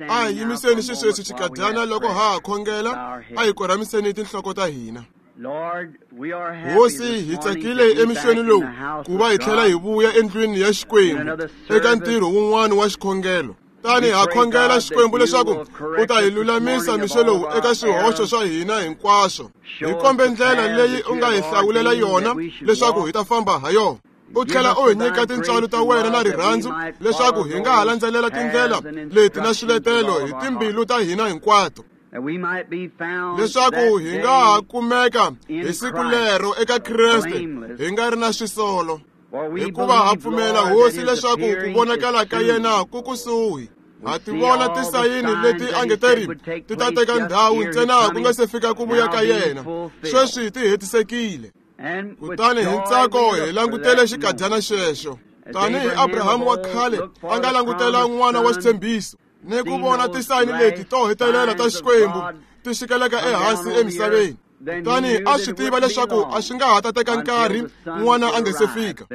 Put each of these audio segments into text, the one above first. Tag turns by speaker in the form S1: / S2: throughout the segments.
S1: A hi yimiseni xisweswi xikadyana loko ha ha khongela, a hi korhamiseni tinhloko ta hina. Hosi, hi tsakile emixweni lowu ku va hi tlhela hi vuya endlwini ya Xikwembu eka ntirho wun'wana wa xikhongelo. Tani ha khongela Xikwembu leswaku u ta hi lulamisa mixo lowu eka swihoxo swa hina hinkwaswo. Hi kombe ndlela leyi u nga hi hlawulela yona leswaku hi ta famba ha yona. U tlhela u hi nyika tintswalo ta wena na rirhandzu leswaku hi nga ha landzelela tindlela leti na swiletelo hi timbilu ta hina hinkwato, leswaku hi nga ha kumeka hi siku lero eka Kreste hi nga ri na swisolo. Hikuva ha pfumela, Hosi, leswaku ku vonakala ka yena ku kusuhi. Ha ti vona tisayini leti a nge teri ti ta teka ndhawu ntsena ku nga se fika ku vuya ka yena. Sweswi ti hetisekile. Kutani hi ntsako hi langutele xikadyana xexo, tanihi Abrahamu wa khale a nga langutela n'wana wa xitshembiso, ni ku vona tisayini leti to hetelela ta Xikwembu ti xikeleka ehansi emisaveni. Kutani a swi tiva leswaku a swi nga ha ta teka nkarhi n'wana a nga se fika.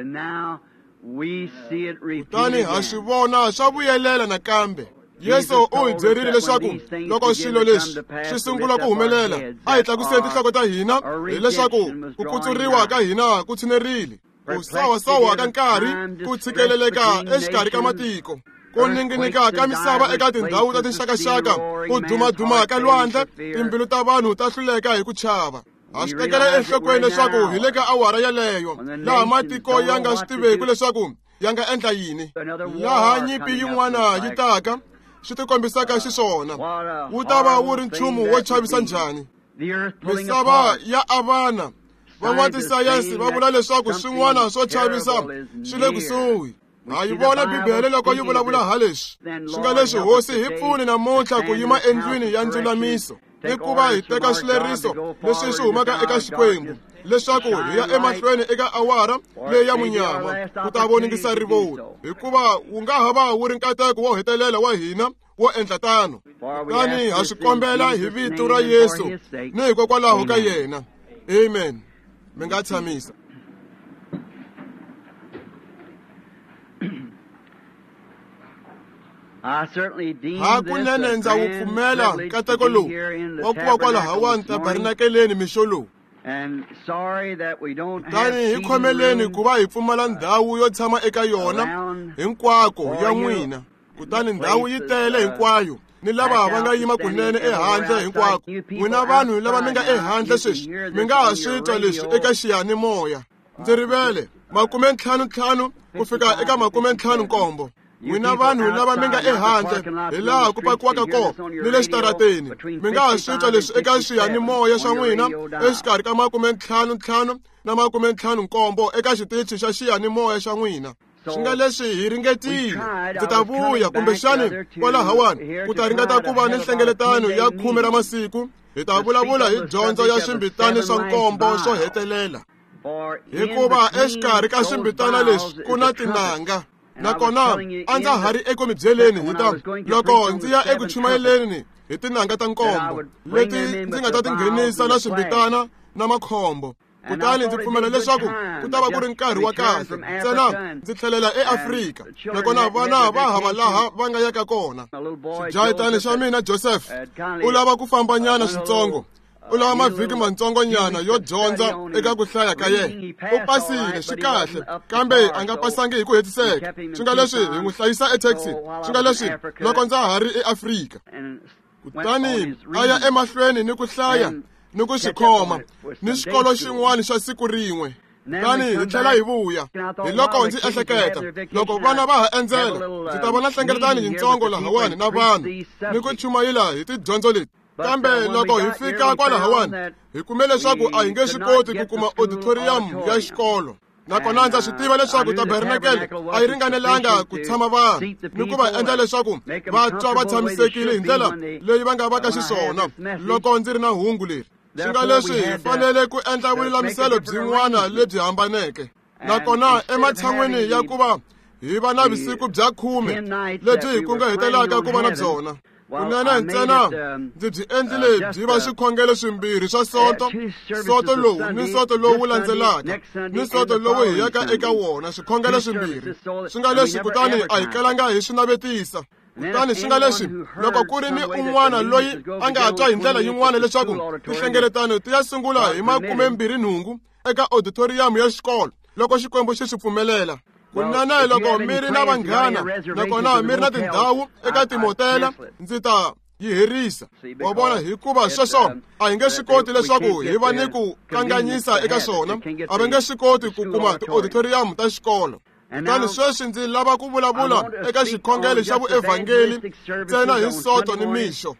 S1: Kutani ha swi vona swa vuyelela nakambe. Yesu u hi byerile leswaku loko swilo leswi swi sungula ku humelela, a hi tlakuseni tinhloko ta hina, hileswaku ku kutsuriwa ka hina ku tshinerile. Ku sawasawa ka nkarhi, ku tshikeleleka exikarhi ka matiko, ku ninginika ka misava eka tindhawu ta tinxakaxaka, ku dumaduma ka lwandle, timbilu ta vanhu ta hluleka hi ku chava. Ha swi tekela enhlokweni leswaku hi le ka awara yeleyo laha matiko ya nga swi tiveki leswaku ya nga endla yini, laha nyimpi yin'wana yi taka swi tikombisaka xiswona. Wu ta va wu ri nchumu wo chavisa njhani? Misava ya avana. Van'watisayense va vula leswaku swin'wana swo chavisa swi le kusuhi. Ha yi vona Bibele loko yi vulavula ha leswi. Swi nga leswi, Hosi, hi pfuni namuntlha ku yima endlwini ya ndzulamiso ni ku va hi teka swileriso leswi swi humaka eka Xikwembu, leswaku hi ya emahlweni eka awara leyi ya munyama ku ta voningisa rivoni, hikuva wu nga ha va wu ri nkateko wo hetelela wa hina wo endla tano. Kutani ha swi kombela hi vito ra Yesu ni hikokwalaho ka yena. Amen. Mi nga tshamisa. Hakunene ndza wu pfumela nkateko lowu wa ku va kwalahawani tabernakeleni mixo lowu. Kutani hi khomeleni ku va hi pfumala ndhawu yo tshama eka yona hinkwako ya n'wina. Kutani ndhawu yi tele hinkwayo, ni lava va nga yima kunene ehandle hinkwako. N'wina vanhu lava mi nga ehandle sweswi, mi nga ha swi twa leswi eka xiyanimoya. Ndzi rivele 55 ku fika eka 57. N'wina vanhu lava mi nga ehandle hi laha ku pakiwaka kona ni le xitarateni, mi nga ha swi twa leswi eka xiyanimoya xa n'wina exikarhi ka 55 na 57 eka xitichi xa xiyanimoya xa n'wina. Swi nga leswi hi ringetile. Ndzi ta vuya kumbexani kwalahawani ku ta ringeta ku va ni nhlengeletano ya 10 ra masiku. Hi ta vulavula hi dyondzo ya swimbitani swa nkombo swo hetelela, hikuva exikarhi ka swimbitana leswi ku na tinanga. Nakona a ndza ha ri eku mi byeleni hi ta loko ndzi ya eku chumayeleni hi tinanga ta nkombo leti ndzi nga ta ti nghenisa na swimbitana na makhombo. Kutani ndzi pfumela leswaku ku ta va ku ri nkarhi wa kahle ntsena ndzi tlhelela eAfrika, nakona vana va hava laha va nga yaka kona. Xijahetani xa mina Joseph u lava ku fambanyana switsongo, u lava mavhiki mantsongonyana yo dyondza eka ku hlaya ka yena. U pasile swi kahle, kambe a nga pasangi hi ku hetiseka. Swi nga leswi hi n'wi hlayisa etaxi, swi nga leswi loko ndza ha ri eAfrika. Kutani a ya emahlweni ni ku hlaya ni ku swi khoma ni xikolo xin'wana xa siku rin'we. Kutani hi tlhela hi vuya. Hi loko ndzi ehleketa, loko vana va ha endzela, ndzi ta vona nhlengeletano yintsongo lahawani na vanhu ni ku chumayela hi tidyondzo leti. Kambe loko hi fika kwalahawani, hi kume leswaku a hi nge swi koti ku kuma auditorium ya xikolo. Nakona ndza swi tiva leswaku tabernakele a yi ringanelanga ku tshama vanhu ni ku va endla leswaku va twa va tshamisekile hi ndlela leyi va nga va ka xiswona loko ndzi ri na hungu leri. Swi nga leswi hi fanele ku endla vululamiselo byin'wana lebyi hambaneke. Nakona ematshan'wini ya ku va hi va na vusiku bya 10 lebyi hi kunguhatelaka ku va na byona, kunene ntsena ndzi byi endlile byi va swikhongelo swimbirhi swa Sonto, Sonto lowu ni Sonto lowu landzelaka, ni Sonto lowu hi yaka eka wona, swikhongelo swimbirhi. Swi nga leswi kutani a hi kalanga hi swi navetisa. Kutani swi nga leswi loko ku ri ni un'wana loyi a nga twa hi ndlela yin'wana leswaku tinhlengeletano ti ya sungula hi 28 eka auditorium ya xikolo loko Xikwembu xi swi pfumelela. Kunene loko mi ri na vanghana nakona mi ri na tindhawu eka timotela, ndzi ta yi herisa. Wa vona, hikuva sweswo a hi nge swi koti leswaku hi va ni ku kanganyisa eka swona, a va nge swi koti ku kuma ti-auditorium ta xikolo. Kutani sweswi ndzi lava ku vulavula eka xikhongelo xa vuevhangeli ntsena hi Sonto ni mixo.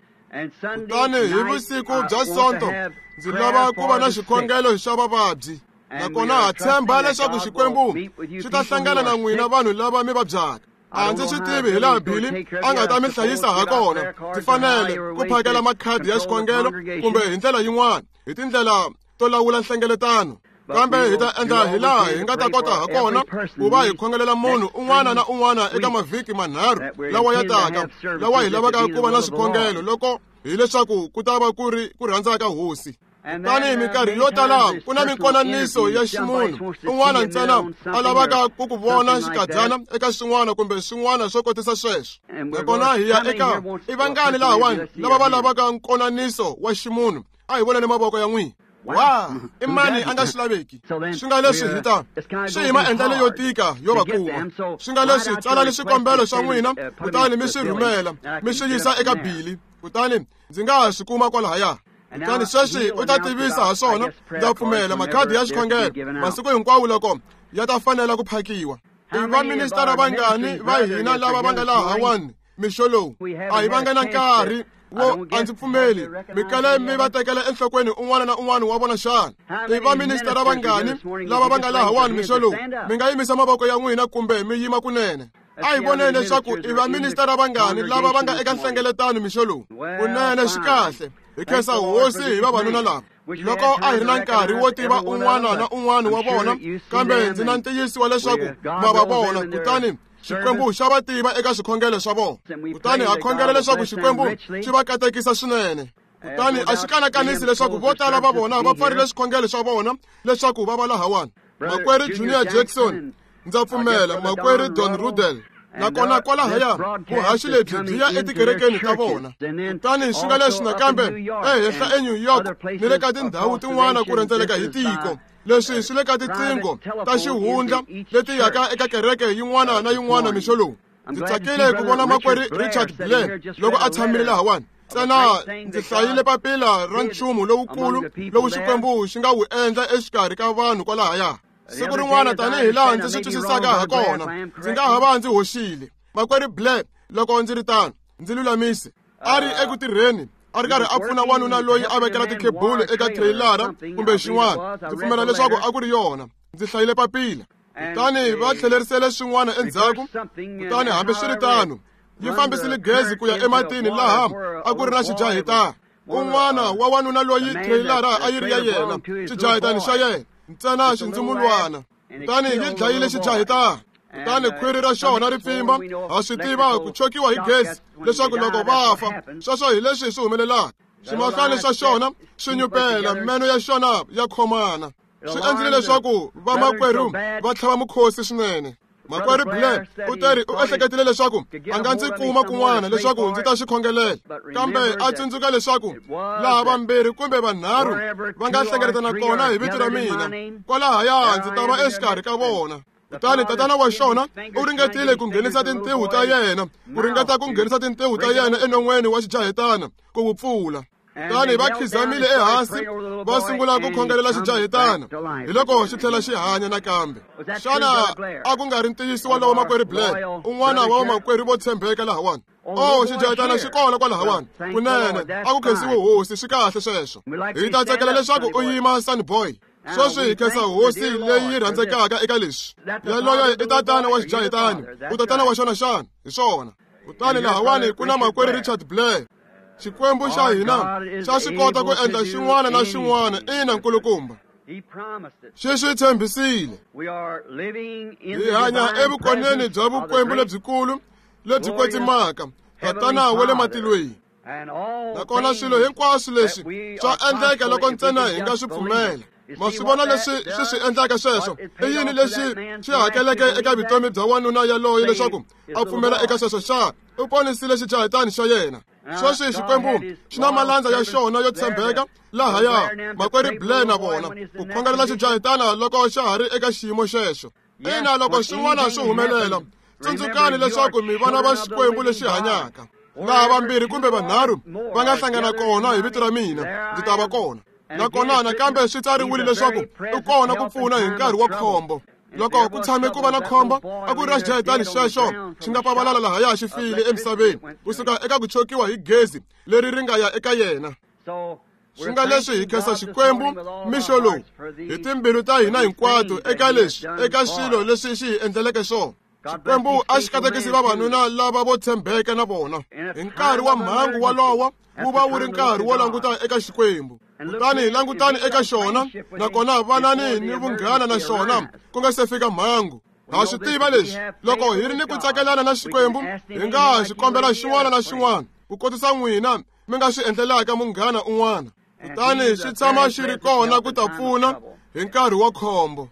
S1: Kutani hi vusiku bya Sonto ndzi lava ku va na xikhongelo xa vavabyi. Nakona ha tshemba leswaku Xikwembu xi ta hlangana na n'wina vanhu lava mi vabyaka. A ndzi swi tivi hi laha Billy a nga ta mi hlayisa ha kona. Ndzi fanele ku phakela makhadi ya xikhongelo kumbe hi ndlela yin'wana, hi tindlela to lawula nhlengeletano. Kambe hi ta endla hi laha hi nga ta kota ha kona ku va hi khongelela munhu un'wana na un'wana eka mavhiki manharhu lawa ya taka, lawa hi lavaka ku va na swikhongelo loko hileswaku ku ta va ku ri ku rhandza ka Hosi. Kutani minkarhi yo tala ku na minkonaniso ya ximunhu un'wana ntsena a lavaka ku ku vona xikadzana eka swin'wana kumbe swin'wana swo kotisa sweswo. Nakona hi ya eka i vangani lahawani lava va lavaka nkonaniso wa ximunhu? A hi voneni mavoko ya n'wina. Wa, i mani a nga swi laveki? Swi nga leswi hi ta swi hi maendlelo yo tika yo va kuma. Swi nga leswi tsalani swikombelo swa n'wina kutani mi swi rhumela mi swi yisa eka Billy, kutani ndzi nga ha swi kuma kwalahaya. Kutani sweswi u ta tivisa ha swona. Ndza pfumela makhadi ya xikhongelo masiku hinkwawo loko ya ta fanela ku phakiwa. I vaministara vangani va hina lava va nga lahawani mixo lowu? A hi vanga na nkarhi wo a ndzi pfumeli mi kale mi va tekela enhlokweni un'wana na un'wana wa vona xana? I vaministara vangani lava va nga lahawani mixo lowu? Mi nga yimisa mavoko ya n'wina kumbe mi yima kunene. A hi voneni leswaku i vaministara vangani lava va nga eka nhlengeletano mixo lowu. Kunene swi kahle. Hi khensa Hosi hi vavanuna lava. Loko a hi ri na nkarhi wo tiva un'wana na un'wana wa vona, kambe ndzi na ntiyiso wa leswaku ma va vona, kutani Xikwembu xa va tiva eka swikhongelo swa vona. Kutani ha khongela leswaku Xikwembu xi va katekisa swinene. Kutani a xi kanakanisi leswaku vo tala va vona va pfarile swikhongelo swa vona leswaku va va lahawani. Makwerhu Junior Jackson, ndza pfumela, makwerhu Don Rudel, nakona kwalahaya vuhaxi lebyi byi ya etikerekeni ta vona. Kutani swi nga leswi nakambe ehenhla eNew York ni le ka tindhawu tin'wana ku rhendzeleka hi tiko. Leswi swi le ka tiqingho ta xihundla leti yaka eka kereke yin'wana na yin'wana mixo lowu. Ndzi tsakile ku vona makwerhu Richard Blair loko a tshamile lahawani. Ntsena ndzi hlayile papila ra nchumu lowukulu lowu Xikwembu xi nga wu endla exikarhi ka vanhu kwalahaya. Siku rin'wana tanihi laha ndzi swi twisisaka ha kona, ndzi nga ha va ndzi hoxile. Makwerhu Blair, loko ndzi ri tano, ndzi lulamise. A ri eku tirheni, a ri karhi a pfuna wanuna loyi a vekela tikhebulu eka trailara kumbe xin'wana. Ndzi pfumela leswaku a ku ri yona. Ndzi hlayile papila. Kutani va tlhelerisele swin'wana endzhaku. Kutani hambiswiritano, yi fambisile gezi ku ya ematini laha a ku ri na xijahitana. Un'wana wa wanuna loyi trailara a yi ri ya yena, xijahitani xa yena, ntsena xindzumulwana. Kutani yi dlayile xijahitana. Kutani khwiri ra xona ri pfimba, ha swi tiva ku chokiwa hi gezi leswaku loko va fa, sweswo hi leswi swi humelelaka. Swimahlwana swa xona swi nyupela, meno ya xona ya khomana. Swi endlile leswaku vamakwerhu va tlhava mukhosi swinene. Makwerhu Blair u teri u ehleketile leswaku a nga ndzi kuma kun'wana leswaku ndzi ta xi khongelela, kambe a tsundzuka leswaku laha vambirhi kumbe vanharhu va nga hlengeletana kona hi vito ra mina, kwalahaya ndzi ta va exikarhi ka vona. Kutani tatana wa xona u ringetile ku nghenisa tintiho ta yena, ku ringeta ku nghenisa tintiho ta yena enon'weni wa xijahitana ku wu pfula. Kutani va khizamile ehansi va sungula ku khongelela xijahitana, hi loko xi tlhela xi hanya nakambe. Xana a ku nga ri ntiyiso walowo, makwerhu Blair, un'wana wa vamakwerhu vo tshembeka lahawani? Oh, xijahitana xi kona kwalahawani. Kunene a ku khensiwe Hosi, swi kahle sweswo. Hi ta tsakela leswaku u yima, Sunny Boy. Sweswi hi khensa Hosi leyi yi rhandzekaka eka leswi. Yaloye i tatana wa xijahitani, u tatana wa xona xana? Hi swona. Kutani lahawani ku na makwerhu Richard Blair. Xikwembu xa hina xa swi kota ku endla xin'wana na xin'wana, ina nkulukumba. Xi swi tshembisile. Hi hanya evukoneni bya vukwembu lebyikulu lebyi kwetsimaka, Tatana wa le matilweni. Nakona swilo hinkwaswo leswi swa endleka loko ntsena hi nga swi pfumela. Ma swi vona leswi swi swi endlaka sweswo? I yini lexi xi hakeleke eka vutomi bya wanuna yaloye leswaku a pfumela eka sweswo xa? U ponisile xijahetani xa yena. Sweswi Xikwembu xi na malandza ya xona yo tshembeka lahaya, makwerhu Blair na vona, ku khongelela xijahetana loko xa ha ri eka xiyimo xexo. Ina, loko swin'wana swi humelela, tsundzukani leswaku mi vana va Xikwembu lexi hanyaka. Laha vambirhi kumbe vanharhu va nga hlangana kona hi vito ra mina, ndzi ta va kona. Nakona nakambe swi tsariwile leswaku u kona ku pfuna hi nkarhi wa khombo. Loko ku tshame ku va na khombo, a ku ri ra xijahetani xexo xi nga pavalala lahaya xi file emisaveni kusuka eka ku chokiwa hi gezi leri ri nga ya eka yena. Swi nga leswi hi khensa Xikwembu mixo lowu hi timbilu ta hina hinkwato eka leswi, eka swilo leswi xi hi endleleke swona. Xikwembu a xi katekisi vavanuna lava vo tshembeka na vona. Hi nkarhi wa mhangu wolowo wu va wu ri nkarhi wo languta eka Xikwembu. Kutani langutani eka xona, nakona vanani ni vunghana na xona ku nga se fika mhangu. Ha swi tiva leswi, loko hi ri ni ku tsakelana na Xikwembu, hi nga xi kombela xin'wana na xin'wana ku kotisa n'wina mi nga swi endlelaka munghana un'wana. Kutani xi tshama xi ri kona ku ta pfuna hi nkarhi wa khombo.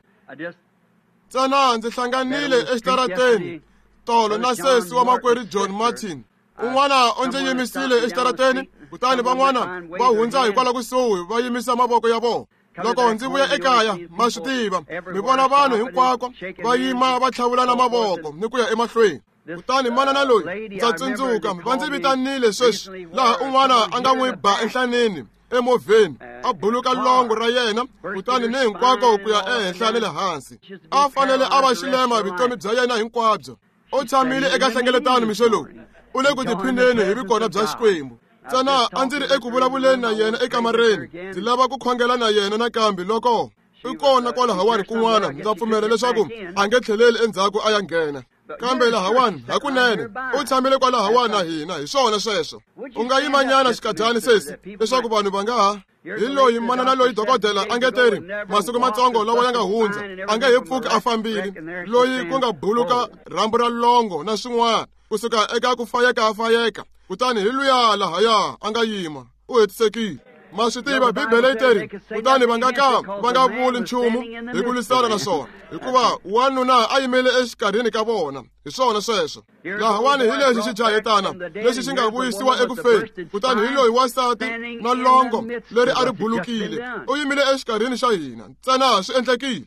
S1: Ntsena ndzi hlanganile exitarateni tolo na sesi wa makwerhu John Martin. Un'wana u ndzi yimisile exitarateni, kutani van'wana va hundza hikwalaho kusuhi va yimisa mavoko ya vona. Loko ndzi vuya ekaya, ma swi tiva, mi vona vanhu hinkwako va yima va tlhavulana mavoko ni ku ya emahlweni. Kutani manana loyi ndza tsundzuka va ndzi vitanile sweswi laha un'wana a nga n'wi ba enhlaneni emovheni, a buluka longo ra yena, kutani ni hinkwako ku ya ehenhla ni le hansi. A fanele a va xilema vutomi bya yena hinkwabyo. U tshamile eka hlengeletano mixo lowu, u le ku tiphineni hi vukona bya Xikwembu. Ntsena a ndzi ri eku vulavuleni na yena ekamareni, ndzi lava ku khongela na yena nakambe loko u kona kwalahawani kun'wana. Ndza pfumela leswaku a nge tlheleli endzhaku a ya nghena. Kambe lahawani hakunene u tshamile kwalahawani na hina. Hi swona sweswo. U nga yimanyana xikadyani sesi leswaku vanhu va nga ha. Hi loyi manana loyi dokodela a nge teri masiku matsongo lawa ya nga hundza a nge he pfuki a fambile, loyi ku nga buluka rhambu ra longo na swin'wana kusuka eka ku fayeka. Kutani hi luya lahaya a nga yima, u hetisekile. Ma swi tiva Bibele yi teri, kutani va nga ka va nga vuli nchumu hi ku lwisana na swona, hikuva wanuna a yimele exikarhini ka vona. Hi swona sweswo. Lahawani hi lexi xijahetana lexi xi nga vuyisiwa eku feni, kutani hi loyi wansati na longo leri a ri bulukile, u yimile exikarhini xa hina. Ntsena swi endlekile.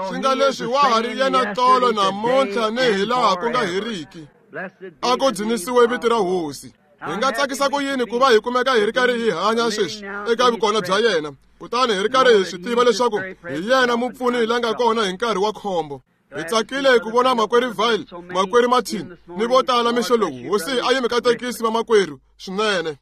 S1: Swi nga leswi wa ha ri yena tolo namuntlha ni hi laha ku nga heriki. A ku dzunisiwe vito ra Hosi. Hi nga tsakisa ku yini ku va hi kumeka hi ri karhi hi hanya sweswi eka vukona bya yena, kutani hi ri karhi hi swi tiva leswaku hi yena mupfuni la nga kona hi nkarhi wa khombo. Hi tsakile ku vona makwerhu Vile, makwerhu Martin ni vo tala mixo lowu. Hosi a yi mi katekisi vamakwerhu swinene.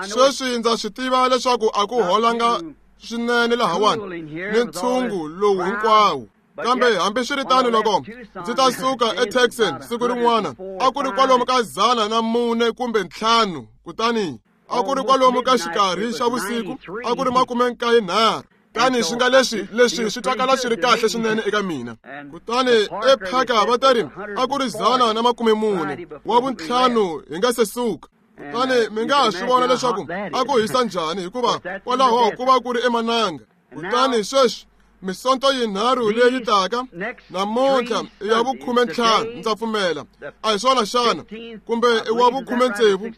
S1: Sweswi ndza swi tiva leswaku a ku holanga swinene lahawani ni ntshungu lowu hinkwawo. Kambe hambiswiritano loko ndzi ta suka eTexan siku rin'wana, a ku ri kwalomu ka 400 kumbe 5, kutani a ku ri kwalomu ka xikarhi xa vusiku, a ku ri 93. Tani swi nga leswi leswi swi twakala swi ri kahle swinene eka mina. Kutani ephaka va ta ri a ku ri 140 wa vuntlhanu hi nga se suka. Kutani mi nga ha swi vona leswaku a ku hisa njhani, hikuva kwalaho ku va ku ri emananga. Kutani sweswi misonto yinharhu leyi taka namuntlha i ya vu-15, ndza pfumela. A hi swona xana? Kumbe i wa vu-16,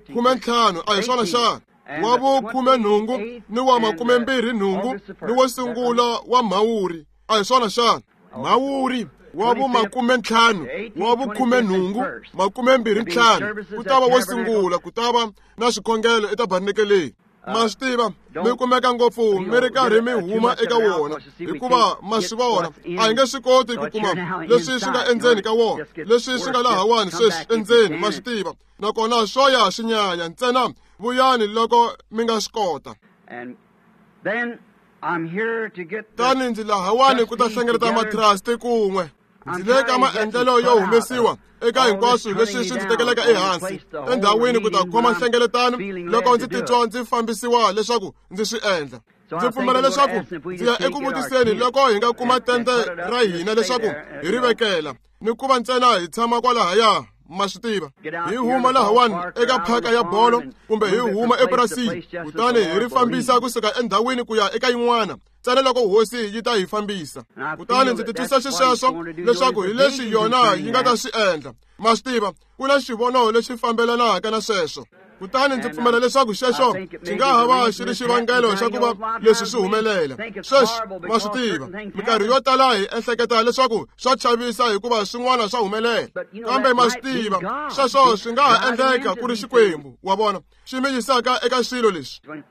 S1: 15, a hi swona xana? Wa vu-18 ni wa 28 ni wo sungula wa Mhawuri, a hi swona xana? Mhawuri wa vu-50, wa vu-18, 25 ku ta va wo sungula, ku ta va na swikhongelo etabarnakeleni. Ma swi tiva mi kumeka ngopfu mi ri karhi mi huma eka wona, hikuva ma swi vona a hi nge swi koti ku kuma leswi swi nga endzeni ka wona, leswi swi nga lahawani sweswi endzeni, ma swi tiva. Nakona swo ya swi nyanya ntsena, vuyani loko mi nga swi kota. Tani ndzi lahawani ku ta hlengeleta matrasti kun'we. Ndzi le ka maendlelo yo humesiwa eka hinkwaswo leswi swi ndzi tekelaka ehansi endhawini ku ta khoma nhlengeletano loko ndzi titwa ndzi fambisiwa leswaku ndzi swi endla. Ndzi pfumela leswaku ndzi ya eku vutiseni loko hi nga kuma tende ra hina leswaku hi ri vekela ni ku va ntsena hi tshama kwalahaya. Ma swi tiva, hi huma lahawani eka phaka ya bolo kumbe hi huma epurasini, kutani hi ri fambisa kusuka endhawini ku ya eka yin'wana ntsena loko hosi yi ta hi fambisa. Kutani ndzi titwisa xisweswo leswaku hi leswi yona yi nga ta swi endla. Ma swi tiva, ku na xivono lexi fambelanaka na sweswo. Kutani ndzi pfumela leswaku xexo xi nga ha va xi ri xivangelo xa ku va leswi swi humelela. Sweswi, ma swi tiva, minkarhi yo tala hi ehleketa leswaku swa chavisa hikuva swin'wana swa humelela, kambe ma swi tiva, sweswo swi nga ha endleka ku ri Xikwembu, wa vona, xi mi yisaka eka swilo leswi.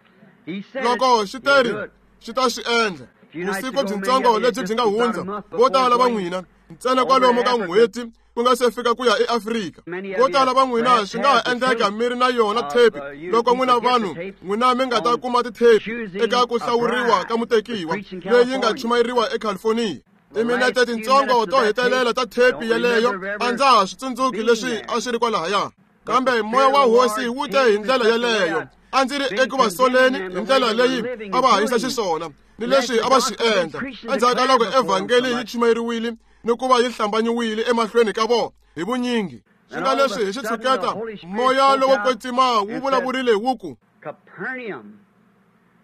S1: Loko xi teri, xi ta swi endla. Vusiku byintsongo lebyi byi nga hundza, vo tala va n'wina ntsena kwalomu ka n'hweti ku nga se fika ku ya eAfrika, vo tala va n'wina swi nga ha endleka mi ri na yona thepi. Loko n'wina vanhu n'wina mi nga ta kuma tithepi eka ku hlawuriwa ka mutekiwa leyi nga chumayeriwa eCalifornia, timinete tintsongo to hetelela ta thepi yeleyo a ndza ha swi tsundzuki leswi a swi ri kwalahaya, kambe moya wa hosi wu te hi ndlela yeleyo. A ndzi ri eku va soleni hi ndlela leyi a va hanyisa xiswona ni leswi a va swi endla endzhaku ka loko evhangeli yi chumayeriwile ni ku va yi hlambanyiwile emahlweni ka vona hi vunyingi. Swi nga leswi hi xitshuketa moya lowo kwetsima wu vulavurile wu ku,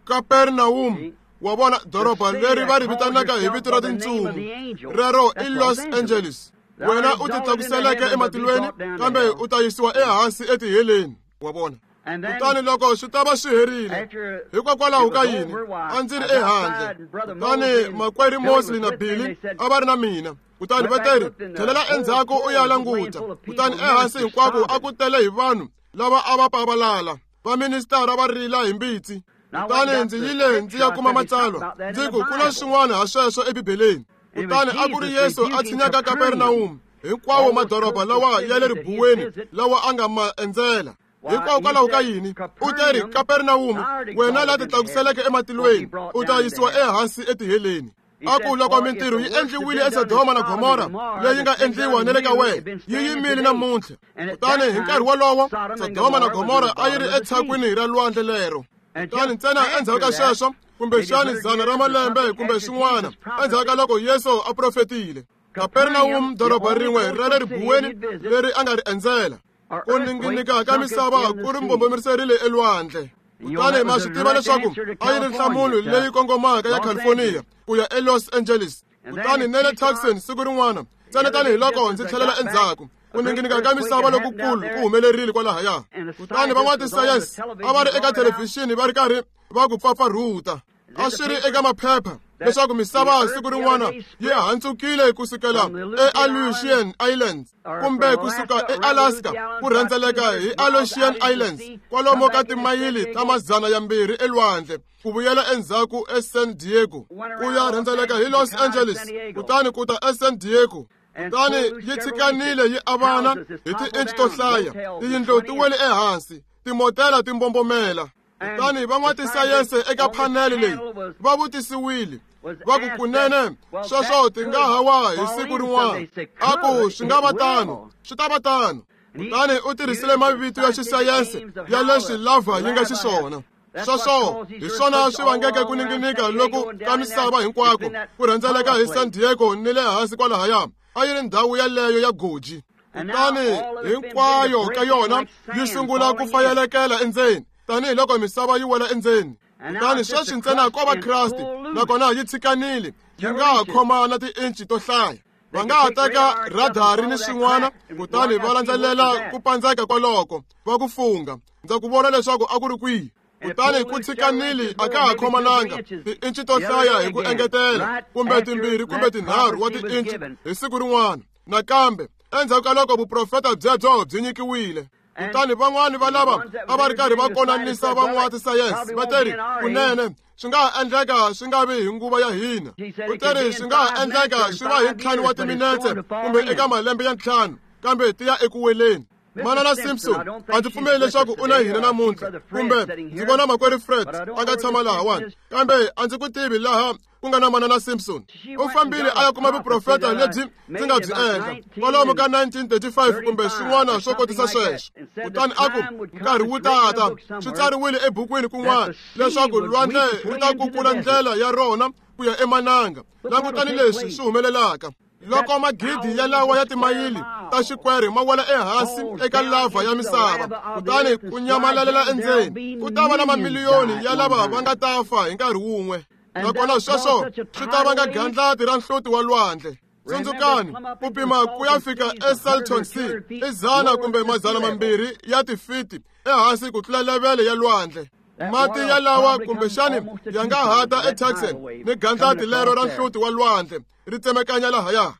S1: Kapernawum, wa vona doroba leri va ri vitanaka hi vito ra tintsumi, rero i Los Angeles. Wena u titlakuseleke ematilweni, kambe u ta yisiwa ehansi etiheleni, wa vona. Kutani loko swi ta va swi herile, hikokwalaho ka yini a ndzi ri ehandle, kutani makwerhu Mosley na Billy a va ri na mina. Kutani va teri, tlhelela endzhaku u ya languta. Kutani ehansi hinkwako a ku tele hi vanhu lava a va pavalala, vaministara va rila hi mbitsi. Kutani ndzi yile ndzi ya kuma matsalwa, ndzi ku ku na swin'wana ha sweswo eBibeleni. Kutani a ku ri Yesu a tshinyaka Kapernawum, hinkwawo madoroba lawa ya le ribuweni lawa a nga ma endzela. Hikokwalaho ka yini u teri, Kapernawum, wena la titlakuseleke ematilweni, u ta yisiwa ehansi etiheleni. A ku loko mintirho yi endliwile eSodoma na Gomora leyi nga endliwa na le ka wena, yi yimile namuntlha. Kutani hi nkarhi wolowo Sodoma na Gomora a yi ri etshakwini ra lwandle lero. Kutani ntsena endzhaku ka sweswo, kumbexani 100 ra malembe kumbe swin'wana endzhaku ka loko Yesu a profetile, Kapernawum, doroba rin'we ra le ribuweni leri a nga ri endzela, ku ninginika ka misava ku ri mbombomeriseriwile elwandle. Kutani ma swi tiva leswaku a yi ri nhlamulo leyi kongomaka ya California ku ya eLos Angeles. Kutani na le Tucson siku rin'wana, ntsena tanihiloko ndzi tlhelela endzhaku, ku ninginika ka misava lokukulu ku humelerile kwalahaya. Kutani van'watisayense a va ri eka thelevhixini va ri karhi va ku pfapfarhuta. A swi ri eka maphepha leswaku misava siku rin'wana yi handzukile kusukela eAleutian Islands kumbe kusuka eAlaska ku rhendzeleka hi Aleutian Islands kwalomu ka timayili ta 200 elwandle, ku vuyela endzhaku eSan Diego, ku ya rhendzeleka hi Los Angeles, kutani ku ta eSan Diego. Kutani yi tshikanile yi avana hi ti-inch to hlaya, tiyindlu ti wele ehansi, timotela ti mbombomela. Kutani van'watisayense eka phanele leyi va vutisiwile, va ku kunene sweswo ti nga ha wa hi siku rin'wana. A ku swi nga va tano, swi ta va tano. Kutani u tirhisile mavito ya xisayense ya leswi lava yi nga xiswona. Sweswo hi swona swi vangeke ku ninginika loku ka misava hinkwako ku rhendzeleka hi San Diego ni le hansi kwalahaya. A yi ri ndhawu yaleyo ya goji. Kutani hinkwayo ka yona yi sungula ku fayelekela endzeni tanihiloko misava yi wela endzeni. Kutani sweswi ntsena ko va Kreste, nakona yi tshikanile, yi nga ha khoma na ti-inchi to hlaya. Va nga ha teka radari ni swin'wana, kutani va landzelela ku pandzeka kwaloko, va ku fungha. Ndza ku vona leswaku a ku ri kwihi. Kutani ku tshikanile a ka ha khomananga ti-inchi to hlaya hi ku engetela, kumbe 2 kumbe 3 wa ti-inchi hi siku rin'wana. Nakambe endzhaku ka loko vuprofeta byebyo byi nyikiwile, kutani van'wani va lava a va ri karhi va konanisa van'watisayense va teri, kunene swi nga ha endleka swi nga vi hi nguva ya hina. U teri swi nga ha endleka swi va hi 5 wa timinetse kumbe eka malembe ya 5, kambe ti ya eku weleni. Manana Simpson, a ndzi pfumeli leswaku u na hina namuntlha, kumbe ndzi vona makwerhu Fred a nga tshama lahawani, kambe a ndzi ku tivi laha ku nga na Manana Simpson. U fambile a ya kuma vuprofeta lebyi ndzi nga byi endla kwalomu ka 1935 kumbe swin'wana swo kotisa sweswo. Kutani a ku nkarhi wu tata, swi tsariwile ebukwini kun'wana leswaku lwandle ri ta kukula ndlela ya rona ku ya emananga. Langutani leswi swi humelelaka. Loko magidi yalawa ya timayili ta xikwere ma wela ehansi eka lava ya misava, kutani ku nyamalalela endzeni, ku ta va na mamiliyoni ya lava va nga ta fa hi nkarhi wun'we. Nakona sweswo swi ta vanga gandlati ra nhloti wa lwandle. Tsundzukani, ku pima ku ya fika eSalton Sea i 100 kumbe 200 ya tifiti ehansi ku tlula levele ya lwandle. Mati yalawa kumbexani ya nga hata eTucson ni gandlati lero ra nhloti wa lwandle ri tsemekanya lahaya.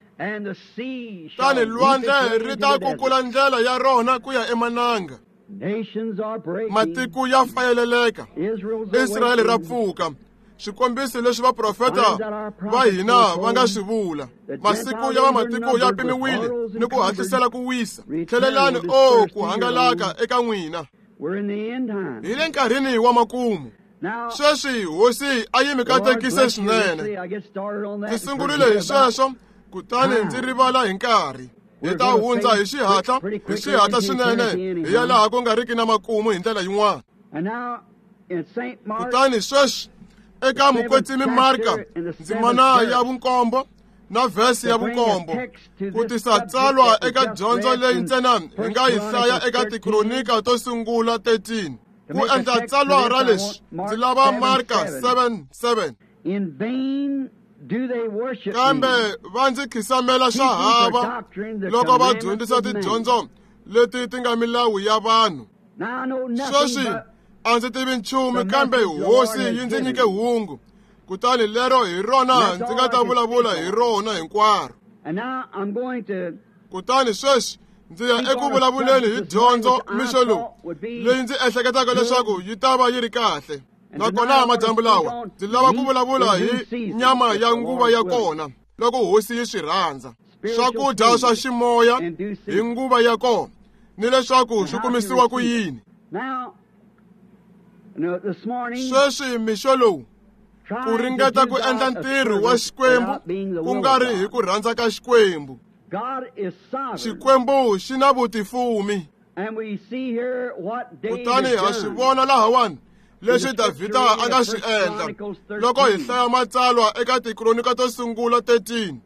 S1: Tani lwandle ri ta kukula ndlela ya rona ku ya emananga. Matiko ya fayeleleka, Israyele ra pfuka. Swikombiso leswi vaprofeta va hina va nga swi vula. Masiku ya vamatiko ya pimiwile ni ku hatlisela ku wisa. Tlhelelani, o ku hangalaka eka n'wina. Hi le nkarhini wa makumu. Sweswi hosi a yi mi katekise swinene. Ndzi sungurile hi sweswo, kutani ndzi rivala hi nkarhi. Hi ta hundza hi xihatla, hi xihatla swinene, hi ya laha ku nga riki na makumu hi ndlela yin'wana. Kutani sweswi eka Mukwetsimi Marka ndzimana ya 7 na vhesi ya 7, ku tisa tsalwa eka dyondzo leyi ntsena hi nga yi hlaya eka Tikronika to sungula 13. Ku endla tsalwa ra leswi, ndzi lava Marka 7:7. Kambe va ndzi khisamela swa hava loko va dyondzisa tidyondzo leti ti nga milawu ya vanhu. Sweswi a ndzi tivi nchumu, kambe hosi yi ndzi nyike hungu, kutani lero hi rona ndzi nga ta vulavula hi rona hinkwaro. Kutani sweswi ndzi ya eku vulavuleni hi dyondzo mixo lowu leyi ndzi ehleketaka leswaku yi ta va yi ri kahle. Nakona madyambu lawa ndzi lava ku vulavula hi nyama ya nguva ya kona, loko hosi yi swi rhandza. Swakudya swa ximoya hi nguva ya kona, ni leswaku swi kumisiwa ku yini. Sweswi mixo lowu, ku ringeta ku endla ntirho wa Xikwembu ku nga ri hi ku rhandza ka Xikwembu. Xikwembu xi na vutifumi. Kutani ha swi vona lahawani leswi Davhida a nga swi endla loko hi hlaya matsalwa eka Tikronika to sungula 13.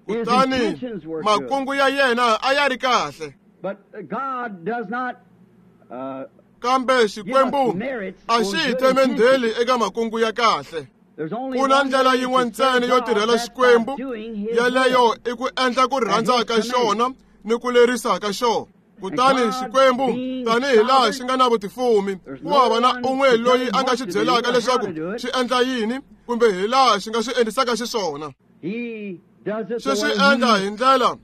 S1: Kutani makungu ya yena a ya ri kahle. Kambe Xikwembu a xi hi themendheli eka makungu ya kahle. Ku na ndlela yin'we ntsena yo tirhela Xikwembu, yeleyo i ku endla ku rhandza ka xona ni ku lerisa ka xona. Kutani Xikwembu, tanihi laha xi nga na vutifumi, ku hava na un'we loyi a nga xi byelaka leswaku xi endla yini kumbe hi laha xi nga swi endlisaka xiswona. Xi swi endla hi ndlela,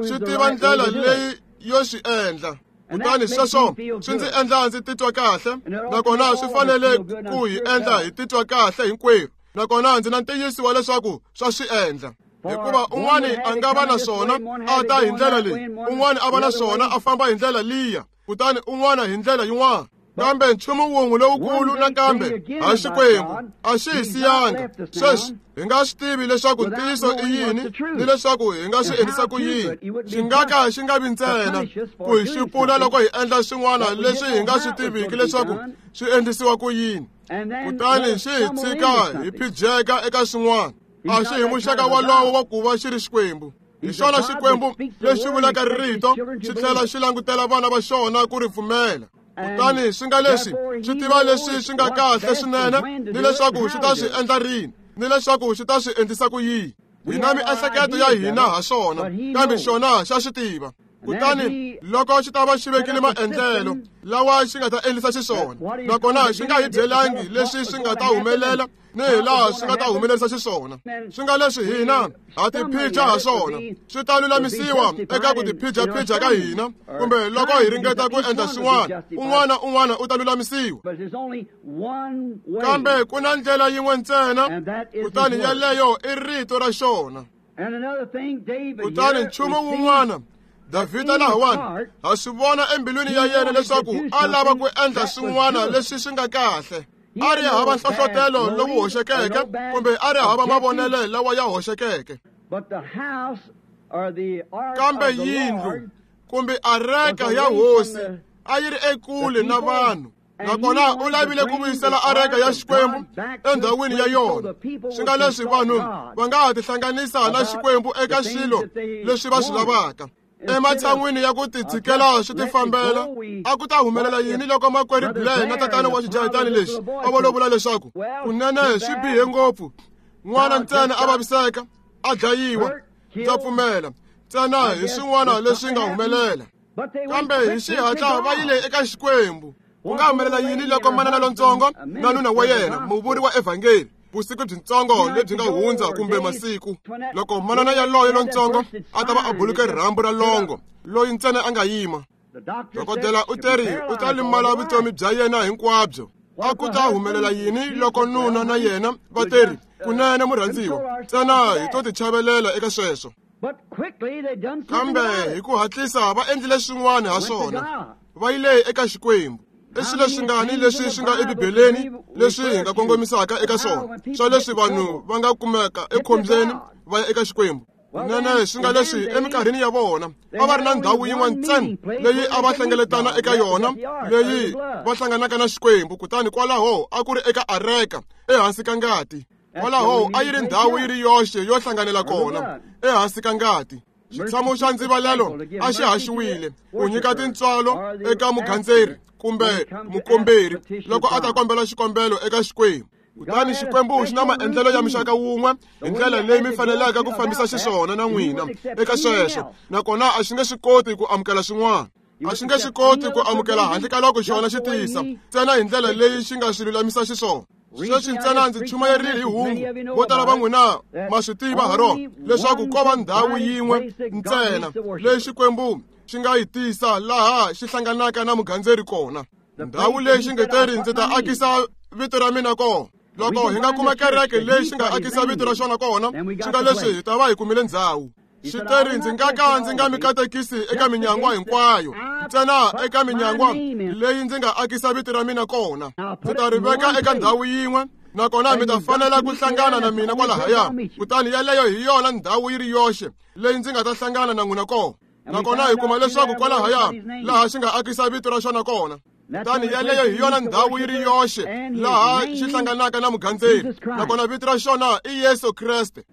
S1: xi tiva ndlela leyi yo swi endla. Kutani sweswo swi ndzi endla ndzi titwa kahle, nakona swi fanele ku hi endla hi titwa kahle hinkwerhu. Nakona ndzi na ntiyiso wa leswaku swa swi endla. Hikuva un'wani a nga va na swona a ta hi ndlela leyi, un'wani a va na swona a famba hi ndlela liya, kutani un'wana hi ndlela yin'wana. Kambe nchumu wun'we lowukulu nakambe ha Xikwembu a xi hi siyanga. Sweswi hi nga swi tivi leswaku ntiyiso i yini ni leswaku hi nga swi endlisa ku yini. Xi nga ka xi nga vi ntsena ku hi xupula loko hi endla swin'wana leswi hi nga swi tiviki leswaku swi endlisiwa ku yini, kutani xi hi tshika hi phijeka eka swin'wana. A xi hi muxaka wolowo wa ku va xi ri Xikwembu. Hi xona Xikwembu lexi vulaka rito xi tlhela xi langutela vana va xona ku ri pfumela. Kutani swi nga leswi swi tiva leswi swi nga kahle swinene ni leswaku xi ta swi endla rini ni leswaku xi ta swi endlisa ku yini. Hi na miehleketo ya hina ha swona, kambe xona xa swi tiva. Kutani loko xi ta va xi vekile maendlelo lawa xi nga ta endlisa xiswona, nakona xi nga hi byelangi leswi swi nga ta humelela ni hi laha swi nga ta humelerisa xiswona, swi nga leswi hina ha tiphija ha swona, swi ta lulamisiwa eka ku tiphija-phija ka hina, kumbe loko hi ringeta ku endla swin'wana, un'wana un'wana u ta lulamisiwa. Kambe ku na ndlela yin'we ntsena, kutani yeleyo i rito ra xona. Kutani nchumu wun'wana, Davhida lahawani ha swi vona embilwini ya yena leswaku a lava ku endla swin'wana leswi swi nga kahle. A ri hava nhlohlotelo lowu hoxekeke kumbe a ri hava mavonelo lawa ya hoxekeke. Kambe yindlu kumbe areka ya hosi a yi ri ekule na vanhu. Nakona u lavile ku vuyisela areka ya Xikwembu endhawini ya yona, swi nga leswi vanhu va nga ha tihlanganisa na Xikwembu eka swilo leswi va swi lavaka. Ematshan'wini ya ku titshikela swi tifambela, a ku ta humelela yini loko makwerhu Blair na tatana wa xijahetani lexi a vo lo vula leswaku kunene swi bihe ngopfu, n'wana ntsena a vaviseka, a dlayiwa, ndza pfumela, ntsena hi swin'wana leswi nga humelela. Kambe hi xihatla va yile eka Xikwembu. Ku nga humelela yini loko manana lontsongo na nuna wa yena, muvuri wa evhangeli, vusiku byintsongo lebyi nga hundza kumbe masiku, loko manana yaloye lontsongo a ta va a buluke rirhambu ra longo, loyi ntsena a nga yima. Dokodela u teri u ta limala vutomi bya yena hinkwabyo. A ku ta humelela yini loko nuna na yena va teri kunene murhandziwa, ntsena hi to tichavelela eka sweswo. Kambe hi ku hatlisa va endlile swin'wana ha swona, va yile eka Xikwembu. I swilo swingani leswi swi nga eBibeleni leswi hi nga kongomisaka eka swona, swa leswi vanhu va nga kumeka ekhombyeni va ya eka Xikwembu. Kunene swi nga leswi eminkarhini ya vona a va ri na ndhawu yin'we ntsena leyi a va hlengeletana eka yona, leyi va hlanganaka na Xikwembu, kutani kwalaho a ku ri eka areka ehansi ka ngati. Kwalaho a yi ri ndhawu yi ri yoxe yo hlanganela kona, ehansi ka ngati. Xitshamo xa ndzivalelo a xi haxiwile ku nyika tintswalo eka mugandzeri kumbe mukomberi loko a ta kombela xikombelo eka Xikwembu. Kutani Xikwembu xi na maendlelo ya muxaka wun'we hi ndlela leyi mi faneleke ku fambisa xiswona na n'wina eka sweswo, nakona a xi nge swi koti ku amukela swin'wana. A xi nge swi koti ku amukela handle ka loko xona xi tisa ntsena hi ndlela leyi xi nga swi lulamisa xiswona. Sweswi ntsena ndzi chumayerile hi hungu, vo tala va n'wina ma swi tiva ha rona, leswaku ko va ndhawu yin'we ntsena leyi Xikwembu xi nga yi tisa laha xi hlanganaka na mugandzeri kona. Ndhawu leyi xi nge teri ndzi ta akisa vito ra mina kona. Loko hi nga kuma kereke leyi xi nga akisa vito ra xona kona, swi nga leswi hi ta va hi kumile ndzhawu. Xi teri ndzi nga ka ndzi nga mi katekisi eka minyangwa hinkwayo, ntsena eka minyangwa leyi ndzi nga akisa vito ra mina kona. Ndzi ta ri veka eka ndhawu yin'we, nakona mi ta fanela ku hlangana na mina kwalahaya. Kutani yaleyo hi yona ndhawu yi ri yoxe leyi ndzi nga ta hlangana na n'wina kona. Nakona hi kuma leswaku kwalahaya laha xi nga akisa vito ra xona kona. Kutani yaleyo hi yona ndhawu yi ri yoxe laha xi hlanganaka na mugandzeri, nakona vito ra xona i Yesu Kreste.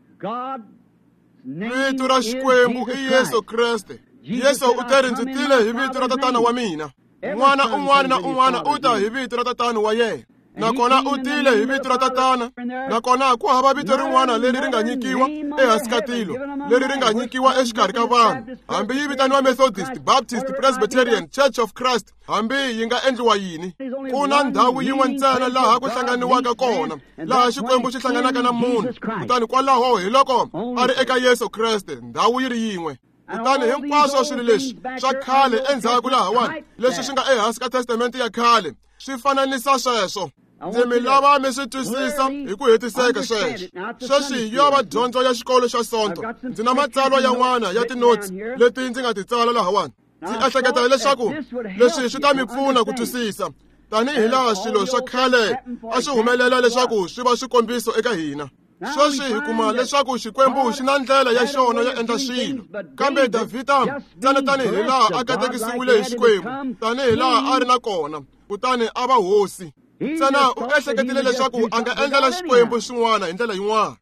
S1: Vito ra Xikwembu i Yesu Kreste. Yesu u teri ndzi tile hi vito ra tatana wa mina. N'wana un'wana na un'wana u ta hi vito ra tatana wa yena. Nakona u tile hi vito ra tatana, nakona ku hava vito rin'wana leri ri nga nyikiwa ehansi ka tilo, leri ri nga nyikiwa exikarhi ka vanhu, hambi yi vitaniwa Methodist, Baptist, Presbyterian, Church of Christ, hambi yi nga endliwa yini. Ku na ndhawu yin'we ntsena laha ku hlanganiwaka kona, laha Xikwembu xi hlanganaka na munhu, kutani kwalaho hi loko a ri eka Yesu Kreste, ndhawu yi ri yin'we. Kutani hinkwaswo swilo leswi swa khale endzhaku lahawani, leswi swi nga ehansi ka testamente ya khale, swi fananisa sweswo. Ndzi mi lava mi swi twisisa hi ku hetiseka sweswo. Sweswi yo va dyondzo ya xikolo xa Sonto. Ndzi na matsalwa yan'wana ya tinotsi leti ndzi nga ti tsala lahawani. Ndzi ehleketa leswaku leswi swi ta mi pfuna ku twisisa, tanihi laha swilo swa khale a swi humelela leswaku swi va swikombiso eka hina. Sweswi hi kuma leswaku Xikwembu xi na ndlela ya xona yo endla swilo. Kambe Davhida ntsena tanihi laha a katekisiwile hi Xikwembu, tanihi laha a ri na kona, kutani a va hosi. Ntsena u ehleketile leswaku a nga endlela Xikwembu swin'wana hi ndlela yin'wana,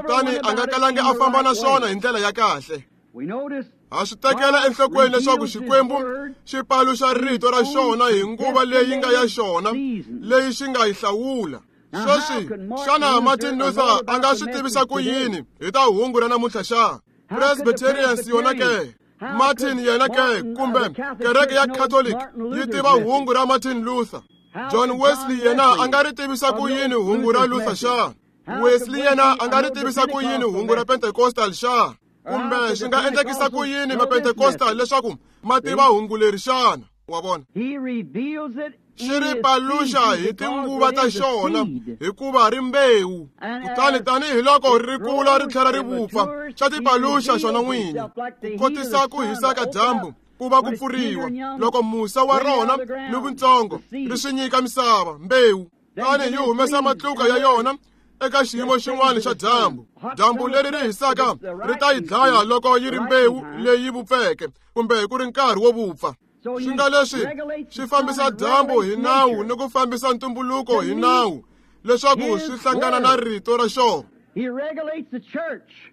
S1: kutani a nga kalangi a famba na swona hi ndlela ya kahle. Ha swi tekela enhlokweni leswaku Xikwembu xi paluxa rito ra xona hi nguva leyi nga ya xona, leyi xi nga yi hlawula. Sweswi, xana Martin Luther a nga swi tivisa ku yini hi ta hungu ra namuntlha xa? Presbyterians yona ke, Martin yena ke, kumbe kereke ya Catholic yi tiva hungu ra Martin Luther. John Wesley yena a nga ri tivisa ku yini hungu ra Luther xa? Wesley yena a nga ri tivisa ku yini hungu ra Pentecostal xa? Kumbe swi nga endlekisa ku yini ma-Pentecostal leswaku ma tiva hungu leri xana? Wa vona? Xi ri paluxa hi tinguva ta xona, hikuva ri mbewu. Kutani tanihi loko ri kula ri tlhela ri vupfa, xa ti paluxa xona n'winyi, ku kotisa ku hisa ka dyambu ku va ku pfuriwa, loko musa wa rona ni vuntsongo ri swi nyika misava mbewu. Kutani yi humesa matluka ya yona eka xiyimo xin'wana xa dyambu. Dyambu leri ri hisaka ri ta yi dlaya loko yi ri mbewu leyi vupfeke kumbe ku ri nkarhi wo vupfa. Swi nga leswi swi fambisa dyambu hi nawu ni ku fambisa ntumbuluko hi nawu leswaku swi hlangana na rito ra xona.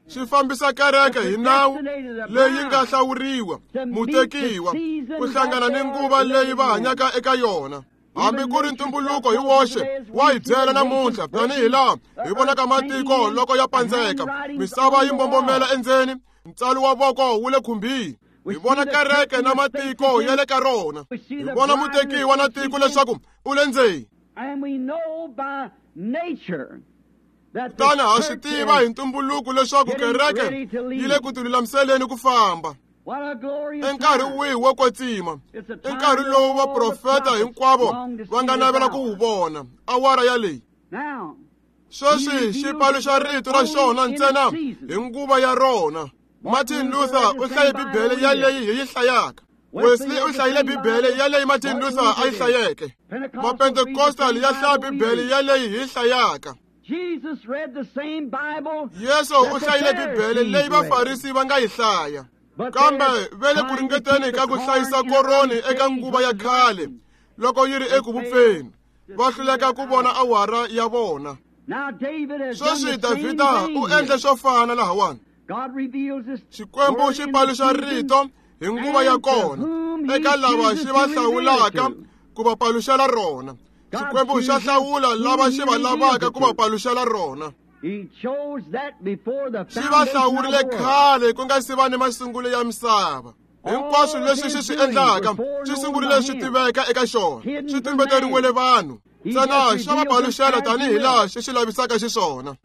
S1: Swi fambisa kereke hi nawu leyi nga hlawuriwa, mutekiwa, ku hlangana ni nguva leyi va hanyaka eka yona. Hambi ku ri ntumbuluko hi woxe wa hi byela namuntlha, tanihi laha hi vonaka matiko loko ya pandzeka, misava yi mbombomela endzeni, ntsalo wa voko wu le khumbini. Hi vona kereke na matiko ya le ka rona. Hi vona mutekiwa na tiko leswaku u le ndzeni. Kutani ha swi tiva hi ntumbuluko leswaku kereke yi le ku tilulamiseleni ku famba. I nkarhi wihi wo kwetsima? I nkarhi lowu vaprofeta hinkwavo va nga navela ku wu vona, awara yaleyi. Sweswi xi paluxa rito ra xona ntsena hi nguva ya rona. Martin Luther u hlaye Bibele yaleyi hi yi hlayaka. Wesley u hlayile Bibele yaleyi Martin Luther a yi hlayeke. Mapentecostal ya hlaya Bibele yaleyi hi yi hlayaka. Yesu u hlayile Bibele leyi Vafarisi va nga yi hlaya. Kambe va le ku ringeteni ka ku hlayisa koroni eka nguva ya khale loko yi ri eku vupfeni, va hluleka ku vona awara ya vona. Sweswi Davhida u endle swo fana lahawani. Xikwembu xi paluxa rito hi nguva ya kona eka lava xi va hlawulaka ku va paluxela rona. Xikwembu xa hlawula lava xi va lavaka ku va paluxela rona. Xi va hlawurile khale ku nga si va ni masungulo ya misava. Hinkwaswo leswi xi swi endlaka swi sungurile swi tiveka eka xona, swi tumbeteriwile vanhu. Ntsena xa va paluxela tanihi laha xi swi lavisaka xiswona.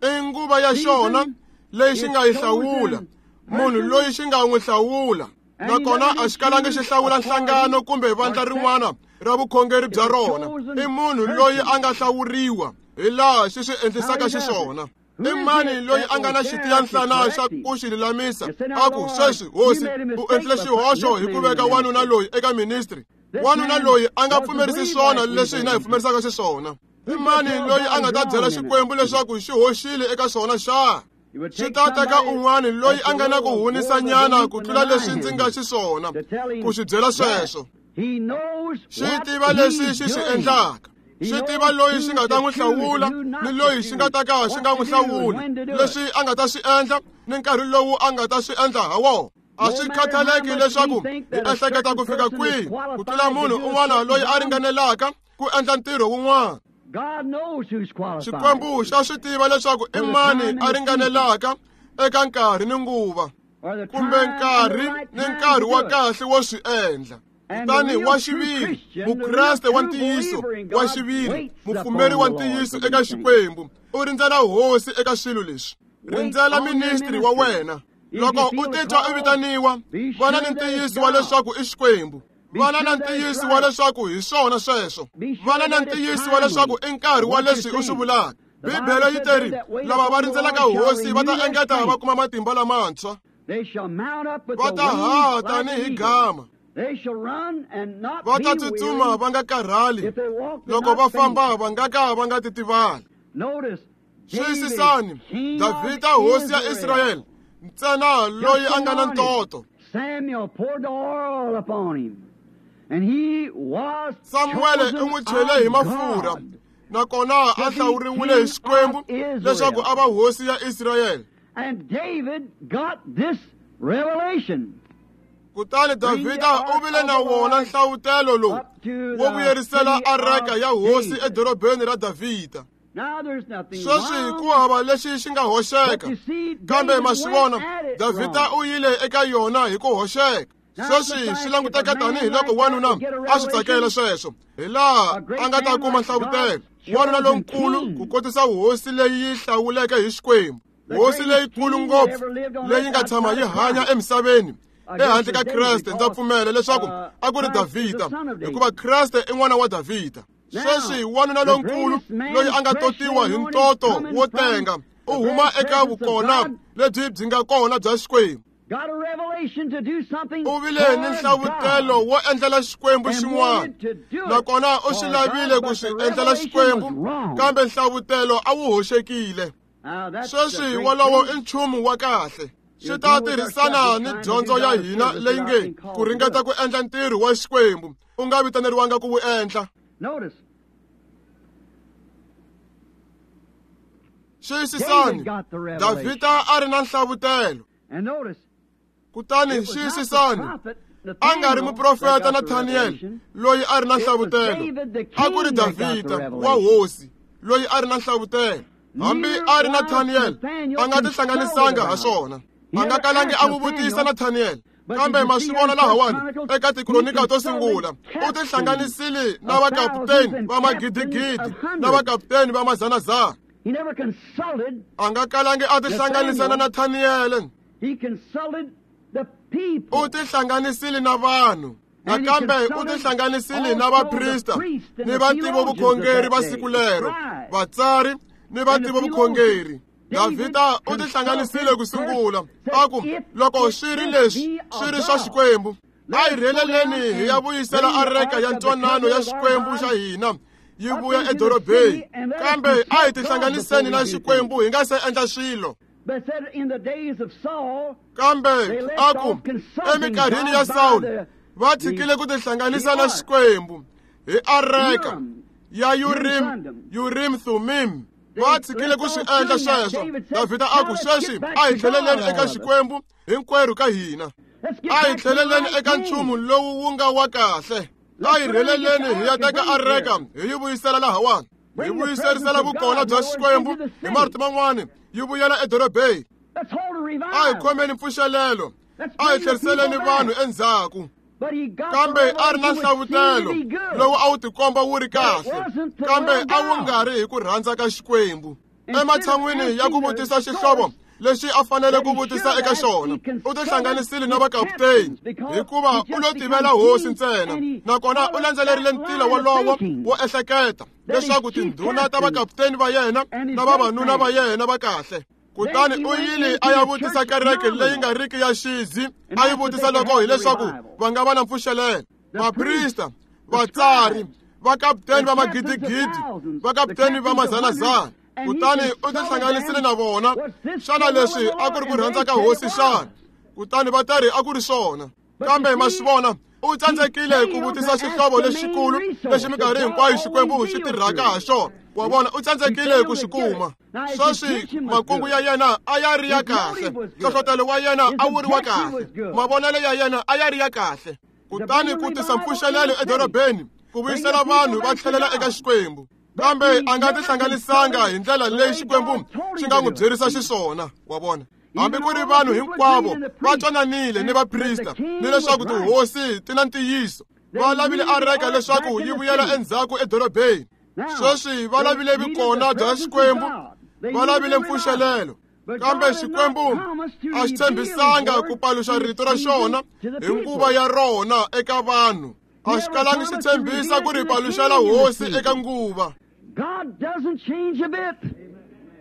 S1: I nguva ya xona leyi xi nga yi hlawula, munhu loyi xi nga n'wi hlawula. Nakona a xi kalangi xi hlawula nhlangano kumbe vandla rin'wana ra vukhongeri bya rona. I munhu loyi a nga hlawuriwa hi laha xi swi endlisaka xiswona. I mani loyi a nga na xitiyanhlana xa ku xi lulamisa a ku, sweswi hosi u endlile xihoxo hi ku veka wanuna loyi eka ministry? Wanuna loyi a nga pfumerisi swona leswi hina hi pfumerisaka xiswona. I mani loyi a nga ta byela Xikwembu leswaku xi hoxile eka swona xa? Xi ta teka un'wana loyi a nga na ku hunisanyana ku tlula leswi ndzi nga xiswona ku xi byela sweswo. Xi tiva leswi xi swi endlaka. Xi tiva loyi xi nga ta n'wi hlawula ni loyi xi nga ta ka xi nga n'wi hlawuli, leswi a nga ta swi endla ni nkarhi lowu a nga ta swi endla ha wona. A swi khathaleki leswaku hi ehleketa ku fika kwihi ku tlula munhu un'wana loyi a ringanelaka ku endla ntirho wun'wana. Xikwembu xa swi tiva leswaku i mani a ringanelaka eka nkarhi ni nguva, kumbe nkarhi ni nkarhi wa kahle wo swi endla. Kutani wa xiviri, Mukreste wa ntiyiso wa xiviri, mupfumeri wa ntiyiso eka Xikwembu, u rindzela hosi eka swilo leswi. Rindzela ministri wa wena. Loko u titwa u vitaniwa, vana ni ntiyiso wa leswaku i Xikwembu. Vana na ntiyiso wa leswaku hi swona sweswo. Vana na ntiyiso wa leswaku i nkarhi wa leswi u swi vulaka. Bibele yi teri, lava va rindzelaka hosi va ta engeta va kuma matimba lamantshwa. Va ta haha tanihi gama. Va ta tsutsuma va nga karhali. Loko va famba va nga ka va nga titivali. Xiyisisani, Davhida hosi ya Israyele, ntsena loyi a nga na ntoto. Samuele u n'wi chele hi mafurha, nakona a hlawuriwile hi Xikwembu leswaku a va hosi ya Israyele. Kutani Davhida u vile na wona nhlawutelo lowu wo vuyerisela areka ya hosi edorobeni ra Davhida. Sweswi ku hava lexi xi nga hoxeka, kambe ma swi vona, Davhida u yile eka yona hi ku hoxeka. Sweswi swi languteka tanihi loko wanuna a swi tsakela sweswo, hi laha a nga ta kuma nhlavutelo. Wanuna lonkulu ku kotisa hosi leyi yi hlawuleke hi Xikwembu, hosi leyikulu ngopfu leyi nga tshama yi hanya emisaveni ehandle ka Kreste. Ndza pfumela leswaku a ku ri Davhida, hikuva Kreste i n'wana wa Davhida. Sweswi wanuna lonkulu loyi a nga totiwa hi ntoto wo tenga u huma eka vukona lebyi byi nga kona bya Xikwembu. U vile ni nhlavutelo wo endlela Xikwembu xin'wana, nakona u swi lavile ku swi endlela Xikwembu, kambe nhlavutelo a wu hoxekile. Sweswi wolowo i nchumu wa kahle. Swi ta tirhisana ni dyondzo ya hina leyi nge ku ringeta ku endla ntirho wa Xikwembu u nga vitaneriwanga ku wu endla. Xiyisisani, Davhida a ri na nhlavutelo. Kutani xiyisisani, a nga ri muprofeta Nathaniel loyi a ri na nhlavutelo, a ku ri Davhida wa hosi loyi a ri na nhlavutelo. Hambi a ri Nathaniel a nga tihlanganisanga ha swona, a nga kalangi a n'wi vutisa Nathaniel. Kambe ma swi vona lahawani eka tikronika to sungula, u tihlanganisile na vakaputeni va magidigidi na vakaputeni va mazanazana. A nga kalangi a tihlanganisa na Nathaniel. U tihlanganisile na vanhu. Nakambe u tihlanganisile na vaprista ni vativovukhongeri va siku lero, vatsari ni vativovukhongeri. Davhida u tihlanganisile ku sungula, a ku loko swi ri leswi swi ri swa Xikwembu, a hi rheleleni hi ya vuyisela areka ya ntwanano ya Xikwembu xa hina yi vuya edorobeni. Kambe a hi tihlanganiseni na Xikwembu hi nga se endla swilo. Kambe a ku eminkarhini ya Sawulo va tshikile ku tihlanganisa na Xikwembu hi areka ya Urim Thummim. Va tshikile ku swi endla sweswo. Davhida a ku sweswi a hi tlheleleni eka Xikwembu hinkwerhu ka hina. A hi tlheleleni eka nchumu lowu wu nga wa kahle. A hi rheleleni hi ya teka areka hi yi vuyisela lahawani. Hi vuyiserisela vukona bya Xikwembu hi marito man'wani yi vuyela edorobeni. A hi khomeni mpfuxelelo, a hi tlheriseleni vanhu endzhaku. Kambe a ri na nhlavutelo lowu a wu tikomba wu ri kahle, kambe a wu nga ri hi ku rhandza ka Xikwembu. Ematshan'wini ya ku vutisa xihlovo lexi a fanele ku vutisa eka xona, u tihlanganisile na vakaputeni hikuva u lo tivela hosi ntsena, nakona u landzelerile ntila wolowo wo ehleketa leswaku tindhuna ta vakaputeni va yena na vavanuna va yena va kahle. Kutani u yile a ya vutisa kereke leyi nga riki ya xizi, a yi vutisa loko hileswaku va nga va na mpfuxelelo. Vaprista, vatsari, vakaputeni va magidigidi, vakaputeni va mazanazana. Kutani u tihlanganisile na vona. Xana leswi a ku ri ku rhandza ka hosi xana? Kutani va ta ri a ku ri swona. Kambe ma swi vona, u tsandzekile ku vutisa xihlovo lexikulu lexi minkarhi hinkwayo Xikwembu xi tirhaka ha xona. Wa vona, u tsandzekile ku xi kuma. Sweswi makungu ya yena a ya ri ya kahle, nhlohlotelo wa yena a wu ri wa kahle, mavonelo ya yena a ya ri ya kahle. Kutani ku tisa mpfuxelelo edorobeni, ku vuyisela vanhu va tlhelela eka Xikwembu. Kambe a nga tihlanganisanga hi ndlela leyi Xikwembu xi nga n'wi byerisa xiswona. Wa vona, hambi ku ri vanhu hinkwavo va twananile ni vaprista ni leswaku tihosi ti na ntiyiso. Va lavile areka leswaku yi vuyela endzhaku edorobeni. Sweswi va lavile vukona bya Xikwembu, va lavile mpfuxelelo. Kambe Xikwembu a xi tshembisanga ku paluxa rito ra xona hi nguva ya rona eka vanhu. A xi kalangi xi tshembisa ku ri paluxela hosi eka nguva.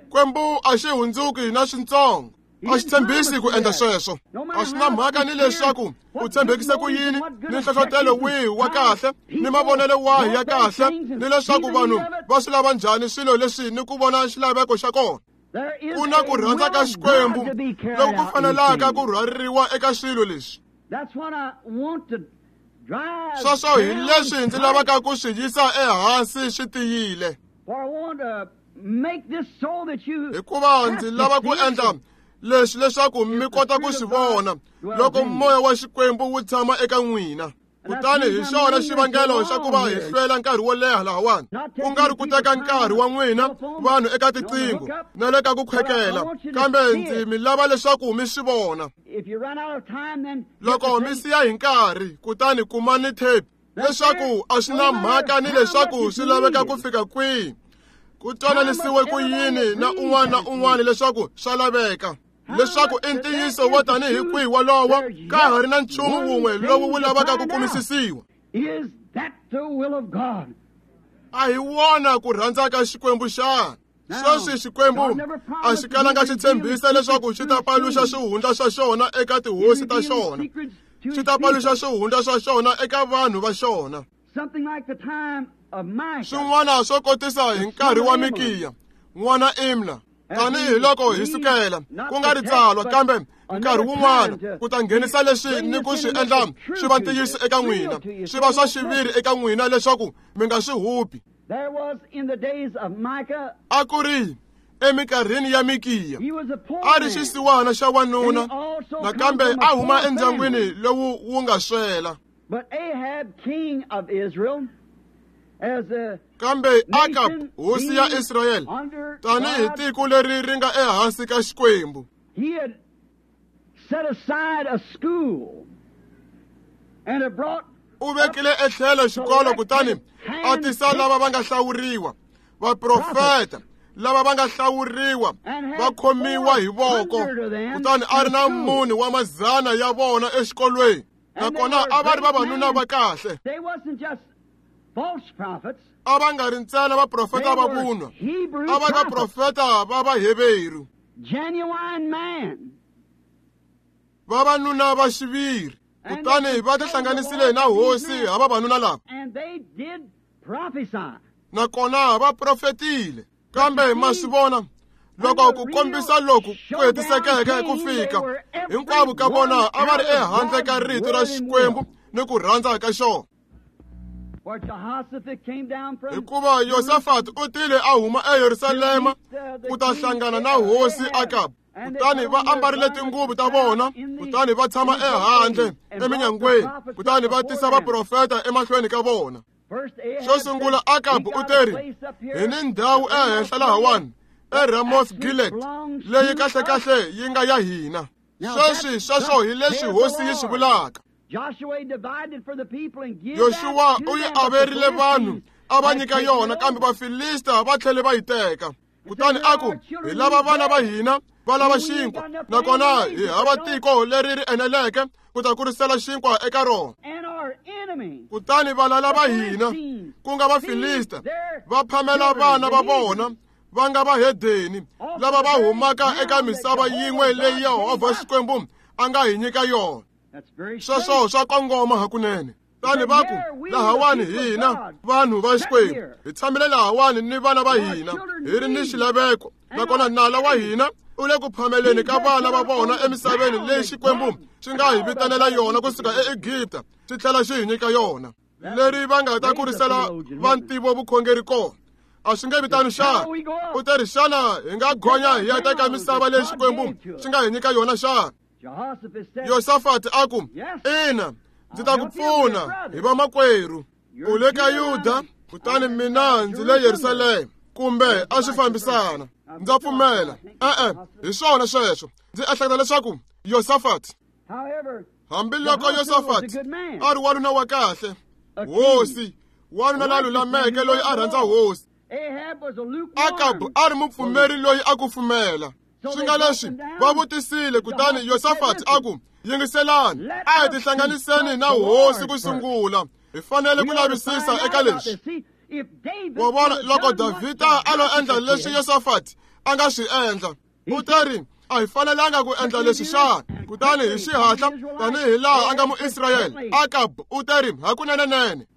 S1: Xikwembu a xi hundzuki na swintsongo. A xi tshembisi ku endla sweswo. A xi na mhaka ni leswaku u tshembekise ku yini, ni nhlohlotelo wihi wa kahle, ni mavonelo wahi ya kahle, ni leswaku vanhu va swi lava njhani swilo leswi ni ku vona xilaveko xa kona. Ku na ku rhandza ka Xikwembu loku ku fanelaka ku rhwaririwa eka swilo leswi. Sweswo hi leswi ndzi lavaka ku swi yisa ehansi swi tiyile. Hikuva ndzi lava ku endla leswi leswaku mi kota ku swi vona loko moya wa Xikwembu wu tshama eka n'wina. Kutani hi xona xivangelo xa ku va hi hlwela nkarhi wo leha lahawani, ku nga ri ku teka nkarhi wa n'wina vanhu eka tiqingho na le ka ku khwekela, kambe ndzi mi lava leswaku mi swi vona. Loko mi siya hi nkarhi, kutani kumani tape leswaku a swi na mhaka ni leswaku swi laveka ku fika kwihi, ku twananisiwe ku yini na un'wana na un'wana leswaku swa laveka, leswaku i ntiyiso wo tanihi kwihi wolowo, ka ha ri na nchumu wun'we lowu wu lavaka ku kumisisiwa. A hi wona ku rhandza ka Xikwembu xana? Sweswi Xikwembu a xi kalanga xi tshembisa leswaku xi ta paluxa swihundla swa xona eka tihosi ta xona, xi ta paluxa swihundla swa xona eka vanhu va xona. Swin'wana swo kotisa hi nkarhi wa Mikiya n'wana Imla. Tanihi loko hi sukela ku nga ri tsalwa, kambe nkarhi wun'wana ku ta nghenisa leswi ni ku swi endla swi va ntiyiso eka n'wina, swi va swa xiviri eka n'wina leswaku mi nga swi hupi. A ku ri eminkarhini ya Mikiya, a ri xisiwana xa wanuna, nakambe a huma endyangwini lowu wu nga swela. Kambe Akab, hosi ya Israyele, tanihi tiko leri ri nga ehansi ka Xikwembu, u vekile etlhelo xikolo kutani a tisa lava va nga hlawuriwa, vaprofeta lava va nga hlawuriwa va khomiwa hi voko, kutani a ri na 4 wa mazana ya vona exikolweni, nakona a va ri vavanuna va kahle. A va nga ri ntsena vaprofeta va vunwa, a va vaprofeta va Vaheveru, vavanuna va xiviri. Kutani va tihlanganisile na hosi ha vavanuna lava, nakona va profetile. Kambe ma swi vona, loko ku kombisa loku ku hetisekeke ku fika, hinkwavo ka vona a va ri ehandle ka rito ra Xikwembu ni ku rhandza ka xona. Hikuva Yosafat u tile a huma eYerusalema ku ta hlangana na hosi Akab, kutani va ambarile tinguvu ta vona, kutani va tshama ehandle eminyangweni, kutani va tisa vaprofeta emahlweni ka vona. Xo sungula Akab u teri, hi ni ndhawu ehenhla lahawani eRamoth Gilead leyi kahlekahle yi nga ya hina. Sweswi sweswo hi leswi hosi yi swi vulaka. Yoxuwa u yi averile vanhu a va nyika yona, kambe Vafilista va tlhele va yi teka. Kutani a ku, hi lava vana va hina va lava xinkwa, nakona hi hava tiko leri ri eneleke ku ta kurisela xinkwa eka rona. Kutani valala va hina, ku nga Vafilista, va phamela vana va vona va nga vahedeni lava va humaka eka misava yin'we leyi Yehovha Xikwembu a nga hi nyika yona. Sweswo swa kongoma hakunene. Tani va ku, lahawani hina vanhu va Xikwembu hi tshamile lahawani ni vana va hina hi ri ni xilaveko, nakona nala wa hina u le ku phameleni ka vana va vona emisaveni leyi Xikwembu xi nga hi vitanela yona kusuka eEgipta xi tlhela xi hi nyika yona, leri va nga ta kurisela va ntivo vukhongeri kona. A swi nge vitani xana? U te ri, xana hi nga gonya hi ya teka misava leyi Xikwembu xi nga hi nyika yona xana? Yosafat a ku, ina, ndzi ta ku pfuna hi vamakwerhu. U le ka Yuda, kutani mina ndzi le Yerusalema, kumbe a swi fambisana. Ndza pfumela. E-e, hi swona sweswo. Ndzi ehleketa leswaku Yosafat, hambiloko Yosafat a ri wanuna wa kahle, hosi, wanuna la lulameke loyi a rhandza hosi, Akab a ri mupfumeri loyi a kufumela. Swi nga leswi va vutisile, kutani Yosafat a ku, yingiselani, a hi tihlanganiseni na hosi ku sungula, hi fanele ku lavisisa eka leswi. Wa vona, loko Davhida a lo endla leswi Yosafat a nga swi endla, u teri, a hi fanelanga ku endla leswi xana? Kutani hi xihatla, tanihi laha a nga Muisrayele, Akab u teri, hakunenenene,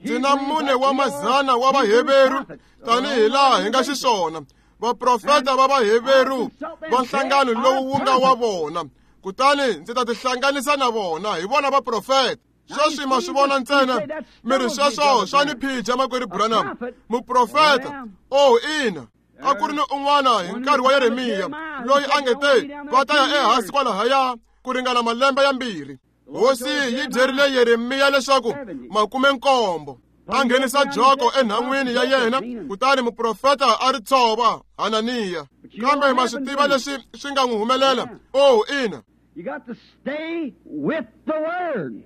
S1: ndzi na 4 wa mazana wa Vaheveru tanihi laha hi nga xiswona, vaprofeta va Vaheveru va nhlangano lowu wu nga wa vona, kutani ndzi ta tihlanganisa na vona, hi vona vaprofeta. Sweswi ma swi vona ntsena, mi ri sweswo swa ni phija makwerhu Branham, muprofeta. Oh, ina, a ku ri ni un'wana hi nkarhi wa Yeremiya loyi a nge te va ta ya ehansi kwalahaya ku ringana malembe ya 2. Hosi yi byerile Yeremiya leswaku 70 a nghenisa joko enhan'wini ya yena, kutani muprofeta a ri tshova Hananiya. Kambe ma swi tiva leswi swi nga n'wi humelela? Oh, ina.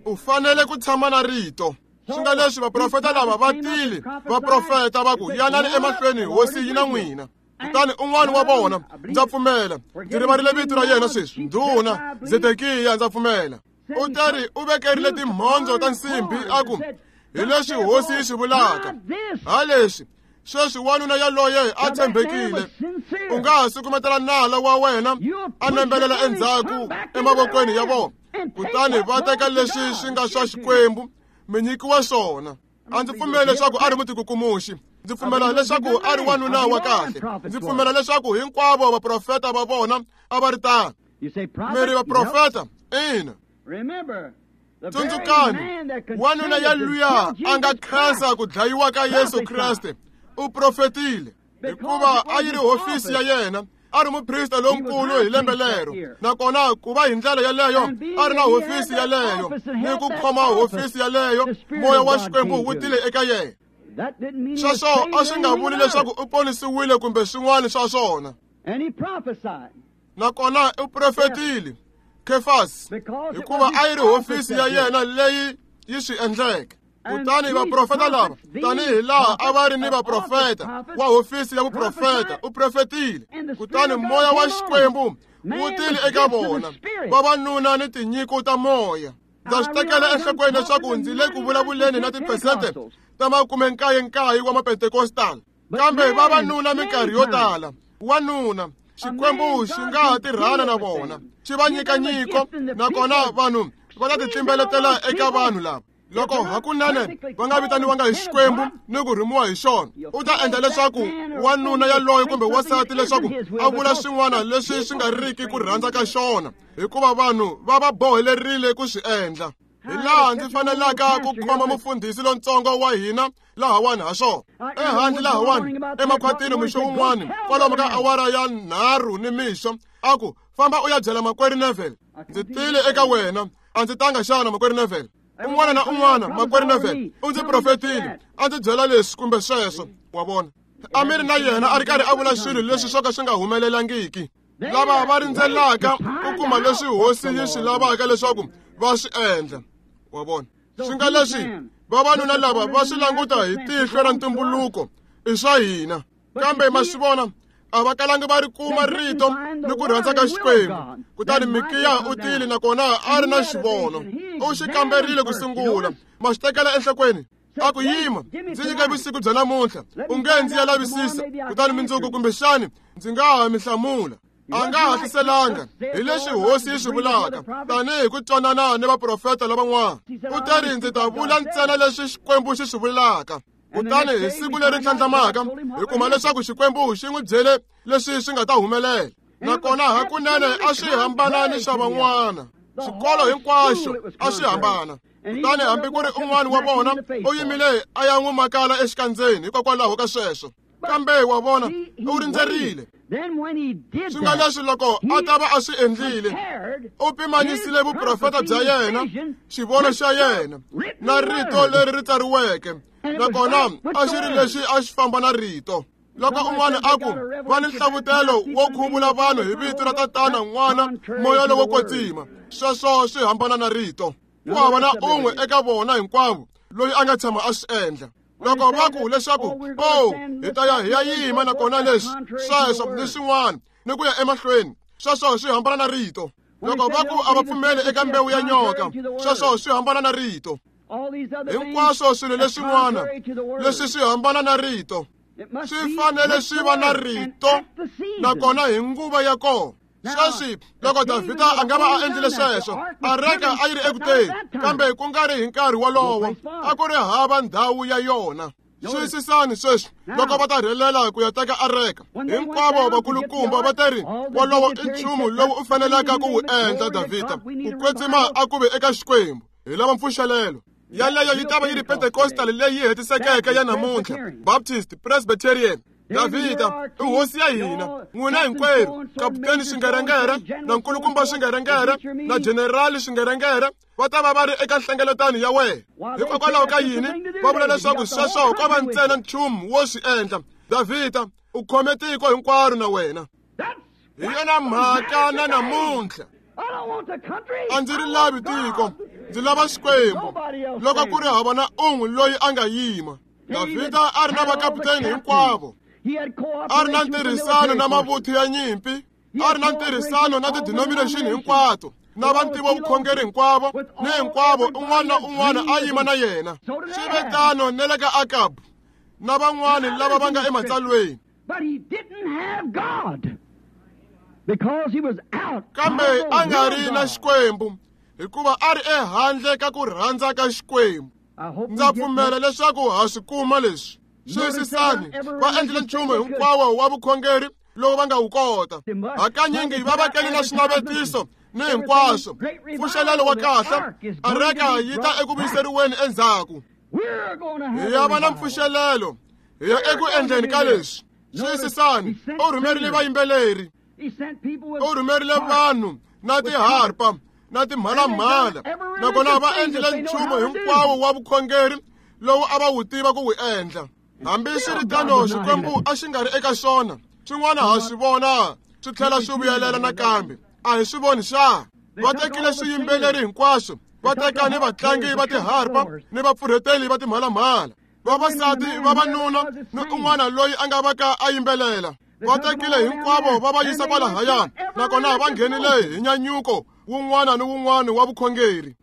S1: U fanele ku tshama na rito. Swi nga leswi vaprofeta lava va tile, vaprofeta va ku, yanani emahlweni, hosi yi na n'wina. Kutani un'wana wa vona, ndza pfumela, ndzi rivarile vito ra yena sweswi, ndhuna Zedekiya, ndza pfumela, u teri u vekerile timhondzo ta nsimbhi a ku, hi leswi hosi yi swi vulaka, ha leswi sweswi wanuna yaloye a tshembekile, u nga ha sukumetela nala wa wena a nembelela endzhaku emavokweni ya vona, kutani va teka leswi swi nga swa Xikwembu mi nyikiwa swona. A ndzi pfumeli leswaku a ri mutikukumuxi. Ndzi pfumela leswaku a ri wanuna wa kahle. Ndzi pfumela leswaku hinkwavo vaprofeta va vona a va ri tano. Mi ri vaprofeta? Ina. Tsundzukani, wanuna yaluya a nga khensa ku dlayiwa ka Yesu Kreste u profetile, hikuva a yi ri hofisi ya yena. A ri muprista lonkulu hi lembe lero, nakona ku va hi ndlela yaleyo a ri na hofisi yaleyo ni ku khoma hofisi yaleyo, moya wa Xikwembu wu tile eka yena. Sweswo a swi nga vuli leswaku u ponisiwile kumbe swin'wana swa swona. Nakona u profetile, Kefasi, hikuva a yi ri hofisi ya yena leyi yi swi endleke. Kutani vaprofeta lava, tanihi laha a va ri ni vaprofeta wa hofisi ya vuprofeta, u profetile. Kutani moya wa Xikwembu wu tile eka vona, vavanuna ni tinyiko ta moya. Ndza swi tekela enhlokweni leswaku ndzi le ku vulavuleni na tiphesente ta 99 wa mapentekostal, kambe vavanuna minkarhi yo tala, wanuna Xikwembu xi nga ha tirhana na vona, xi va nyika nyiko, nakona vanhu va ta titlimbeletela eka vanhu lava. Loko hakunene va nga vitaniwanga hi Xikwembu ni ku rhumiwa hi xona, u ta endla leswaku wanuna yaloye kumbe wansati leswaku a vula swin'wana leswi swi nga riki ku rhandza ka xona, hikuva vanhu va va bohelerile ku swi endla. Hi laha ndzi fanelaka ku khoma mufundhisi lontsongo wa hina lahawani ha swona, ehandle lahawani emakhwatini mixo wun'wani kwalomu ka awara ya 3 ni mixo, a ku, famba u ya byela makwerhu Neville, ndzi tile eka wena, a ndzi tanga xana makwerhu Neville? Un'wana na un'wana, makwerhu Neville u ndzi profetile, a ndzi byela leswi kumbe sweswo. Wa vona, a mi ri na yena a ri karhi a vula swilo leswi swo ka swi nga humelelangiki. Lava va rindzelaka ku kuma leswi hosi yi swi lavaka leswaku va swi endla. Wa vona, swi nga leswi vavanuna lava va swi languta hi tihlo ra ntumbuluko i swa hina, kambe ma swi vona a va kalangi va ri kuma rito ni ku rhandza ka Xikwembu. Kutani Mikiya u tile, nakona a ri na xivono, u xi kamberile ku sungula. Ma swi tekela enhlokweni, a ku, yima, ndzi nyike vusiku bya namuntlha, u nge ndzi ya lavisisa, kutani mindzuku kumbexani ndzi nga ha mi hlamula. A nga hatliselanga hi leswi hosi yi swi vulaka, tanihi ku twanana ni vaprofeta lavan'wana. U teri, ndzi ta vula ntsena leswi Xikwembu xi swi vulaka. Kutani hi siku leri tlhandlamaka hi kuma leswaku Xikwembu xi n'wi byele leswi swi nga ta humelela, nakona hakunene a swi hambana ni swa van'wana. Xikolo hinkwaxo a swi hambana. Kutani hambi ku ri un'wana wa vona u yimile a ya n'wi makala exikandzeni hikokwalaho ka sweswo. Kambe wa vona, u rindzerile. Swi nga leswi loko a ta va a swi endlile, u pimanyisile vuprofeta bya yena, xivono xa yena, na rito leri ri tsariweke, nakona a xi ri lexi a xi famba na rito. Loko un'wana a ku va ni nhlavutelo wo khuvula vanhu hi vito ra Tatana, N'wana, Moya lowo Kwetsima, sweswo swi hambana na rito. Ku hava na un'we eka vona hinkwavo loyi a nga tshama a swi endla. Loko va ku leswaku, oh, hi ta ya hi ya yima nakona leswi, sweswo ni swin'wana, ni ku ya emahlweni, sweswo swi hambana na rito. Loko va ku a va pfumeli eka mbewu ya nyoka, sweswo swi hambana na rito. Hinkwaswo swilo leswin'wana leswi swi hambana na rito, swi fanele swi va na rito, nakona hi nguva ya kona. Sweswi loko Davhida a nga va a endlile sweswo, areka a yi ri ekuteni, kambe ku nga ri hi nkarhi wolowo, a ku ri hava ndhawu ya yona. Xiyisisani sweswi, loko va ta rhelela ku ya teka areka, hinkwavo vakulukumba va teri, wolowo i nchumu lowu u fanelaka ku wu endla, Davhida. Ku kwetsima a ku ve eka Xikwembu. Hi lava mpfuxelelo. Yaleyo yi ta va yi ri Pentecostal leyi hetisekeke ya namuntlha, Baptist, Presbyterian. Davhida i hosi ya hina, n'wina hinkwerhu, kaputeni Swingerengere na nkulukumba Swingerengere na generali Swingerengere va ta va va ri eka nhlengeletano ya wena. Hikokwalaho ka yini va vula leswaku sweswo ko va ntsena nchumu wo swi endla? Davhida u khome tiko hinkwaro na wena. Hi yona mhaka na namuntlha. A ndzi ri lavi tiko, ndzi lava Xikwembu. Loko ku ri hava na un'we loyi a nga yima. Davhida a ri na vakaputeni hinkwavo, a ri na ntirhisano na mavuthu ya nyimpi, a ri na ntirhisano na tidenomination hinkwato, na vantivo vukhongeri hinkwavo, ni hinkwavo un'wana na un'wana a yima na yena. Swi ve tano na le ka Akabu na van'wana lava va nga ematsalweni. Kambe a nga ri na Xikwembu, hikuva a ri ehandle ka ku rhandza ka Xikwembu. Ndza pfumela leswaku ha swi kuma leswi. Xiyisisani, va endlile nchumu hinkwawo wa vukhongeri lowu va nga wu kota. Hakanyingi va vekele na swinavetiso ni hinkwaswo. Pfuxelelo wa kahle, areka yi ta eku vuyiseriweni endzhaku. Hi ya va na mpfuxelelo, hi ya eku endleni ka leswi. Xiyisisani, u rhumerile vayimbeleri, u rhumerile vanhu na tiharpa na timhalamhala, nakona va endlile nchumu hinkwawo wa vukhongeri lowu a va wu tiva ku wu endla. Hambiswiritano, Xikwembu a xi nga ri eka xona. Swin'wana ha swi vona swi tlhela swi vuyelela nakambe. A hi swi voni xa? Va tekile swiyimbeleri hinkwaswo, va teka ni vatlangi va tiharpa ni vapfurheteli va timhalamhala, vavasati, vavanuna ni un'wana loyi a nga va ka a yimbelela. Va tekile hinkwavo va va yisa kwalahaya, nakona va nghenile hi nyanyuko wun'wana ni wun'wana wa vukhongeri.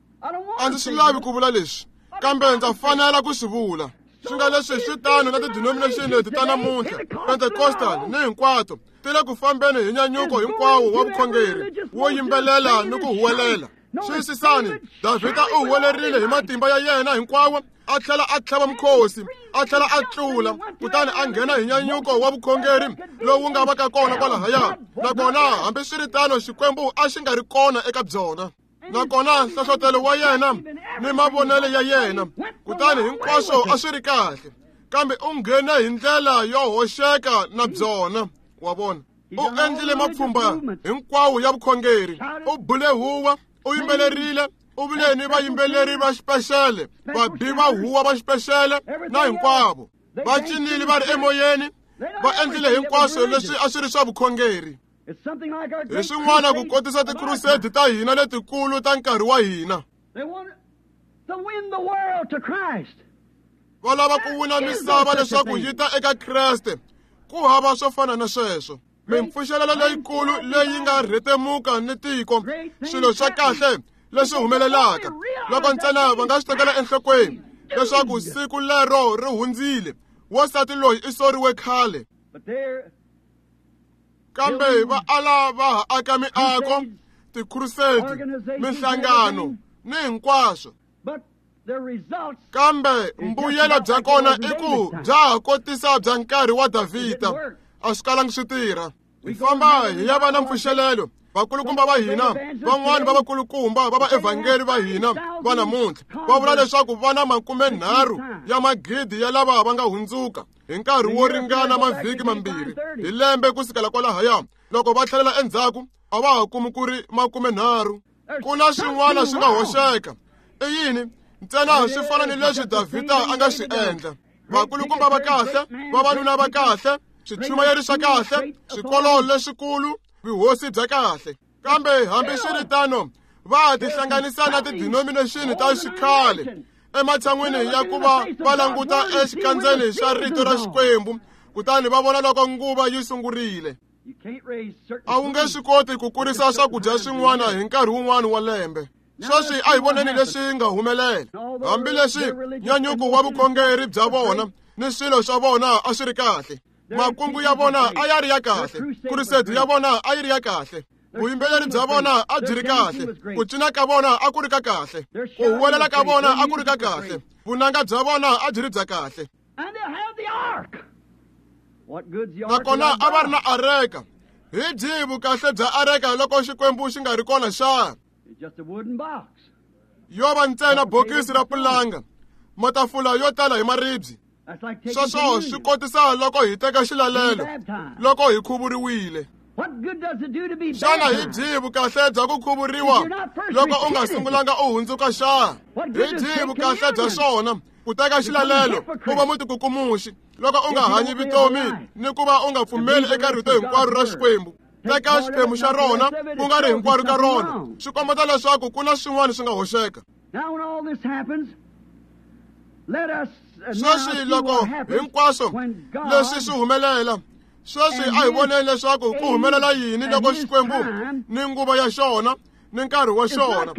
S1: A ndzi swi lavi ku vula leswi, kambe ndza fanela ku swi vula. Swi nga leswi swi tano na ti-denomination leti ta namuntlha, Pentecostal ni hinkwato, ti le ku fambeni hi nyanyuko hinkwawo wa vukhongeri wo yimbelela ni ku huwelela. Xiyisisani, Davhida u huwelerile hi matimba ya yena hinkwawo, a tlhela a tlhava mukhosi, a tlhela a tlula, kutani a nghena hi nyanyuko wa vukhongeri lowu nga va ka kona kwalahaya. Nakona hambiswiritano Xikwembu a xi nga ri kona eka byona. Nakona nhlohlotelo wa yena ni mavonelo ya yena, kutani hinkwaswo a swi ri kahle, kambe u nghene hi ndlela yo hoxeka na byona. Wa vona, u endlile mapfhumba hinkwawo ya vukhongeri, u bule huwa, u yimbelerile, u vile ni vayimbeleri va xipexele, vabi va huwa va xipexele na hinkwavo. Va cinile va ri emoyeni, va endlile hinkwaswo leswi a swi ri swa vukhongeri. Hi swin'wana ku kotisa tikrusedi ta hina letikulu ta nkarhi wa hina. Va lava ku wina misava leswaku yi ta eka Kreste. Ku hava swo fana na sweswo. Mimpfuxelelo leyikulu leyi nga rhetemuka ni tiko, swilo swa kahle leswi humelelaka, loko ntsena va nga swi tekela enhlokweni leswaku siku lero ri hundzile. Wansati loyi i soriwe khale. Kambe va ala va ha aka miako, tikrusedi, minhlangano ni hinkwaswo. Kambe mbuyelo bya kona i ku bya ha kotisa bya nkarhi wa Davhida. A swi kalangi swi tirha. Hi famba hi ya va na mpfuxelelo. Vakulukumba va hina, van'wani va vakulukumba va vaevhangeli va hina va namuntlha, va vula leswaku va na 30 ya magidi ya lava va nga hundzuka hi nkarhi wo ringana mavhiki mambirhi hi lembe ku sukela kwalahaya. Loko va tlhelela endzhaku, a va ha kumi ku ri 30. Ku na swin'wana swi nga hoxeka. I yini? Ntsena swi fana ni leswi Davhida a nga swi endla. Vakulukumba va kahle, vavanuna va kahle, swichumayeri swa kahle, swikolo leswikulu, vuhosi bya kahle. Kambe hambiswiritano, va tihlanganisa na ti-denomination ta xikhale ematshan'wini ya ku va va languta exikandzeni xa rito ra Xikwembu, kutani va vona loko nguva yi sungurile. A wu nge swi koti ku kurisa swakudya swin'wana hi nkarhi wun'wana wa lembe. Sweswi a hi voneni leswi nga humelela. Hambileswi nyanyuko wa vukhongeri bya vona ni swilo swa vona a swi ri kahle, makungu ya vona a ya ri ya kahle, krusedi ya vona a yi ri ya kahle, vuyimbeleri bya vona a byi ri kahle, ku cina ka vona a ku ri ka kahle, ku huwelela ka vona a ku ri ka kahle, vunanga bya vona a byi ri bya kahle. Nakona a va ri na areka. Hi byihi vukahle bya areka loko Xikwembu xi nga ri kona xana? Yo va ntsena bokisi ra pulanga, matafula yo tala hi maribye. Sweswo swi kotisa loko hi teka xilalelo, loko hi khuvuriwile. Xana hi byihi vukahle bya ku khuvuriwa loko u nga sungulanga u hundzuka xana? Hi byihi vukahle bya swona ku teka xilalelo u va mutikukumuxi loko u nga hanyi vutomi ni ku va u nga pfumeli eka rito hinkwaro ra Xikwembu? Teka xiphemu xa rona ku nga ri hinkwaro ka rona, swi kombeta leswaku ku na swin'wana swi nga hoxeka. Sweswi loko hinkwaswo leswi swi humelela, sweswi a hi voneni leswaku ku humelela yini loko Xikwembu ni nguva ya xona ni nkarhi wa xona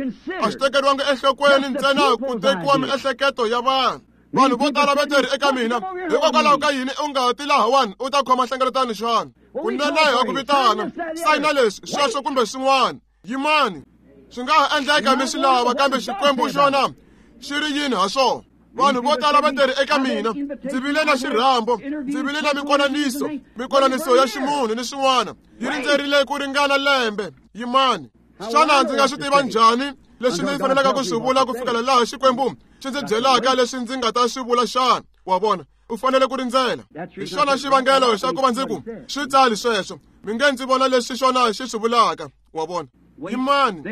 S1: a swi tekeriwangi enhlokweni, ntsena ku tekiwa miehleketo ya vanhu. Vanhu vo tala va teri eka mina, hikokwalaho ka yini u nga ti lahawani u ta khoma nhlengeletano xana? Kunene ha ku vitana, sayina leswi, sweswo kumbe swin'wana. Yimani, swi nga ha endleka mi swi lava, kambe Xikwembu xona xi ri yini ha swona? Vanhu vo tala va teri eka mina, ndzi vile na xirhambo, ndzi vile na mikonaniso, mikonaniso ya ximunhu ni swin'wana, yi rindzerile ku ringana lembe. Yimani, xana ndzi nga swi tiva njhani leswi ndzi fanelaka ku swi vula ku fikela laha Xikwembu xi ndzi byelaka leswi ndzi nga ta swi vula xana? Wa vona, u fanele ku rindzela. Hi xona xivangelo xa ku va ndzi ku swi tsali sweswo, mi nge ndzi vona leswi xona xi swi vulaka. Wa vona, yimani,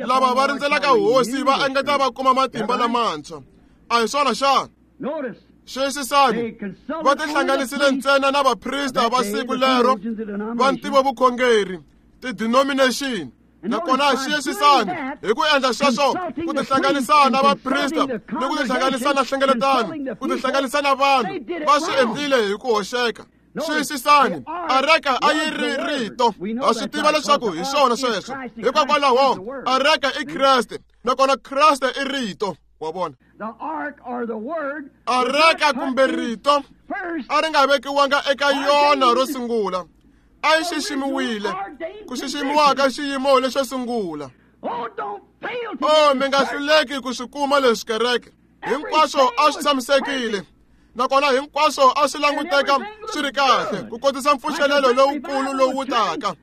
S1: lava va rindzelaka hosi va engeta va kuma matimba lamantshwa. A hi swona xana? Xiyisisani, va tihlanganisile ntsena na vaprista va siku lero va ntivovukhongeri, ti-denomination. Nakona xiyisisani, hi ku endla sweswo, ku tihlanganisa na vaprista ni ku tihlanganisa na hlengeletano, ku tihlanganisa na vanhu, va swi endlile hi ku hoxeka. Xiyisisani, areka a yi ri rito. Ha swi tiva leswaku hi swona sweswo. Hikokwalaho, areka i Kreste, nakona Kreste i rito. Wa vona, areka kumbe rito a ri nga vekiwanga eka yona ro sungula, a yi xiximiwile, ku xiximiwa ka xiyimo lexo sungula. O, mi nga hluleki ku swi kuma leswi, kereke. Hinkwaswo a swi tshamisekile, nakona hinkwaswo a swi languteka swi ri kahle, ku kotisa mpfuxelelo lowukulu lowu taka.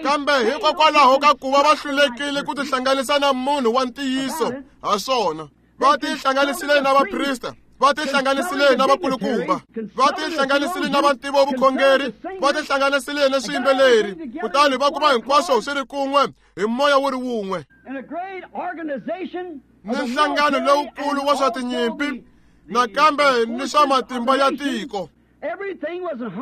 S1: Kambe hikokwalaho ka ku va va hlulekile ku tihlanganisa na munhu wa ntiyiso ha swona, va tihlanganisile na vaprista, va tihlanganisile na vakulukumba, va tihlanganisile na vantivo vukhongeri, va tihlanganisile na swiyimbeleri, kutani va kuma hinkwaswo swi ri kun'we hi moya wu ri wun'we. Ni nhlangano lowukulu wa swa tinyimpi, nakambe ni swa matimba ya tiko.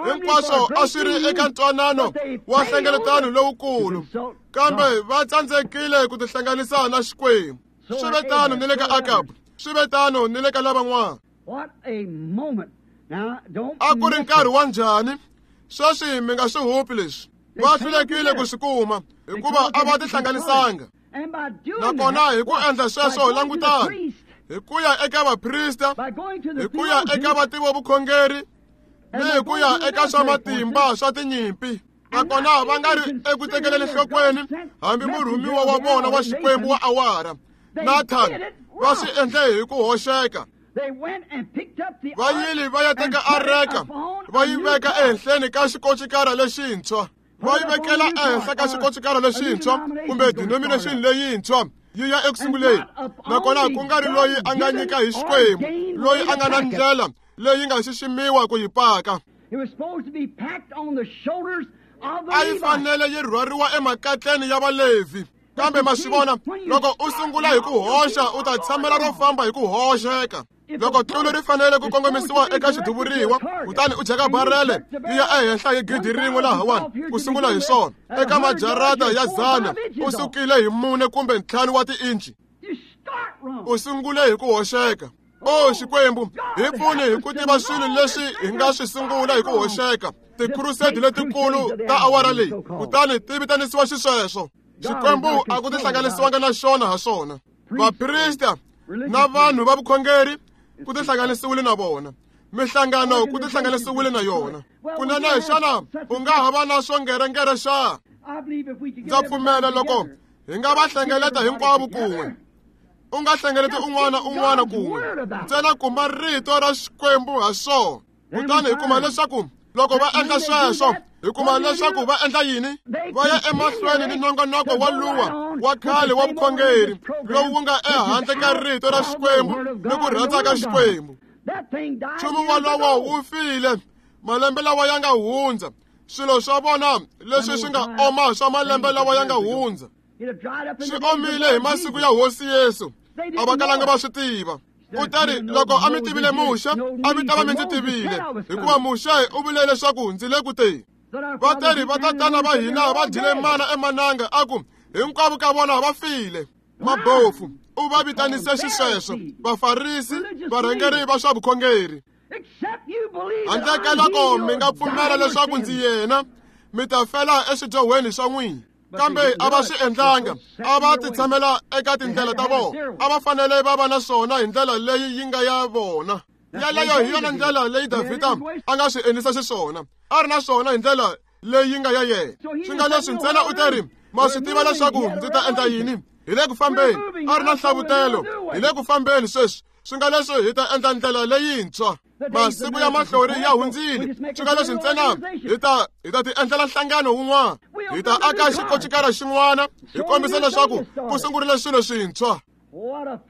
S1: Hinkwaswo a swi ri eka ntwanano wa hlengeletano lowukulu, kambe va tsandzekile ku tihlanganisa na Xikwembu. Swi ve tano ni le ka Akabu, swi ve tano ni le ka lavan'wana. A ku ri nkarhi wa njhani? Sweswi mi nga swi hupi leswi. Va hlulekile ku swi kuma hikuva a va tihlanganisanga. Nakona hi ku endla sweswo, langutani, hi ku ya eka vaprista, hi ku ya eka vativo vukhongeri, ni hi ku ya eka swa matimba swa tinyimpi, nakona va nga ri eku tekeleni nhlokweni hambi murhumiwa wa vona wa Xikwembu wa awara, Nathan, va swi endle hi ku hoxeka. Va yile va ya teka areka, va yi veka ehenhleni ka xikocikara lexintshwa, va yi vekela ehenhla ka xikocikara lexintshwa kumbe denomination leyintshwa, yi ya eku sunguleni. Nakona ku nga ri loyi a nga nyika hi Xikwembu, loyi a nga na ndlela leyi nga xiximiwa ku yi paka. A yi fanele yi rhwariwa emakatleni ya Valevhi. Kambe ma swi vona, loko u sungula hi ku hoxa, u ta tshamela ro famba hi ku hoxeka. Loko tlulu ri fanele ku kongomisiwa eka xiduvuriwa, kutani u jeka barele yi ya ehenhla hi gidi rin'we lahawani ku sungula hi swona, eka majarata ya 100 u sukile hi 4 kumbe 5 wa tiinci. U sungule hi ku hoxeka. O Xikwembu, hi pfuni hi ku tiva swilo leswi hi nga swi sungula hi ku hoxeka, tikhurusedi letikulu ta awara leyi, kutani ti vitanisiwa xisweswo. Xikwembu a ku tihlanganisiwanga na xona ha swona. Vaprista na vanhu va vukhongeri ku tihlanganisiwile na vona, mihlangano ku tihlanganisiwile na yona. Kunene, xana u nga ha va na swo ngerengere xa? Ndza pfumela loko hi nga va hlengeleta hinkwavo kun'we, u nga hlengeleti un'wana un'wana kun'we, ntsena kuma rito ra Xikwembu ha swona. Kutani hi kuma leswaku loko va endla sweswo, hi kuma leswaku va endla yini? Va ya emahlweni ni nongonoko wa luwa wa khale wa vukhongeri lowu wu nga ehandle ka rito ra Xikwembu ni ku rhandza ka Xikwembu. Nchumu wolowo wu file malembe lawa ya nga hundza, swilo swa vona leswi swi nga oma swa malembe lawa ya nga hundza swi omile hi masiku ya Hosi Yesu, a va kalanga va swi tiva. Kutani loko a mi tivile Muxe, a mi ta va mi ndzi tivile, hikuva Muxe u vule leswaku ndzi le ku teni. Va teri vatatana va hina va dyile mana emananga, a ku hinkwavo ka vona va file. Mabofu u va vitanise xisweswo, Vafarisi, varhangeri va swa vukhongeri. Handle ka loko mi nga pfumela leswaku ndzi yena, mi ta fela eswidyohweni swa n'wina. Kambe a va swi endlanga, a va titshamela eka tindlela ta vona, a va fanele va va na swona hi ndlela leyi yi nga ya vona. Yaleyo hi yona ndlela leyi Davhida a nga swi endlisa xiswona, a ri na swona hi ndlela leyi nga ya yena. Swi nga leswi ntsena u teri, ma swi tiva leswaku ndzi ta endla yini? Hi le ku fambeni, a ri na nhlavutelo, hi le ku fambeni sweswi. Swi nga leswi hi ta endla ndlela leyintshwa. Masiku ya mahlori ya hundzile. Swi nga leswi ntsena hi ta ti endlela nhlangano wun'wana. Hi ta aka xikocikara xin'wana hi kombisa leswaku ku sungurile swilo swintshwa.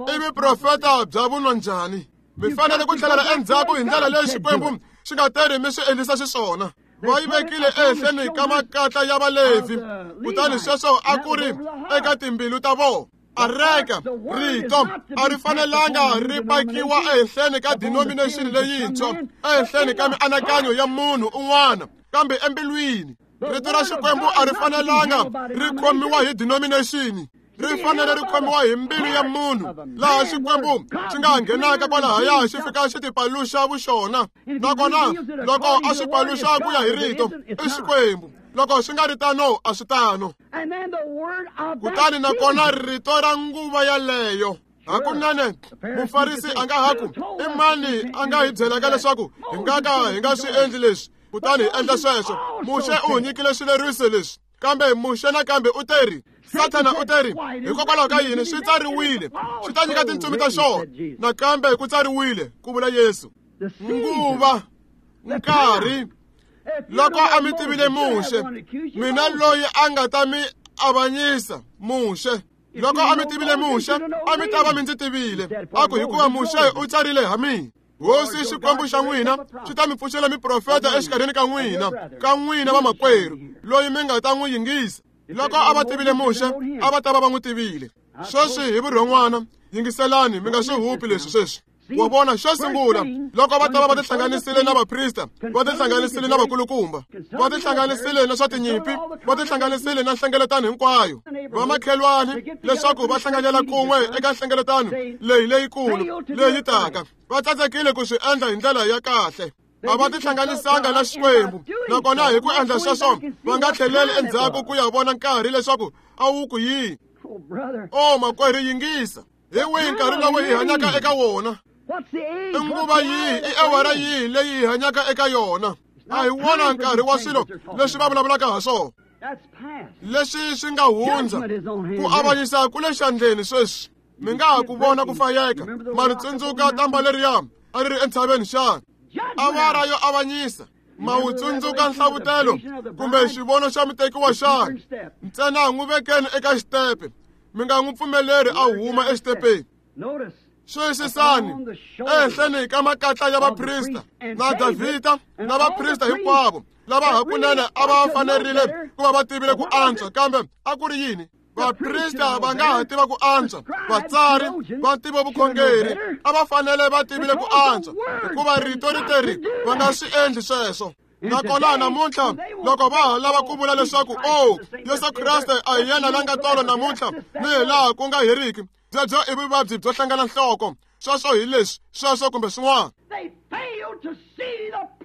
S1: I vuprofeta bya vunwa njhani? Mi fanele ku tlhelela endzhaku hi ndlela leyi Xikwembu xi nga teri mi swi endlisa xiswona. Va yi vekile ehenhleni ka makatla ya Valevhi, kutani sweswo a ku ri eka timbilu ta vona. Areka rito a ri fanelanga ri pakiwa ehenhleni ka denomination leyintshwa, ehenhleni ka mianakanyo ya munhu un'wana, kambe embilwini. Rito ra Xikwembu a ri fanelanga ri khomiwa hi denomination. Ri fanele ri khomiwa hi mbilu ya munhu, laha Xikwembu xi nga nghenaka kwalahaya xi fika xi tipaluxa vuxona. Nakona loko a swi paluxa ku ya hi rito, i Xikwembu. Loko swi nga ri tano, a swi tano. Kutani nakona rito ra nguva yaleyo. Hakunene mufarisi a nga ha ku, i mani a nga hi byelaka leswaku hi nga ka hi nga swi endli leswi, kutani hi endla sweswo. Muxe u hi nyikile swileriso leswi. Kambe Muxe nakambe u teri, Sathana u teri, hikokwalaho ka yini swi tsariwile, swi ta nyika tintsumi ta xona. Nakambe ku tsariwile, ku vula Yesu. Nguva, nkarhi, loko a mi tivile Muxe, mina loyi a nga ta mi avanyisa, Muxe. Loko a mi tivile Muxe, a mi ta va mi ndzi tivile. A ku hikuva Muxe u tsarile ha mina. Hosi Xikwembu xa n'wina xi ta mi pfuxela miprofeta exikarhini ka n'wina, vamakwerhu, loyi mi nga ta n'wi yingisa. Loko a va tivile Muxe, a va ta va va n'wi tivile. Sweswi hi vurhon'wana, yingiselani, mi nga swi hupi leswi sweswi. Wa vona, xo sungula, loko va ta va va tihlanganisile na vaprista, va tihlanganisile na vakulukumba, va tihlanganisile na swa tinyimpi, va tihlanganisile na nhlengeletano hinkwayo, vamakhelwani, leswaku va hlanganyela kun'we eka nhlengeletano leyi leyikulu leyi taka. Va tsandzekile ku swi endla hi ndlela ya kahle. A va tihlanganisanga na Xikwembu, nakona hi ku endla sweswo va nga tlheleli endzhaku ku ya vona nkarhi leswaku a wu ku yini. O makwerhu, yingisa. Hi wihi nkarhi lowu hi hanyaka eka wona? I nguva yihi, i awara yihi leyi hi hanyaka eka yona? A hi wona nkarhi wa swilo leswi va vulavulaka ha swona. Leswi swi nga hundza, ku avanyisa ku le xandleni sweswi. Mi nga ha ku vona ku fayeka, ma ri tsundzuka tamba leriya a ri ri entshaveni xana? Awara yo avanyisa. Ma wu tsundzuka nhlavutelo kumbe xivono xa mutekiwa xana? Ntsena n'wi vekeni eka xitepe, mi nga n'wi pfumeleri a huma exitepeni. Xiyisisani ehenhleni ka makatla ya vaprista na Davhida na vaprista hinkwavo lava hakunene a va fanerile ku va va tivile ku antswa, kambe a ku ri yini? Vaprista va nga ha tiva ku antswa, vatsari va ntivo vukhongeri a va fanele va tivile ku antswa, hikuva rito ri teri va nga swi endli sweswo. Nakona namuntlha loko va ha lava ku vula leswaku o Yesu Kreste a hi yena la nga tolo namuntlha ni hi laha ku nga heriki, byebyo i vuvabyi byo hlangana nhloko. Sweswo hi leswi, sweswo kumbe swin'wana.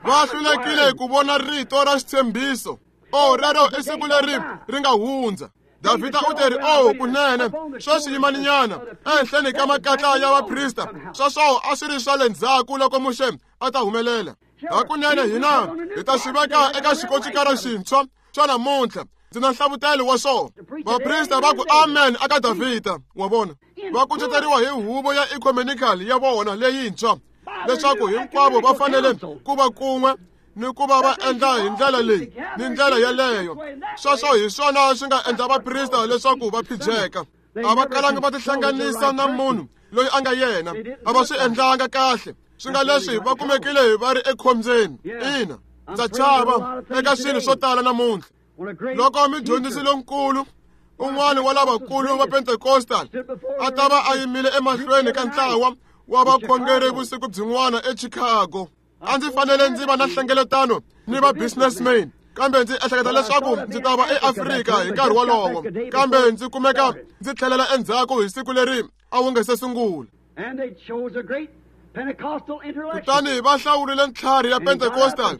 S1: Va hlulekile ku vona rito ra xitshembiso. O rero i siku leri ri nga hundza. Davhida u teri, o kunene, sweswi yimaninyana ehenhleni ka makatla ya vaprista. Sweswo a swi ri swa le ndzhaku loko Muxe a ta humelela. Hakunene hina hi ta swi veka eka xikocikara xintshwa xa namuntlha. Ndzi na nhlavutelo wa swona. Vaprista va ku amen aka Davhida, wa vona. Va kuceteriwa hi huvo ya ecumenical ya vona leyintshwa, leswaku hinkwavo va fanele ku va kun'we ni ku va va endla hi ndlela leyi ni ndlela yaleyo. Sweswo hi swona swi nga endla vaprista leswaku va phijeka. A va kalanga va tihlanganisa na munhu loyi a nga yena. A va swi endlanga kahle. Swi nga leswi va kumekile va ri ekhombyeni. Ina, ndza chava eka swilo swo tala namuntlha. Loko mudyondzisi lonkulu un'wana wa lavakulu va Pentecostal a ta va a yimile emahlweni ka ntlawa wa vakhongeri vusiku byin'wana eChicago, a ndzi fanele ndzi va na nhlengeletano ni va businessmen, kambe ndzi ehleketa leswaku ndzi ta va eAfrika hi nkarhi wolowo, kambe ndzi kumeka ndzi tlhelela endzhaku hi siku leri a wu nga se sungula. Kutani va hlawurile ntlhari ya Pentecostal,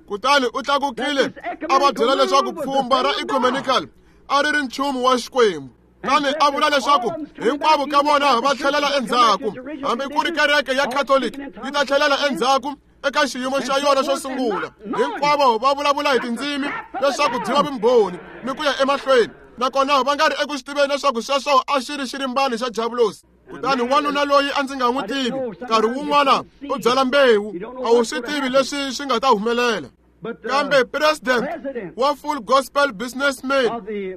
S1: kutani u tlakukile a va byela leswaku pfhumba ra ecumenical a ri ri nchumu wa Xikwembu. Kutani a vula leswaku hinkwavo ka vona va tlhelela endzhaku, hambi ku ri kereke ya Catholic yi ta tlhelela endzhaku eka xiyimo xa yona xo sungula. Hinkwavo va vulavula hi tindzimi leswaku byi va vumbhoni ni ku ya emahlweni, nakona va nga ri eku swi tiveni leswaku sweswo a xi ri xirimbani xa Diavulosi. Kutani wanuna loyi a ndzi nga n'wi tivi, nkarhi wun'wana u byala mbewu, a wu swi tivi leswi swi nga ta humelela. Kambe president wa Full Gospel Businessman,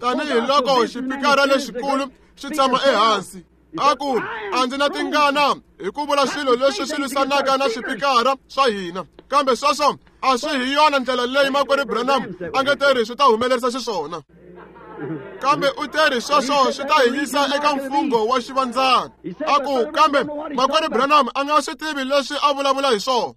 S1: tanihiloko xipikara lexikulu xi tshama ehansi, a ku a ndzi na tingana hi ku vula swilo leswi swi lwisanaka na swipikara swa hina, kambe sweswo a swi hi yona ndlela leyi makwerhu Branham a nge teri swi ta humelerisa xiswona. Kambe u teri sweswo swi ta hi yisa eka mfungho wa xivandzana. A ku kambe makwerhu Branham a nga swi tivi leswi a vulavula hi swona.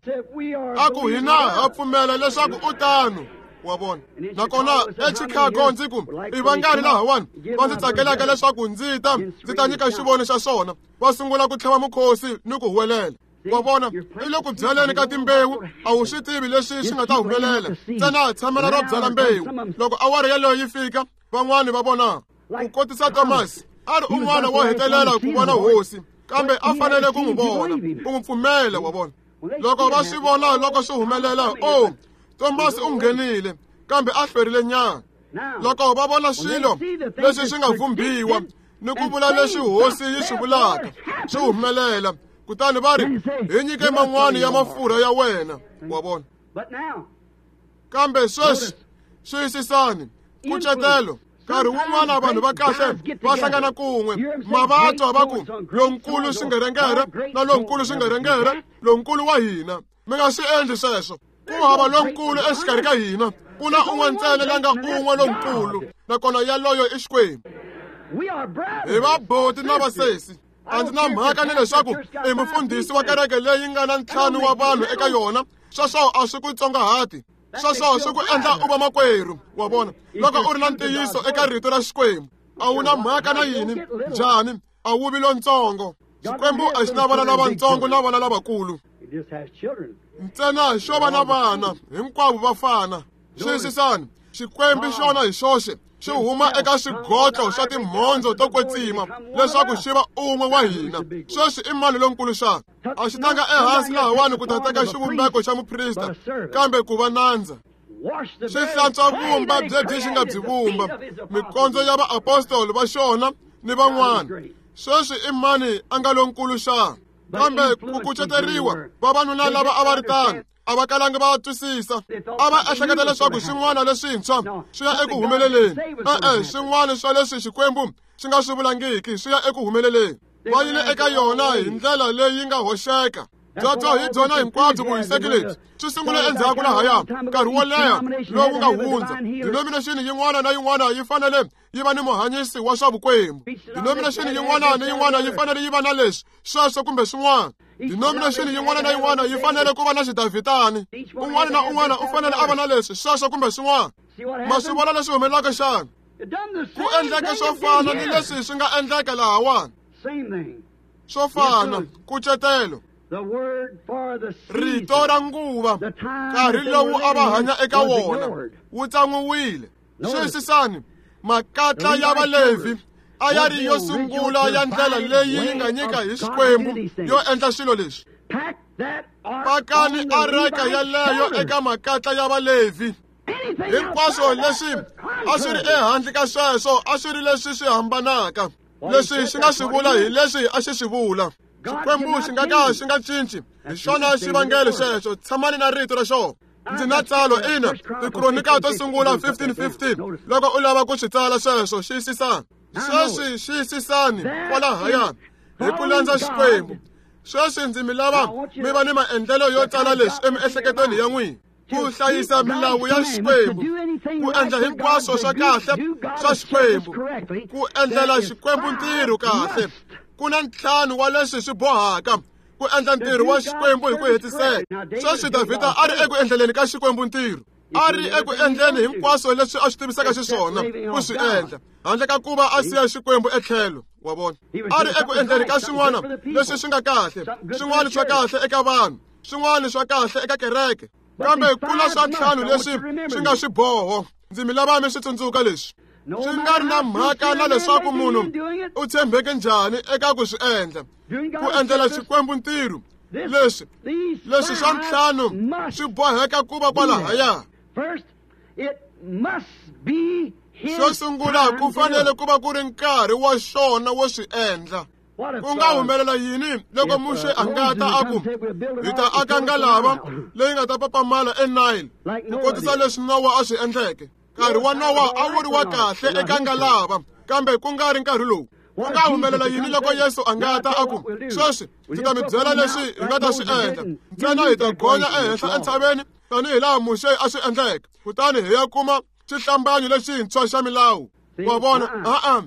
S1: A ku hina ha pfumela leswaku u tano. Wa vona. Nakona eChicago ndzi ku i vangani lahawani va ndzi tsakelaka leswaku ndzi ta ndzi ta nyika xivono xa swona. Va sungula ku tlhava mukhosi ni ku huwelela. Wa vona, i le ku byaleni ka timbewu, a wu swi tivi leswi swi nga ta humelela. Ntsena tshamela ro byala mbewu. Loko awara yeleyo yi fika, van'wani va vona. Ku kotisa Thomas, a ri un'wana wo hetelela ku vona hosi, kambe a fanele ku n'wi vona, ku n'wi pfumela, wa vona. Loko va swi vona loko swi humelela, o Thomas u nghenile, kambe a hlwerile nyana. Loko va vona swilo leswi swi nga vhumbiwa ni ku vula leswi hosi yi swi vulaka swi humelela, kutani va ri hi nyike man'wani ya mafurha ya wena. Wa vona. Kambe sweswi xiyisisani nkucetelo. Nkarhi wun'wana vanhu va kahle va hlangana kun'we, ma va twa va ku lonkulu xingerengere na lonkulu xingerengere, lonkulu wa hina. Mi nga swi endli sweswo. Ku hava lonkulu exikarhi ka hina, ku na un'we ntsena la nga un'we lonkulu, nakona yaloyo i Xikwembu. Hi vaboti na vasesi. A ndzi na mhaka ni leswaku i mufundhisi wa kereke leyi nga na ntlhanu wa vanhu eka yona, sweswo a swi ku tsongahati. Sweswo swi ku endla u va makwerhu. Wa vona, loko u ri na ntiyiso eka rito ra Xikwembu, a wu na mhaka na yini, njhani, a wu vi lontsongo. Xikwembu a xi na vana lavatsongo na vana lavakulu. Ntsena xo va na vana hinkwavo va fana. Xiyisisani, Xikwembu xona hi xoxe xi huma eka swigotlo swa timhondzo to kwetsima leswaku xi va un'we wa hina. Sweswi i mani lonkulu xana? A xi tanga ehansi lahawani ku ta teka xivumbeko xa muprista, kambe ku va nandza. Xi hlantswa vumba byebyi xi nga byi vumba, mikondzo ya vaapostoli va xona ni van'wana. Sweswi i mani a nga lonkulu xana? Kambe ku kuceteriwa vavanuna lava a va ri tano a va kalangi va twisisa. A va ehleketa leswaku swin'wana leswintshwa swi ya eku humeleleni. E-e, swin'wana swa leswi Xikwembu xi nga swi vulangiki swi ya eku humeleleni. Va yile eka yona hi ndlela leyi nga hoxeka. Byebyo hi byona hinkwabyo vuhiseki lebyi swi sungule endzhaku lahaya nkarhi wo leha lowu nga hundza. Denomination yin'wana na yin'wana yi fanele yi va ni muhanyisi wa swa vukwembu. Denomination yin'wana ni yin'wana yi fanele yi va na leswi, sweswo kumbe swin'wana. Denomination yin'wana na yin'wana yi fanele ku va na xidavhitani. Un'wana na un'wana u fanele a va na leswi, sweswo kumbe swin'wana. Ma swi vona leswi humelelaka xana? Ku endleke swo fana ni leswi swi nga endleka lahawani. Swo fana, nkucetelo. Rito ra nguva, nkarhi lowu a va hanya eka wona, wu tsan'wiwile. Xiyisisani, makatla ya Valevhi a ya ri yo sungula ya ndlela leyi yi nga nyika hi Xikwembu yo endla swilo leswi. Pakani areka yeleyo eka makatla ya Valevhi. Hinkwaswo leswi a swi ri ehandle ka sweswo a swi ri leswi swi hambanaka. Leswi xi nga swi vula hi leswi a xi swi vula. Xikwembu xi nga ka xi nga cinci. Hi xona xivangelo xexo. Tshamani na rito ra xona. Ndzi na tsalo ina, Tikronika to sungula 15:15. Loko u lava ku swi tsala sweswo, xiyisisani. Sweswi xiyisisani kwalahaya hi ku landza Xikwembu. Sweswi ndzi mi lava mi va ni maendlelo yo tsala leswi emiehleketweni ya n'wina. Ku hlayisa milawu ya Xikwembu, ku endla hinkwaswo swa kahle swa Xikwembu, ku endlela Xikwembu ntirho kahle. Ku na ntlhanu wa leswi swi bohaka ku endla ntirho wa Xikwembu hi ku hetiseka. Sweswi Davhida a ri eku endleleni ka Xikwembu ntirho, a ri eku endleni hinkwaswo leswi a swi tivisaka xiswona ku swi endla, handle ka ku va a siya Xikwembu etlhelo. Wa vona, a ri eku endleni ka swin'wana leswi swi nga kahle, swin'wana swa kahle eka vanhu, swin'wana swa kahle eka kereke, kambe ku na swa ntlhanu leswi swi nga swiboho. Ndzi mi lava mi swi tsundzuka leswi. Swi nga ri na mhaka na leswaku munhu u tshembeke njhani eka ku swi endla, ku endlela Xikwembu ntirho, leswi leswi swa ntlhanu swi boheka ku va kwalahaya. Xo sungula, ku fanele ku va ku ri nkarhi wa xona wo swi endla. Ku nga humelela yini loko Muxe a nga ta a ku hi ta aka ngalava leyi nga ta papamala eNile ku kotisa leswi Nowa a swi endleke? Nkarhi wa Nowa a wu ri wa kahle eka ngalava, kambe ku nga ri nkarhi lowu. Ku nga humelela yini loko Yesu a nga ta a ku sweswi ndzi ta mi byela leswi hi nga ta swi endla, ntsena hi ta gonya ehenhla entshaveni tanihi laha Muxe a swi endleke, kutani hi ya kuma xihlambanyo lexintshwa xa milawu? Wa vona, a-a,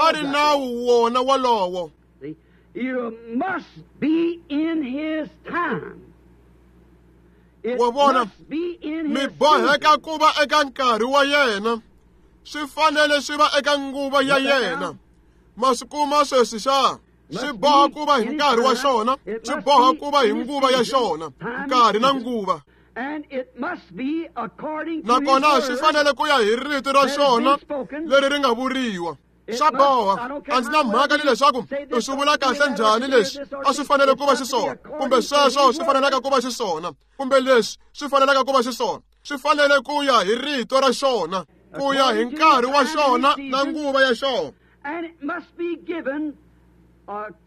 S1: a ri nawu wona wolowo. Wa vona, mi boheka ku va eka nkarhi wa yena, swi fanele swi va eka nguva ya yena. Ma swi kuma sweswi xa? Swi boha ku va hi nkarhi wa xona, swi boha ku va hi nguva ya xona, nkarhi na nguva. Nakona swi fanele ku ya hi rito ra xona leri ri nga vuriwa. Swa boha. A ndzi na mhaka ni leswaku u swi vula kahle njhani leswi a swi fanele ku va xiswona, kumbe sweswo swi fanelaka ku va xiswona, kumbe leswi swi fanelaka ku va xiswona. Swi fanele ku ya hi rito ra xona, ku ya hi nkarhi wa xona na nguva ya xona.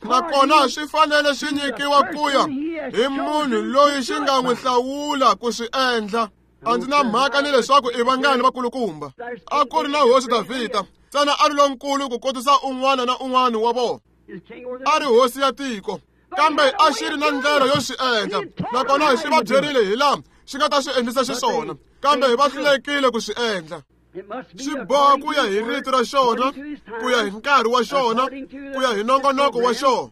S1: Nakona swi fanele swi nyikiwa ku ya hi munhu loyi xi nga n'wi hlawula ku swi endla. A ndzi na mhaka ni leswaku i vangani vakulukumba. A ku ri na hosi Davhida, ntsena a ri lonkulu ku kotisa un'wana na un'wana wa vona. A ri hosi ya tiko, kambe a xi ri na ndlela yo swi endla, nakona xi va byerile hi laha xi nga ta swi endlisa xiswona, kambe va hlulekile ku swi endla. Swi boha ku ya hi rito ra xona, ku ya hi nkarhi wa xona, ku ya hi nongonoko wa xona.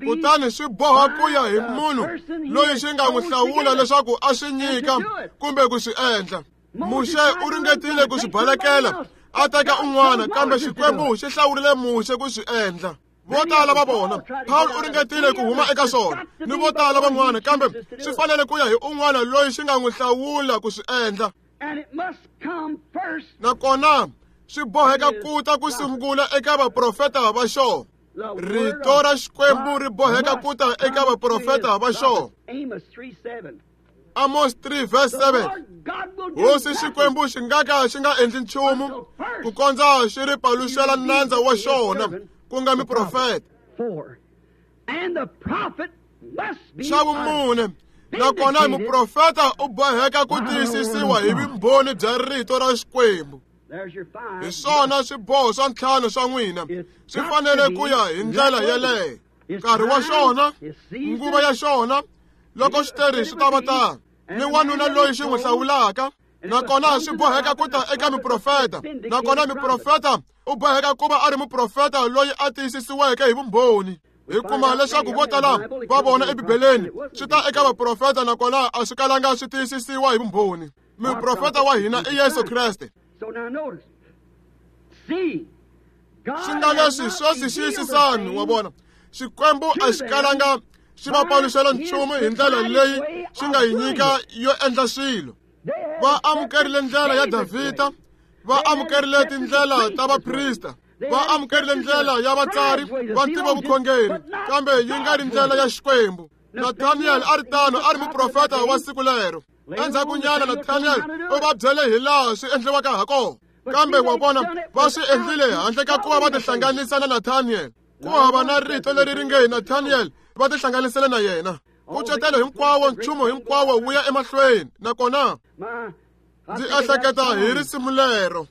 S1: Kutani swi boha ku ya hi munhu loyi xi nga n'wi hlawula leswaku a swi nyika kumbe ku swi endla. Muxe u ringetile ku swi balekela a teka un'wana, kambe Xikwembu xi hlawurile Muxe ku swi endla. Vo tala va vona, Paul u ringetile ku huma eka swona ni vo tala van'wana, kambe swi fanele ku ya hi un'wana loyi xi nga n'wi hlawula ku swi endla. Nakona swi boheka ku ta ku sungula eka vaprofeta va xona. Rito ra Xikwembu ri boheka ku ta eka vaprofeta va xona. Amos 3 verse 7. Hosi Xikwembu xi nga ka xi nga endli nchumu ku kondza xi ri paluxela nandza wa xona, ku nga muprofeta. Xa vumune, nakona muprofeta u boheka ku tiyisisiwa hi vumbhoni bya rito ra Xikwembu. Hi swona swiboho swa ntlhanu swa n'wina swi fanele ku ya hi ndlela yeleyo. Nkarhi wa xona, nguva ya xona, loko xiteri swi ta va tano, ni wanuna loyi xi n'wi hlawulaka. Nakona swi boheka ku ta eka muprofeta, nakona muprofeta u boheka ku va a ri muprofeta loyi a tiyisisiweke hi vumbhoni. Hi kuma leswaku vo tala va vona eBibeleni swi ta eka vaprofeta, nakona a swi kalanga swi tiyisisiwa hi vumbhoni. Muprofeta wa hina i Yesu Kreste. Swi nga leswi sweswi xiyisisani, wa vona, Xikwembu a xi kalanga xi va paluxela nchumu hi ndlela leyi xi nga yi nyika yo endla swilo. Va amukerile ndlela ya Davhida, va amukerile tindlela ta vaprista, va amukerile ndlela ya vatsari va ntivovukhongeri, kambe yi nga ri ndlela ya Xikwembu. Nathaniel a ri tano, a ri muprofeta wa siku lero. Endzhakunyana Nathaniel u va byele hi laha swi endliwaka ha kona, kambe wa vona va swi endlile handle ka ku va va tihlanganisa na Nathaniel. Ku hava na rito leri ri nge Nathaniel va tihlanganisele na yena. Nkucetelo hinkwawo, nchumu hinkwawo wu ya emahlweni. Nakona ndzi ehleketa hi risimu lero.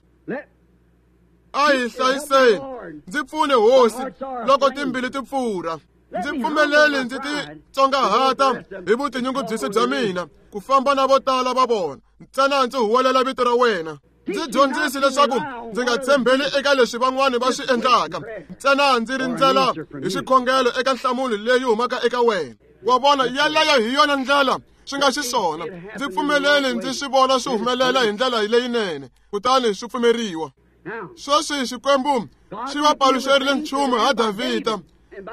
S1: A hi hlayiseni, ndzi pfune Hosi loko timbilu ti pfurha. Ndzi pfumeleli ndzi titsongahata hi vutinyungubyisi bya mina ku famba na vo tala va vona, ntsena ndzi huwelela vito ra wena. Ndzi dyondzisi leswaku ndzi nga tshembeli eka leswi van'wana va swi endlaka, ntsena ndzi rindzela hi xikhongelo eka nhlamulo leyi humaka eka wena. Wa vona, yeleyo hi yona ndlela swi nga xiswona. Ndzi pfumeleli ndzi swi vona swi humelela hi ndlela leyinene, kutani swi pfumeriwa. Sweswi Xikwembu xi va paluxerile nchumu ha Davhida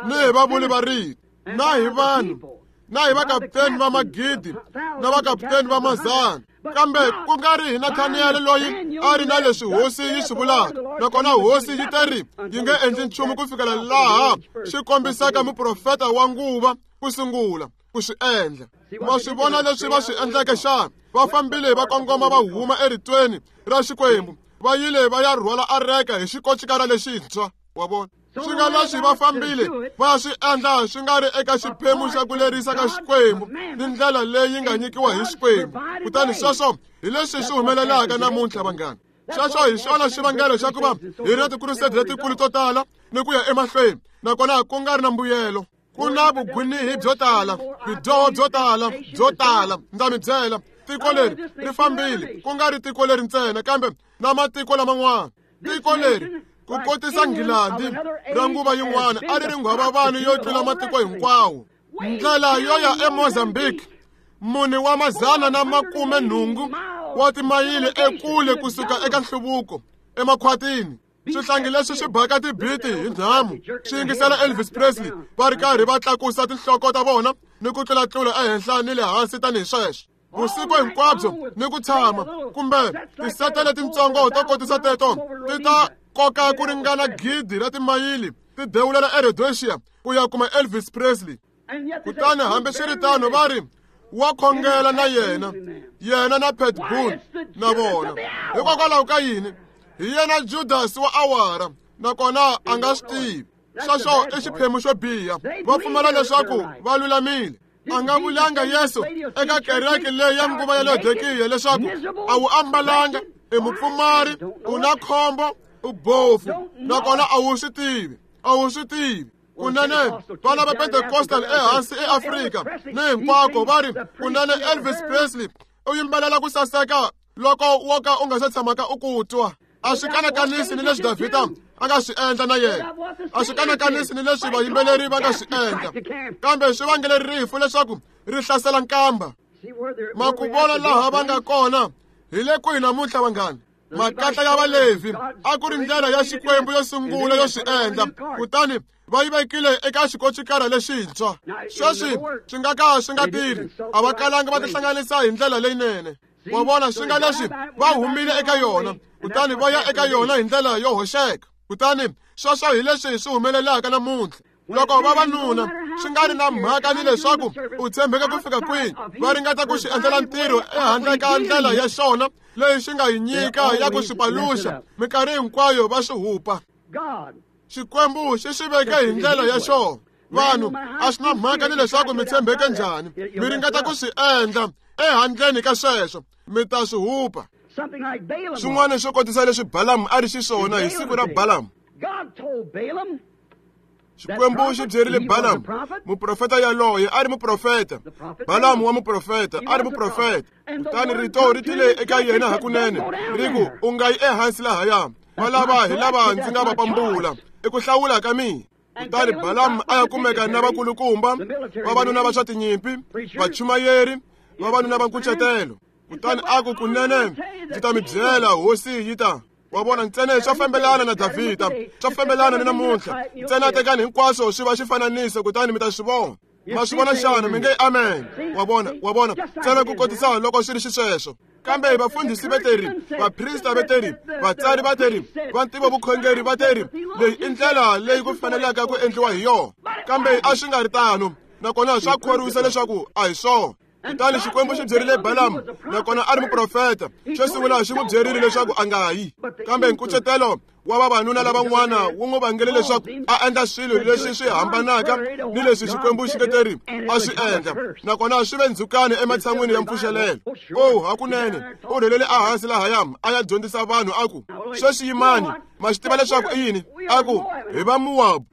S1: ni hi vavuli va rito, na hi vanhu, na hi vakaputeni va magidi na vakaputeni va mazana, kambe ku nga ri hi Nathaniel loyi a ri na leswi hosi yi swi vulaka. Nakona hosi yi te ri yi nge endli nchumu ku fikela laha xi kombisaka muprofeta wa nguva ku sungula ku swi endla. Ma swi vona leswi va swi endleke xana? Va fambile va kongoma va huma eritweni ra Xikwembu, va yile va ya rhwala areka hi xikocikara lexintshwa. Wa vona? Swi nga leswi va fambile va swi endla swi nga ri eka xiphemu xa ku lerisa ka Xikwembu ni ndlela leyi nga nyikiwa hi Xikwembu. Kutani sweswo hi leswi swi humelelaka namuntlha, vanghana. Sweswo hi xona xivangelo xa ku va hi ri na tikuruseti letikulu to tala ni ku ya emahlweni, nakona ku nga ri na mbuyelo. Ku na vugwinihi byo tala, bidyoho byo tala, byo tala. Ndza mi byela, tiko leri ri fambile, ku nga ri tiko leri ntsena, kambe na matiko laman'wana. Tiko leri ku kotisa Nghilandi ra nguva yin'wana a ri ri nghwavavani yo tlula matiko hinkwawo. Ndlela yo ya eMozambique, 480 wa timayili ekule kusuka eka nhluvuko emakhwatini. Swihlangi leswi swi baka tibiti hi nhamu swi yingisela Elvis Presley va ri karhi va tlakusa tinhloko ta vona ni ku tlulatlula ehenhla ni le hansi tanihi sweswo vusiku hinkwabyo ni ku tshama kumbe tisete letintsongo to kotisa teto ti ta koka ku ringana 1,000 ra timayili ti dewulela eRhodesia ku ya kuma Elvis Presley. Kutani hambiswiritano va ri wa khongela na yena, yena na Pat Boone na vona. Hikokwalaho ka yini? Hi yena Judas wa awara, nakona a nga swi tivi. Sweswo i xiphemu xo biha. Va pfumela leswaku va lulamile. A nga vulanga Yesu eka kereke leyi ya nguva ya Laodikiya leswaku a wu ambalanga, i mupfumari, u na khombo, u bofu, nakona a wu swi tivi, a wu swi tivi. Kunene vana va Pentecostal ehansi eAfrika ni hinkwako va ri kunene Elvis Presley u yimbelela ku saseka loko wo ka u nga se tshamaka u ku twa. A swi kanakanisi ni leswi Davhida a nga swi endla na yena, a swi kanakanisi ni leswi vayimbeleri va nga swi endla, kambe swi vangele rifu leswaku ri hlasela nkamba. Ma ku vona laha va nga kona hi le kwihi namuntlha, vanghana? Makatla ya Valevhi a ku ri ndlela ya Xikwembu yo sungula yo swi endla, kutani va yi vekile eka xikocikara lexintshwa. Sweswi swi nga ka swi nga tirhi, a va kalanga va tihlanganisa hi ndlela leyinene. Wa vona, swi nga leswi va humile eka yona, kutani va ya eka yona hi ndlela yo hoxeka. Kutani sweswo hi leswi swi humelelaka namuntlha. Loko vavanuna swi nga ri na mhaka ni leswaku u tshembeka ku fika kwihi, va ringeta ku xi endlela ntirho ehandle ka ndlela ya xona leyi xi nga yi nyika ya ku swi paluxa, minkarhi hinkwayo va swi hupa. Xikwembu xi swi veke hi ndlela ya xona. Vanhu a swi na mhaka ni leswaku mi tshembeke njhani, mi ringeta ku swi endla ehandleni ka sweswo, mi ta swi hupa. Swin'wana swo kotisa leswi Balamu a ri xiswona hi siku ra Balamu. Xikwembu xi byerile Balamu, muprofeta yaloye a ri muprofeta. Balamu wa muprofeta a ri muprofeta. Kutani rito ri tile eka yena hakunene, ri ku, u nga yi ehansi lahaya, valava hi lava ndzi nga va pambula, i ku hlawula ka mina. Kutani Balamu a ya kumeka na vakulukumba, vavanuna va swa tinyimpi, vachumayeri, vavanuna va nkucetelo. Kutani a ku, kunene ndzi ta mi byela, hosi yi ta. Wa vona, ntsena swa fambelana na Davhida, swa fambelana ni namuntlha. Ntsena tekani hinkwaswo swi va xifananiso, kutani mi ta swi vona. Ma swi vona xana? Mi nge amen. Wa vona, wa vona, ntsena ku kotisa loko swi ri xisweswo. Kambe vafundhisi va teri, vaprista va teri, vatsari va teri, va ntivo vukhongeri va teri, leyi i ndlela leyi ku fanelaka ku endliwa hi yona. Kambe a swi nga ri tano, nakona swa khorwisa leswaku a hi swona. Kutani Xikwembu xi byerile Balamu, nakona a ri muprofeta. Xo sungula xi n'wi byerile leswaku a nga yi, kambe nkucetelo wa vavanuna lavan'wana wu n'wi vangele leswaku a endla swilo leswi swi hambanaka ni leswi Xikwembu xi nge teri a swi endla, nakona swi ve ndzhukani ematshan'wini ya mpfuxelelo. Oh, hakunene u rhelele ehansi lahaya a ya dyondzisa vanhu a ku, sweswi yimani, ma swi tiva leswaku i yini? A ku, hi va Mowabu.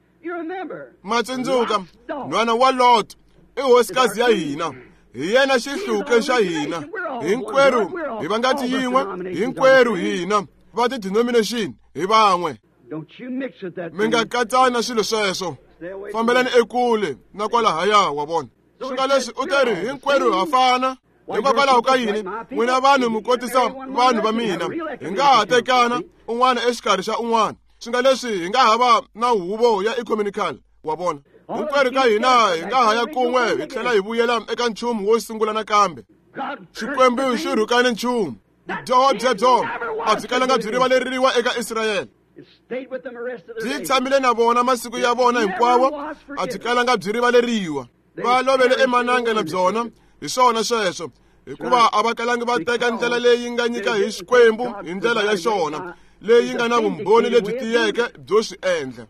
S1: Ma tsundzuka, nhwana wa Lot i hosikazi ya hina, hi yena xihluke xa hina, hinkwerhu hi va ngati yin'we, hinkwerhu hina va ti-denomination hi van'we. Mi nga katsani na swilo sweswo, fambelani ekule na kwalahaya. Wa vona, swi nga leswi u teri hinkwerhu ha fana. Hikokwalaho ka yini n'wina vanhu mi kotisa vanhu va mina? Hi nga ha tekana un'wana exikarhi xa un'wana, swi nga leswi hi nga ha va na huvo ya ecumenical. Wa vona, hinkwerhu ka hina hi nga ha ya kun'we hi tlhela hi vuyela eka nchumu wo sungula nakambe. Xikwembu xi rhukane nchumu. Vudyoho byebyo a byi kalanga byi rivaleriwa eka Israyele. Byi tshamile na vona masiku ya vona hinkwawo, a byi kalanga byi rivaleriwa. Va lovele emananga na byona. Hi swona sweswo, hikuva a va kalangi va teka ndlela leyi nga nyika hi Xikwembu hi ndlela ya xona leyi nga na vumbhoni lebyi tiyeke byo swi endla.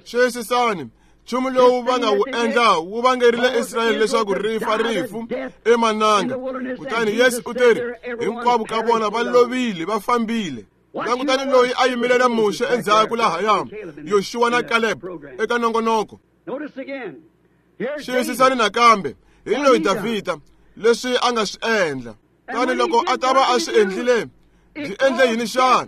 S1: Xiyisisani, nchumu lowu va nga wu endla wu vangerile Israyele leswaku ri fa rifu emananga. Kutani Yesu u teri hinkwavo ka vona va lovile, va fambile. Langutani loyi a yimile na Muxe endzhaku lahaya, Yoxuwa na Caleb eka nongonoko. Xiyisisani nakambe hi loyi Davhida leswi a nga swi endla. Kutani loko a ta va a swi endlile, byi endle yini xana?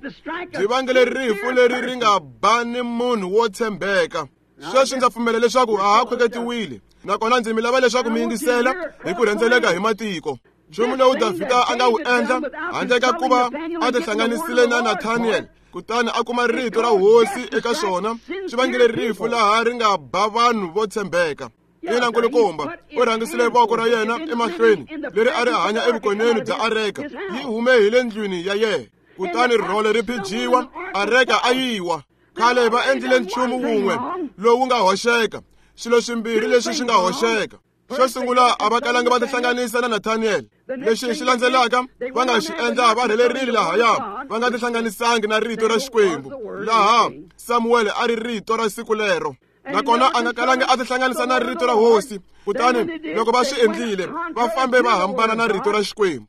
S1: Byi vangele rifu leri ri nga ba ni munhu wo tshembeka. Sweswi ndza pfumela leswaku a ha khweketiwile, nakona ndzi mi lava leswaku mi yingisela hi ku rhendzeleka hi matiko. Nchumu lowu Davhida a nga wu endla handle ka ku va a tihlanganisile na Nathaniel kutani a kuma rito ra hosi eka swona, swi vangele rifu laha ri nga ba vanhu vo tshembeka. Ina nkulukumba, u rhangisile voko ra yena emahlweni leri a ri hanya evukoneni bya areka, yi hume hi le ndlwini ya yena. Kutani rhole ri phijiwa, areka a yiwa. Khale va endlile nchumu wun'we lowu nga hoxeka, swilo swimbirhi leswi swi nga hoxeka. Xo sungula, a va kalanga va tihlanganisa na Nathaniel. Lexi xi landzelaka va nga xi endla, va rhelerile lahaya, va nga tihlanganisangi na rito ra Xikwembu, laha Samuel a ri rito ra siku lero. Nakona a nga kalanga a tihlanganisa na rito ra hosi. Kutani loko va swi endlile, va fambe va hambana na rito ra Xikwembu.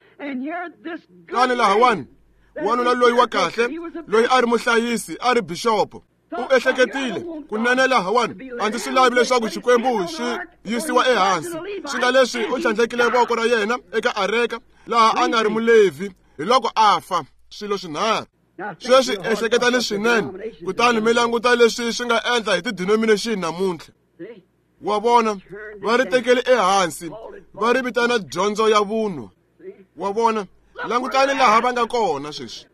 S1: Kutani lahawani, wanuna loyi wa kahle, loyi a ri muhlayisi, a ri bixopo, u ehleketile kunene lahawani, a ndzi swi lavi leswaku Xikwembu xi yisiwa ehansi. Swi nga leswi u tlhandlekile voko ra yena eka areka laha a nga ri Mulevhi, hi loko a fa. Swilo swinharhu. Sweswi ehleketani swinene, kutani mi languta leswi swi nga endla hi ti-denomination namuntlha. Wa vona, va ri tekele ehansi, va ri vitana dyondzo ya vunwa. Wa vona, langutani laha va nga kona sweswi.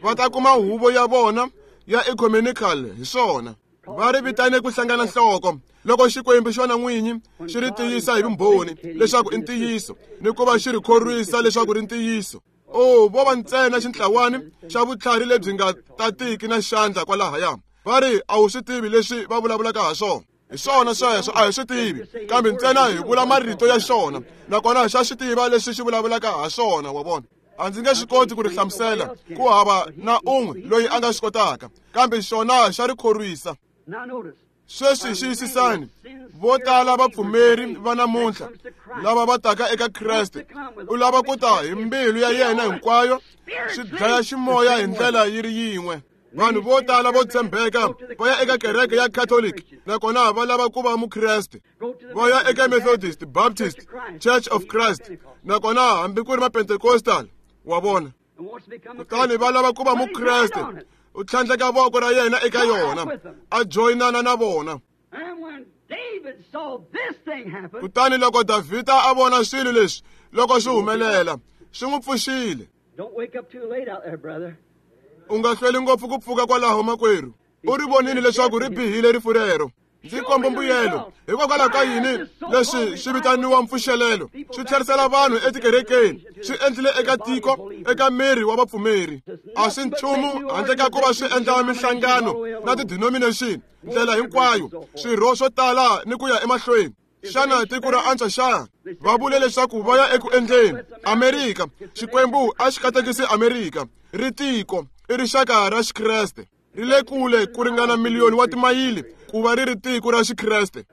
S1: Va ta kuma huvo ya vona ya ecumenical hi swona. Va ri vitane ku hlangana nhloko loko Xikwembu xona n'winyi xi ri tiyisa hi vumbhoni leswaku i ntiyiso, ni ku va xi ri khorwisa leswaku ri ntiyiso. O, vo va ntsena xintlawani xa vutlhari lebyi nga tatiki na xandla kwalahaya. Va ri a wu swi tivi leswi va vulavulaka ha swona. Hi swona sweswo, a hi swi tivi, kambe ntsena hi vula marito ya xona, nakona xa swi tiva leswi xi vulavulaka ha swona. Wa vona, a ndzi nge swi koti ku ri hlamusela, ku hava na un'we loyi a nga swi kotaka, kambe xona xa ri khorwisa. Sweswi xiyisisani, vo tala vapfumeri va namuntlha lava va taka eka Kreste, u lava ku ta hi mbilu ya yena hinkwayo, swi dlaya ximoya hi ndlela yi ri yin'we. Vanhu vo tala vo tshembeka va ya eka kereke ya Catholic, nakona va lava ku va Mukreste. Va ya eka Methodist, Baptist, Church of Christ, nakona hambi ku ri ma Pentecostal. Wa vona, kutani va lava ku va Mukreste. U tlhandleka voko ra yena eka yona, a joyinana na vona. Kutani loko Davhida a vona swilo leswi loko swi humelela, swi n'wi pfuxile. U nga hlweli ngopfu ku pfuka kwalaho, makwerhu. U ri vonile leswaku ri bihile rifu rero. Ndzi komba mbuyelo. Hikokwalaho ka yini leswi swi vitaniwa mpfuxelelo? Swi tlherisela vanhu etikerekeni, swi endlile eka tiko, eka miri wa vapfumeri. A swi nchumu handle ka ku va swi endla minhlangano na ti-denomination ndlela hinkwayo, swirho swo tala ni ku ya emahlweni. Xana tiko ra antswa xana? Va vule leswaku va ya eku endleni Amerika. Xikwembu a xi katekisi Amerika. Ri tiko i rixaka ra Xikreste, ri le kule ku ringana miliyoni wa timayili ku va ri ri tiko ra Xikreste.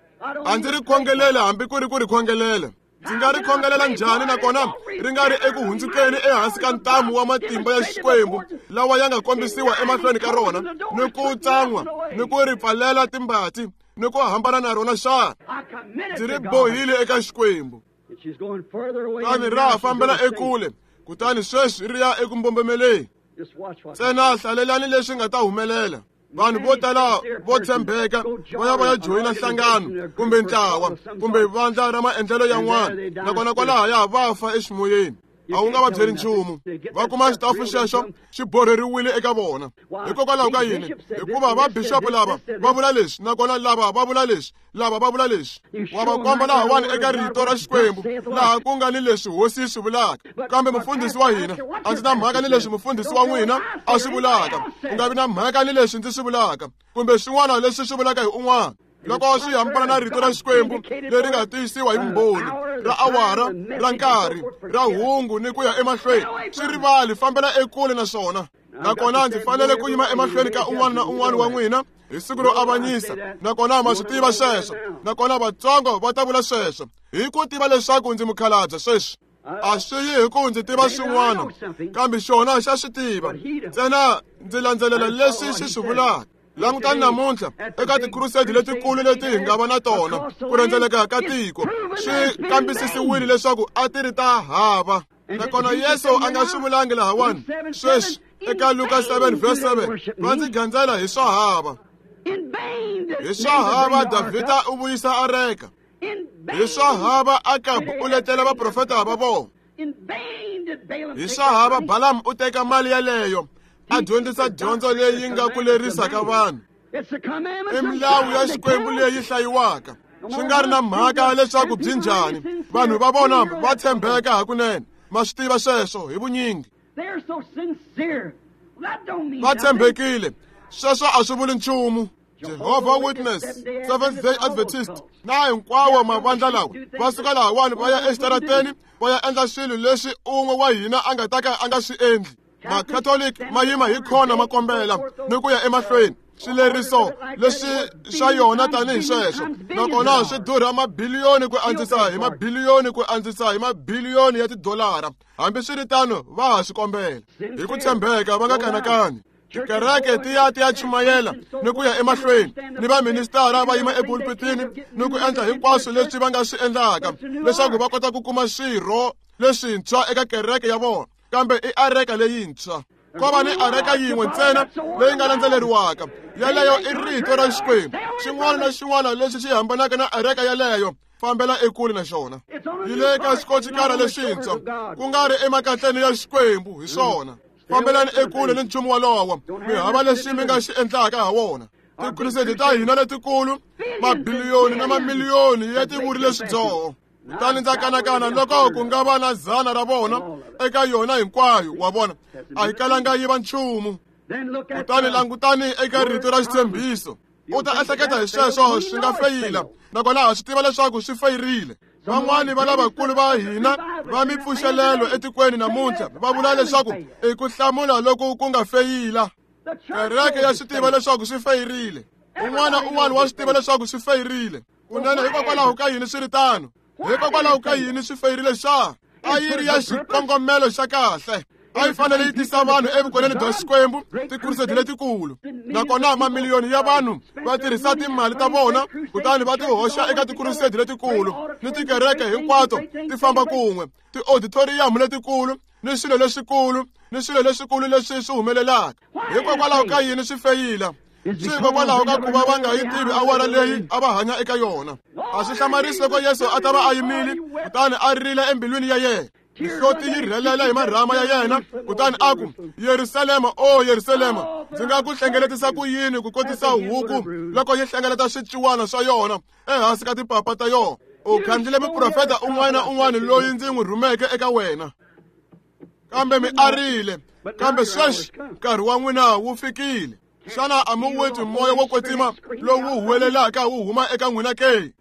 S1: A ndzi ri khongelele hambi ku ri ku ri khongelela. Ndzi nga ri khongelela njhani nakona ri nga ri eku hundzukeni ehansi ka ntamu wa matimba ya Xikwembu lawa ya nga kombisiwa emahlweni ka rona, ni ku tsan'wa ni ku ri pfalela timbati ni ku hambana na rona xana? Ndzi ri bohile eka Xikwembu. Kutani ra ha fambela ekule, kutani sweswi ri ya eku mbombomeleni. Ntsena hlalelani leswi nga ta humelela. Vanhu vo tala vo tshembeka va ya va ya joyina nhlangano kumbe ntlawa kumbe vandla ra maendlelo yan'wana, nakona kwalahaya va fa eximoyeni. A wu nga va byeli nchumu. Va kuma xitafu xexo xi borheriwile eka vona. Hikokwalaho ka yini? Hikuva va bixopo lava va vula leswi, nakona lava va vula leswi, lava va vula leswi. Wa va komba lahawani eka rito ra Xikwembu, laha ku nga ni leswi hosi yi swi vulaka. Kambe mufundhisi wa hina, a ndzi na mhaka ni leswi mufundhisi wa n'wina a swi vulaka, u nga vi na mhaka ni leswi ndzi swi vulaka, kumbe swin'wana leswi swi vulaka hi un'wana. Loko swi hambana na rito ra Xikwembu leri nga tiyisiwa hi vumbhoni ra awara, ra nkarhi, ra hungu ni ku ya emahlweni, swi rivali, fambela ekule na swona. Nakona ndzi fanele ku yima emahlweni ka un'wana na un'wana wa n'wina Hi siku ro avanyisa, nakona ma swi tiva sweswo, nakona vatsongo va ta vula sweswo hi ku tiva leswaku ndzi mukhalabye sweswi. A swi yi hi ku ndzi tiva swin'wana, kambe xona xa swi tiva ntsena. Ndzi landzelela leswi xi swi vulaka. Langutani namuntlha eka tikhurusedi letikulu leti hi nga va na tona ku rhendzeleka ka tiko, swi kambisisiwile leswaku a ti ri ta hava. Nakona Yesu a nga swi vulangi lahawani sweswi eka Luka 7 verse 7, va ndzi gandzela hi swa hava. Hi swa hava Davhida u vuyisa areka. Hi swa hava Akabu u letela vaprofeta va vona. Hi swa hava Balaam u teka mali yaleyo a dyondzisa dyondzo leyi nga ku lerisaka vanhu. I milawu ya Xikwembu leyi hlayiwaka, swi nga ri na mhaka leswaku byi njhani. Vanhu va vona va tshembeka hakunene, ma swi tiva sweswo hi vunyingi. Va tshembekile, sweswo a swi vuli nchumu. Jehovah Witness, Seventh Day Adventist na hinkwawo mavandla lawa va suka lahawani va ya exitarateni va ya endla swilo leswi un'we wa hina a nga ta ka a nga swi endli. Makatoliki ma yima hi khona ma kombela ni ku ya emahlweni swileriso leswi swa yona tanihi sweswo, nakona swi durha mabiliyoni ku andzisa hi mabiliyoni ku andzisa hi mabiliyoni ya tidolara. Hambiswiritano va ha swi kombela hi ku tshembeka, va nga kanakani. Tikereke ti ya ti ya chumayela ni ku ya emahlweni, ni vaministara va yima epulpitini ni ku endla hinkwaswo leswi va nga swi endlaka leswaku va kota ku kuma swirho leswintshwa eka kereke ya vona. Kambe i areka leyintshwa. Ko va ni areka yin'we ntsena leyi nga landzeleriwaka, yaleyo i rito ra Xikwembu. Xin'wana na xin'wana lexi xi hambanaka na areka yaleyo, fambela ekule na xona. Yi le ka xikocikara lexintshwa, ku nga ri emakatleni ya Xikwembu. Hi swona, fambelani ekule ni nchumu walowo, mi hava lexi mi nga xi endlaka ha wona. Tikhurusedi ta hina letikulu, mabiliyoni na mamiliyoni ya ti vurile swidyoho. Kutani ndza kanakana loko ku nga va na 100 ra vona eka yona hinkwayo. Wa vona, a yi kalanga yi va nchumu. Kutani langutani eka rito ra xitshembiso. U ta ehleketa hi sweswo swi nga feyila, nakona ha swi tiva leswaku swi feyirile. Van'wani va lavakulu va hina va mipfuxelelo etikweni namuntlha va vula leswaku i ku hlamula loku ku nga feyila. Kereke ya swi tiva leswaku swi feyirile. Un'wana un'wana wa swi tiva leswaku swi feyirile. Kunene, hikokwalaho ka yini swi ri tano? Hikokwalaho ka yini swi feyirile xa? A yi ri ya xikongomelo xa kahle. A yi fanele yi tisa vanhu evukoneni bya Xikwembu, tikhurusedi letikulu. Nakona mamiliyoni ya vanhu va tirhisa timali ta vona kutani va ti hoxa eka tikhurusedi letikulu ni tikereke hinkwato ti famba kun'we, tiauditoriyamu letikulu ni swilo leswikulu ni swilo leswikulu leswi swi humelelaka. Hikokwalaho ka yini swi feyila? Swi hikokwalaho ka ku va va nga yi tivi awara leyi a va hanya eka yona. A swi hlamarisi loko Yesu a ta va a yimile kutani a rila embilwini ya yena, mihloti yi rhelela hi marhama ya yena, kutani a ku, Yerusalema, o Yerusalema, ndzi nga ku hlengeletisa ku yini ku kotisa huku loko yi hlengeleta swiciwana swa yona ehansi ka timpapa ta yona. U khandlile muprofeta un'wana na un'wana loyi ndzi n'wi rhumeke eka wena, kambe mi arile. Kambe sweswi nkarhi wa n'wina wu fikile. Xana a mi wu twi moya wo kwetsima lowu huwelelaka wu huma eka n'wina ke?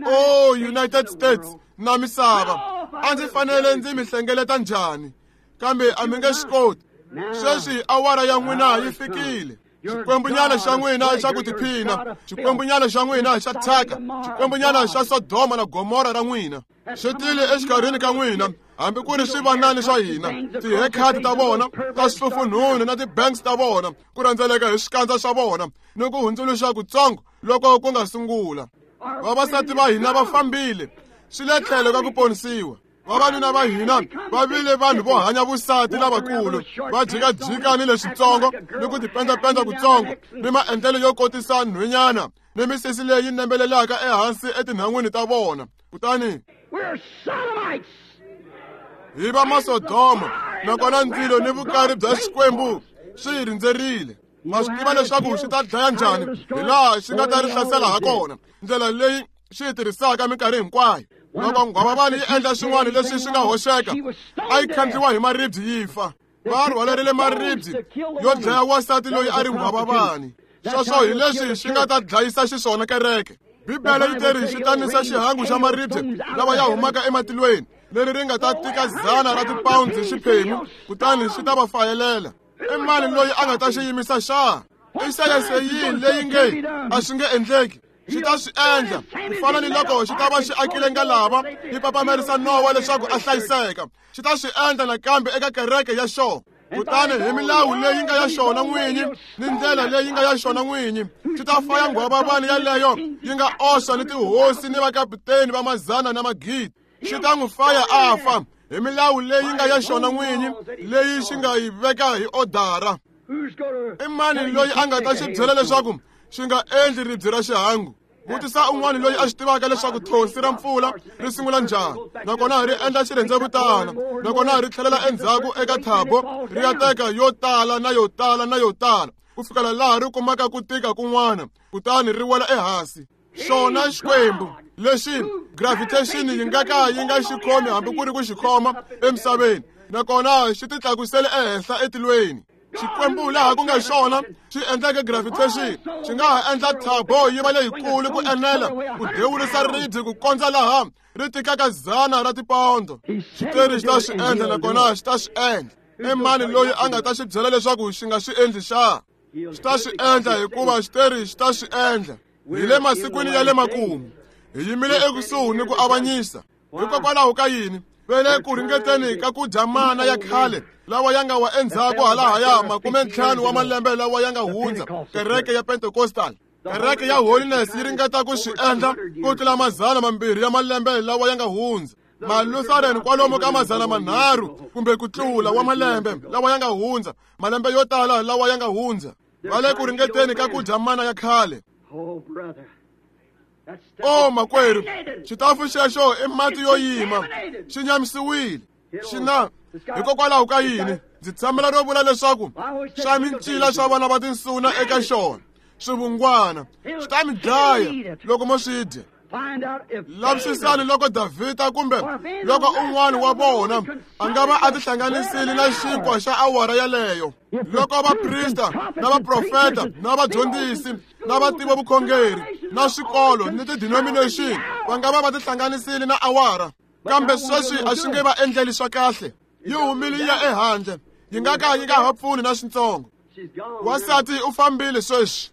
S1: O United States na misava, a ndzi fanele ndzi mi hlengeleta njhani? Kambe a mi nge swi koti. Sweswi awara ya n'wina yi fikile. Xikwembunyana xa n'wina xa ku tiphina, xikwembunyana xa n'wina xa thyaka, xikwembunyana xa Sodoma na Gomora ra n'wina swi tile exikarhini ka n'wina, hambi ku ri swivanani swa hina, ti-haircut ta vona ta swihlufunhunu na ti-banks ta vona ku rhendzeleka hi swikandza swa vona ni ku hundzuluxa kutsongo loko ku nga sungula. Vavasati va hina va fambile swi le tlhelo ka ku ponisiwa. Vavanuna va hina va vile vanhu vo hanya vusati lavakulu, va jikajika ni leswitsongo ni ku tipendapenda kutsongo ni maendlelo yo kotisa nhwenyana ni misisi leyi nembelelaka ehansi etinhan'wini ta vona. Kutani hi va Masodoma, nakona ndzilo ni vukari bya Xikwembu swi hi rindzerile. Ma swi tiva leswaku xi ta dlaya njhani, hi laha xi nga ta ri hlasela ha kona, ndlela leyi xi yi tirhisaka minkarhi hinkwayo. Loko nghwavavani yi endla swin'wana leswi swi nga hoxeka, a yi khandliwa hi maribye yi fa. Va rhwalerile maribye yo dlaya wansati loyi a ri nghwavavani. Sweswo hi leswi swi nga ta dlayisa xiswona kereke. Bibele yi teri xi ta nisa xihangu xa maribye lawa ya humaka ematilweni, leri ri nga ta tika 100 ra tipawundi xiphemu, kutani swi ta va fayelela. I mani loyi a nga ta xi yimisa xa? I sayense yini leyi nge a swi nge endleki? Xi ta swi endla ku fana ni loko xi ta va xi akile ngalava yi papamerisa Nowa leswaku a hlayiseka. Xi ta swi endla nakambe eka kereke ya xona. Kutani hi milawu leyi nga ya xona n'winyi ni ndlela leyi nga ya xona n'winyi, xi ta faya nghwavavani yaleyo yi nga oxa ni tihosi ni vakaputeni va mazana na magidi. Xi ta n'wi faya a fa hi milawu leyi nga ya xona n'winyi leyi xi nga yi veka hi odara. I mani loyi a nga ta xi byela leswaku xi nga endli ribye ra xihangu? Vutisa un'wana loyi a swi tivaka leswaku thonsi ra mpfula ri sungula njhani, nakona ri endla xirhendzevutana, nakona ri tlhelela endzhaku eka thabo ri ya teka yo tala na yo tala na yo tala ku fikela laha ri kumaka ku tika kun'wana, kutani ri wela ehansi. Xona Xikwembu lexi gravitation yi nga ka yi nga xi khomi hambi ku ri ku xi khoma emisaveni, nakona xi titlakusele ehenhla etilweni. Xikwembu laha ku nga xona xi endleke gravitation, xi nga ha endla thabo yi va leyikulu ku enela ku dewurisa ribye ku kondza laha ri tikaka 100 ra tipondho. Xiteri xi ta swi endla, nakona xi ta swi endla. I mani loyi a nga ta xi byela leswaku xi nga swi endli xa? Xi ta swi endla hikuva xiteri xi ta swi endla. Hi le masikwini ya le makumu, hi yimile ekusuhi ni ku avanyisa. Hikokwalaho ka yini? Va le ku ringeteni ka ku dya mana ya khale lawa ya nga wa endzhaku halahaya 50 wa malembe lawa ya nga hundza. Kereke ya Pentecostal, kereke ya Holiness yi ringeta ku swi endla ku tlula 200 ya malembe lawa ya nga hundza. Malutheran kwalomu ka 300 kumbe ku tlula wa malembe lawa ya nga hundza, malembe yo tala lawa ya nga hundza. Va le ku ringeteni ka ku dya mana ya khale. O makwerhu, xitafu xexo i mati yo yima, xi nyamisiwile. Xi na hikokwalaho ka yini? Ndzi tshamela ro vula leswaku xa mincila swa vana va tinsuna eka xona swivungwana swi ta mi dlaya loko mo swi dya. Lavisisani loko Davhida kumbe loko un'wana wa vona a nga va a tihlanganisile na xinkwa xa awara yaleyo. Loko vaprista na vaprofeta na vadyondzisi na vativi vukhongeri na swikolo ni ti-denomination va nga va va tihlanganisile na awara, kambe sweswi a swi nge va endleli swa kahle. Yi humile yi ya ehandle, yi nga ka yi nga ha pfuni na switsongo. Wansati u fambile sweswi.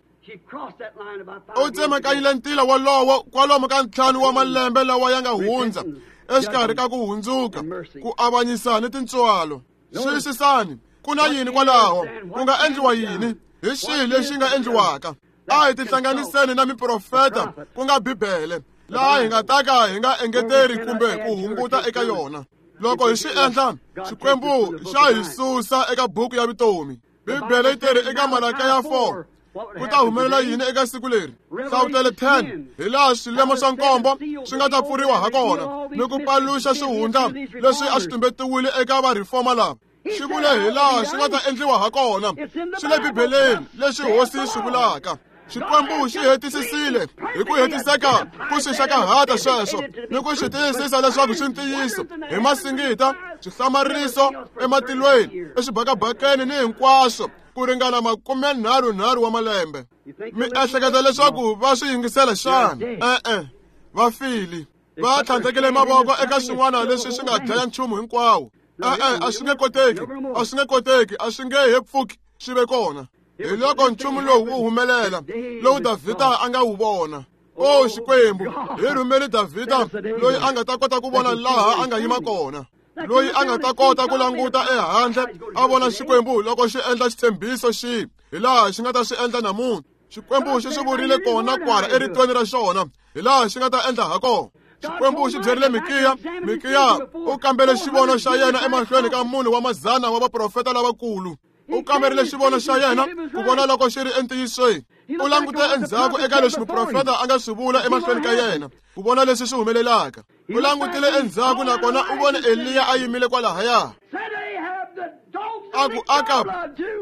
S1: U tsemakanyile ntila wolowo kwalomu ka 5 wa malembe lawa ya nga hundza exikarhi ka ku hundzuka, ku avanyisa ni tintswalo. Xiyisisani, ku na yini kwalaho? Ku nga endliwa yini? Hi xihi lexi nga endliwaka? A hi tihlanganiseni na miprofeta, ku nga Bibele, laha hi nga ta ka hi nga engeteri kumbe ku hunguta eka yona. Loko hi swi endla, Xikwembu xa hi susa eka buku ya vutomi. Bibele yi teri eka Malaka ya 4, ku ta humelela yini eka siku leri? Hlavutelo 10, hi laha swilemo swa nkombo swi nga ta pfuriwa ha kona ni ku paluxa swihundla leswi a swi tumbetiwile eka va-reformer lava. Xi vule hi laha swi nga ta endliwa ha kona. Swi le Bibeleni leswi Hosi yi swi vulaka. Xikwembu xi hetisisile hi ku hetiseka ku swi xakahata sweswo ni ku swi tiyisisa leswaku swi ntiyiso hi masingita, swihlamariso ematilweni, exibakabakeni ni hinkwaswo ku ringana 33 wa malembe. Mi ehleketa leswaku va swi yingisela xana? E-e, va file. Va tlhandlekile mavoko eka swin'wana leswi swi nga dlaya nchumu hinkwawo. E-e, a swi nge koteki, a swi nge koteki, a swi nge he pfuki swi ve kona. Hi loko nchumu lowu wu humelela lowu Davhida a nga wu vona. O Xikwembu, hi rhumeli Davhida loyi a nga ta kota ku vona laha a nga yima kona, loyi a nga ta kota ku languta ehandle a vona Xikwembu loko xi endla xitshembiso xihi, hi laha xi nga ta swi endla namuntlha. Xikwembu xi swi vurile kona kwala eritweni ra xona, hi laha xi nga ta endla ha kona. Xikwembu xi byerile Mikiya, Mikiya u kambele xivono xa yena emahlweni ka munhu wa mazana wa vaprofeta lavakulu. U kamberile xivono xa yena ku vona loko xi ri entiyisweni. U langute endzhaku eka leswi muprofeta a nga swi vula emahlweni ka yena ku vona leswi swi humelelaka. U langutile endzhaku nakona u vone Eliya a yimile kwalahaya. A ku, Akab,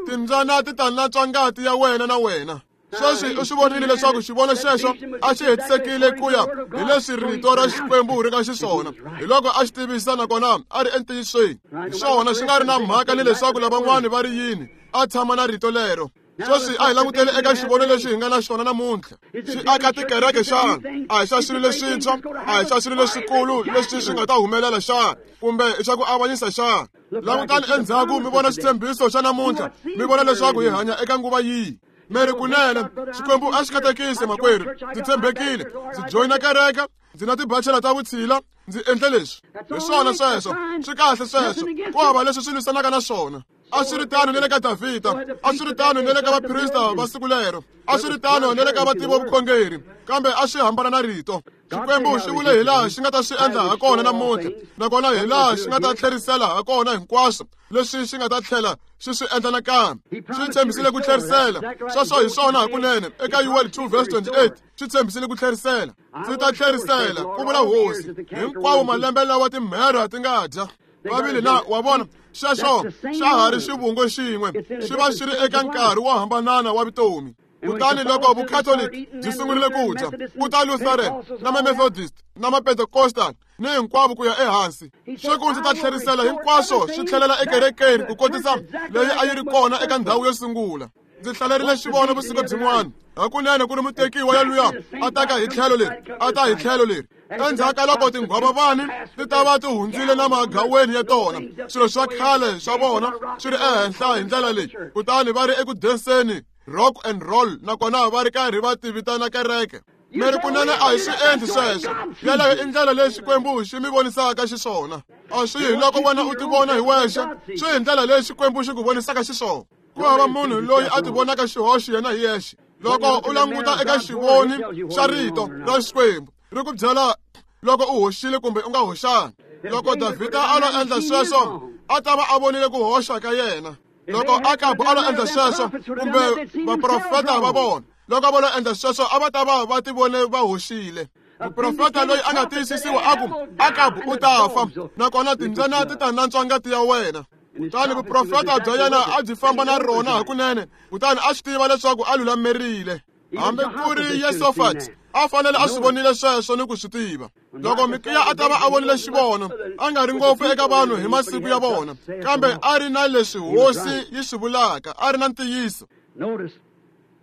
S1: timbyana ti ta natswa ngati ya wena na wena. Sweswi u swi vonile leswaku xivono xexo a xi hetisekile ku ya hi leswi rito ra Xikwembu ri nga xiswona. Hi loko a xi tivisa nakona a ri entiyisweni. Hi swona xi nga ri na mhaka ni leswaku lavan'wani va ri yini, a tshama na rito lero. Sweswi a hi langutele eka xivono lexi hi nga na xona namuntlha. Xi aka tikereke xana? A hi xa swilo leswintshwa, a hi xa swilo leswikulu leswi swi nga ta humelela xana? Kumbe i xa ku avanyisa xana? Langutani endzhaku mi vona xitshembiso xa namuntlha, mi vona leswaku hi hanya eka nguva yihi. Mi ri kunene Xikwembu a xi katekisi makwerhu, ndzi tshembekile, ndzi joyina kereke, ndzi na tibachela ta vutshila, ndzi endle leswi. Hi swona sweswo, swi kahle sweswo, ku hava leswi swi lwisanaka na swona. A swi ri tano ni le ka Davhida, a swi ri tano ni le ka vaprista va siku lero, a swi ri tano ni le ka vativi va vukhongeri, kambe a swi hambana na rito. Xikwembu xi vule hi laha xi nga ta swi endla ha kona namuntlha, nakona hi laha xi nga ta tlherisela ha kona hinkwaswo leswi xi nga ta tlhela xi swi endla nakambe. Xi tshembisile ku tlherisela, sweswo hi swona hakunene. Eka Yuweli 2 verse 28, xi tshembisile ku tlherisela. Ndzi ta tlherisela, ku vula Hosi, hinkwawo malembe lawa timherha ti nga dya. Vavili na wa vona, xexo xa ha ri xivungo xin'we, xi va xi ri eka nkarhi wo hambanana wa vutomi. Kutani loko Vukhatoliki byi sungurile ku dya, ku ta Lutheran na ma-Methodist na ma-Pentecostal ni hinkwavo ku ya ehansi. Xi ku ndzi ta tlherisela hinkwaswo swi tlhelela ekerekeni ku kotisa leyi a yi ri kona eka ndhawu yo sungula. Ndzi hlalerile xivono vusiku byin'wana, hakunene ku ri mutekiwa yaluya a ta ka hi tlhelo leri, a ta hi tlhelo leri. Endzhaku ka loko tinghwavavani ti ta va ti hundzile na magaweni ya tona, swilo swa khale swa vona swi ri ehenhla hi ndlela leyi, kutani va ri eku denseni rock and roll, nakona va ri karhi va ti vitana kereke. Mi ri kunene a hi swi endli sweswo. Yeleyo i ndlela leyi Xikwembu xi mi vonisaka xiswona. A swi hi loko wena u tivona hi wexe, swi hi ndlela leyi Xikwembu xi ku vonisaka xiswona. Ku hava munhu loyi a tivonaka xihoxo yena hi yexe. Loko u languta eka xivoni xa rito ra Xikwembu, ri ku byela loko u hoxile kumbe u nga hoxanga. Loko Davhida a lo endla sweswo, a ta va a vonile ku hoxa ka yena. Loko Akabu a lo endla sweswo, kumbe vaprofeta va vona, loko va lo endla sweswo, a va ta va va tivone va hoxile. Muprofeta loyi a nga tiyisisiwa a ku, Akabu u ta fa, nakona timbyana ti ta nantswa ngati ya wena. Kutani vuprofeta bya yena a byi famba na rona hakunene, kutani a swi tiva leswaku a lulamerile. Hambi ku ri Yesofati a fanele a swi vonile sweswo ni ku swi tiva. Loko Mikiya a ta va a vonile xivono, a nga ri ngopfu eka vanhu hi masiku ya vona, kambe a ri na leswi Hosi yi swi vulaka, a ri na ntiyiso.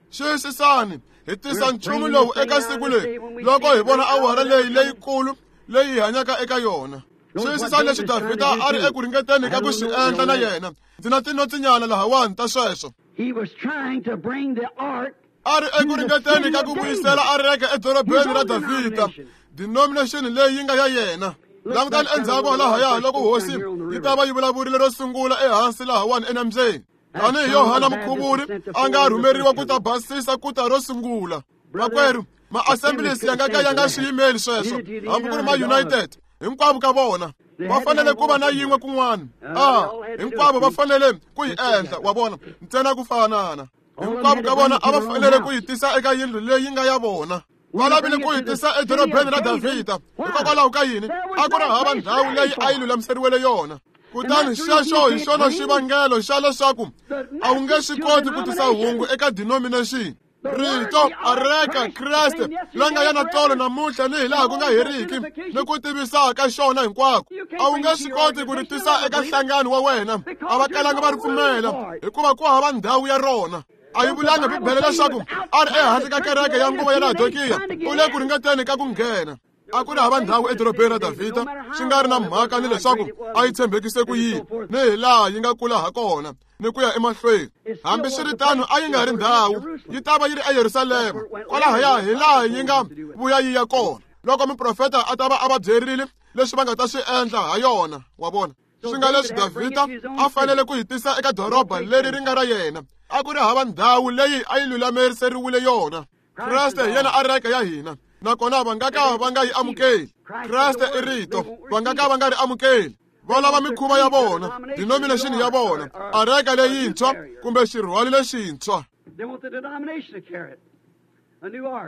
S1: Xiyisisani, hi tisa nchumu lowu eka siku leri loko hi vona awara leyi leyikulu leyi hi hanyaka eka yona. Xiyisisani leswi Davhida a ri eku ringeteni ka ku swi endla na yena. Ndzi na tinotsinyana lahawani ta sweswo. A ri eku ringeteni ka ku vuyisela areka edorobeni ra Davhida, denomination leyi yi nga ya yena. Langutani endzhaku lahaya loko Hosi yi ta va yi vulavurile ro sungula ehansi lahawani enambyeni. Tanihi Yohana Mukhuvuri a nga rhumeriwa ku ta basisa ku ta ro sungula. Makwerhu, ma-assemblies ya nga ka ya nga swi yimeli sweswo, hambi ku ri ma-United, hinkwavo ka vona. Va fanele ku va na yin'we kun'wana. A hinkwavo va fanele ku yi endla, wa vona, ntsena ku fanana. Hinkwavo ka vona a va fanele ku yi tisa eka yindlu leyi nga ya vona. Va lavile ku yi tisa edorobeni ra Davhida. Hikokwalaho ka yini? A ku ri hava ndhawu leyi a yi lulamiseriwele yona. Kutani xexo hi xona xivangelo xa leswaku a wu nge swi koti ku tisa hungu eka denomination. Rito areka Kreste la nga yena tolo namuntlha ni hilaha ku nga heriki ni ku tivisa ka xona hinkwako. A wu nge swi koti ku ri tisa eka nhlangano wa wena, a va kalanga va ri pfumela hikuva ku hava ndhawu ya rona. A yi vulanga Bibele leswaku a ri ehandle ka kereke ya nguva ya Laodikiya, u le ku ringeteni ka ku nghena. A ku ri hava ndhawu edorobeni ra Davhida, swi nga ri na mhaka ni leswaku a yi tshembekise ku yini ni hi laha yi nga kula ha kona ni ku ya emahlweni. Hambi swi ri tano, a yi nga ri ndhawu, yi ta va yi ri eYerusalema, kwalahaya hi laha yi nga vuya yi ya kona loko muprofeta a ta va a va byerile leswi va nga ta swi endla ha yona, wa vona. Swi nga leswi Davhida a fanele ku yi tisa eka doroba leri ri nga ra yena, a ku ri hava ndhawu leyi a yi lulamiseriwile yona. Kreste hi yena areka ya hina, nakona va nga ka va nga yi amukeli. Kreste i rito, va nga ka va nga ri amukeli. Va lava mikhuva ya vona, denomination ya vona, areka leyintshwa kumbe xirhwali lexintshwa.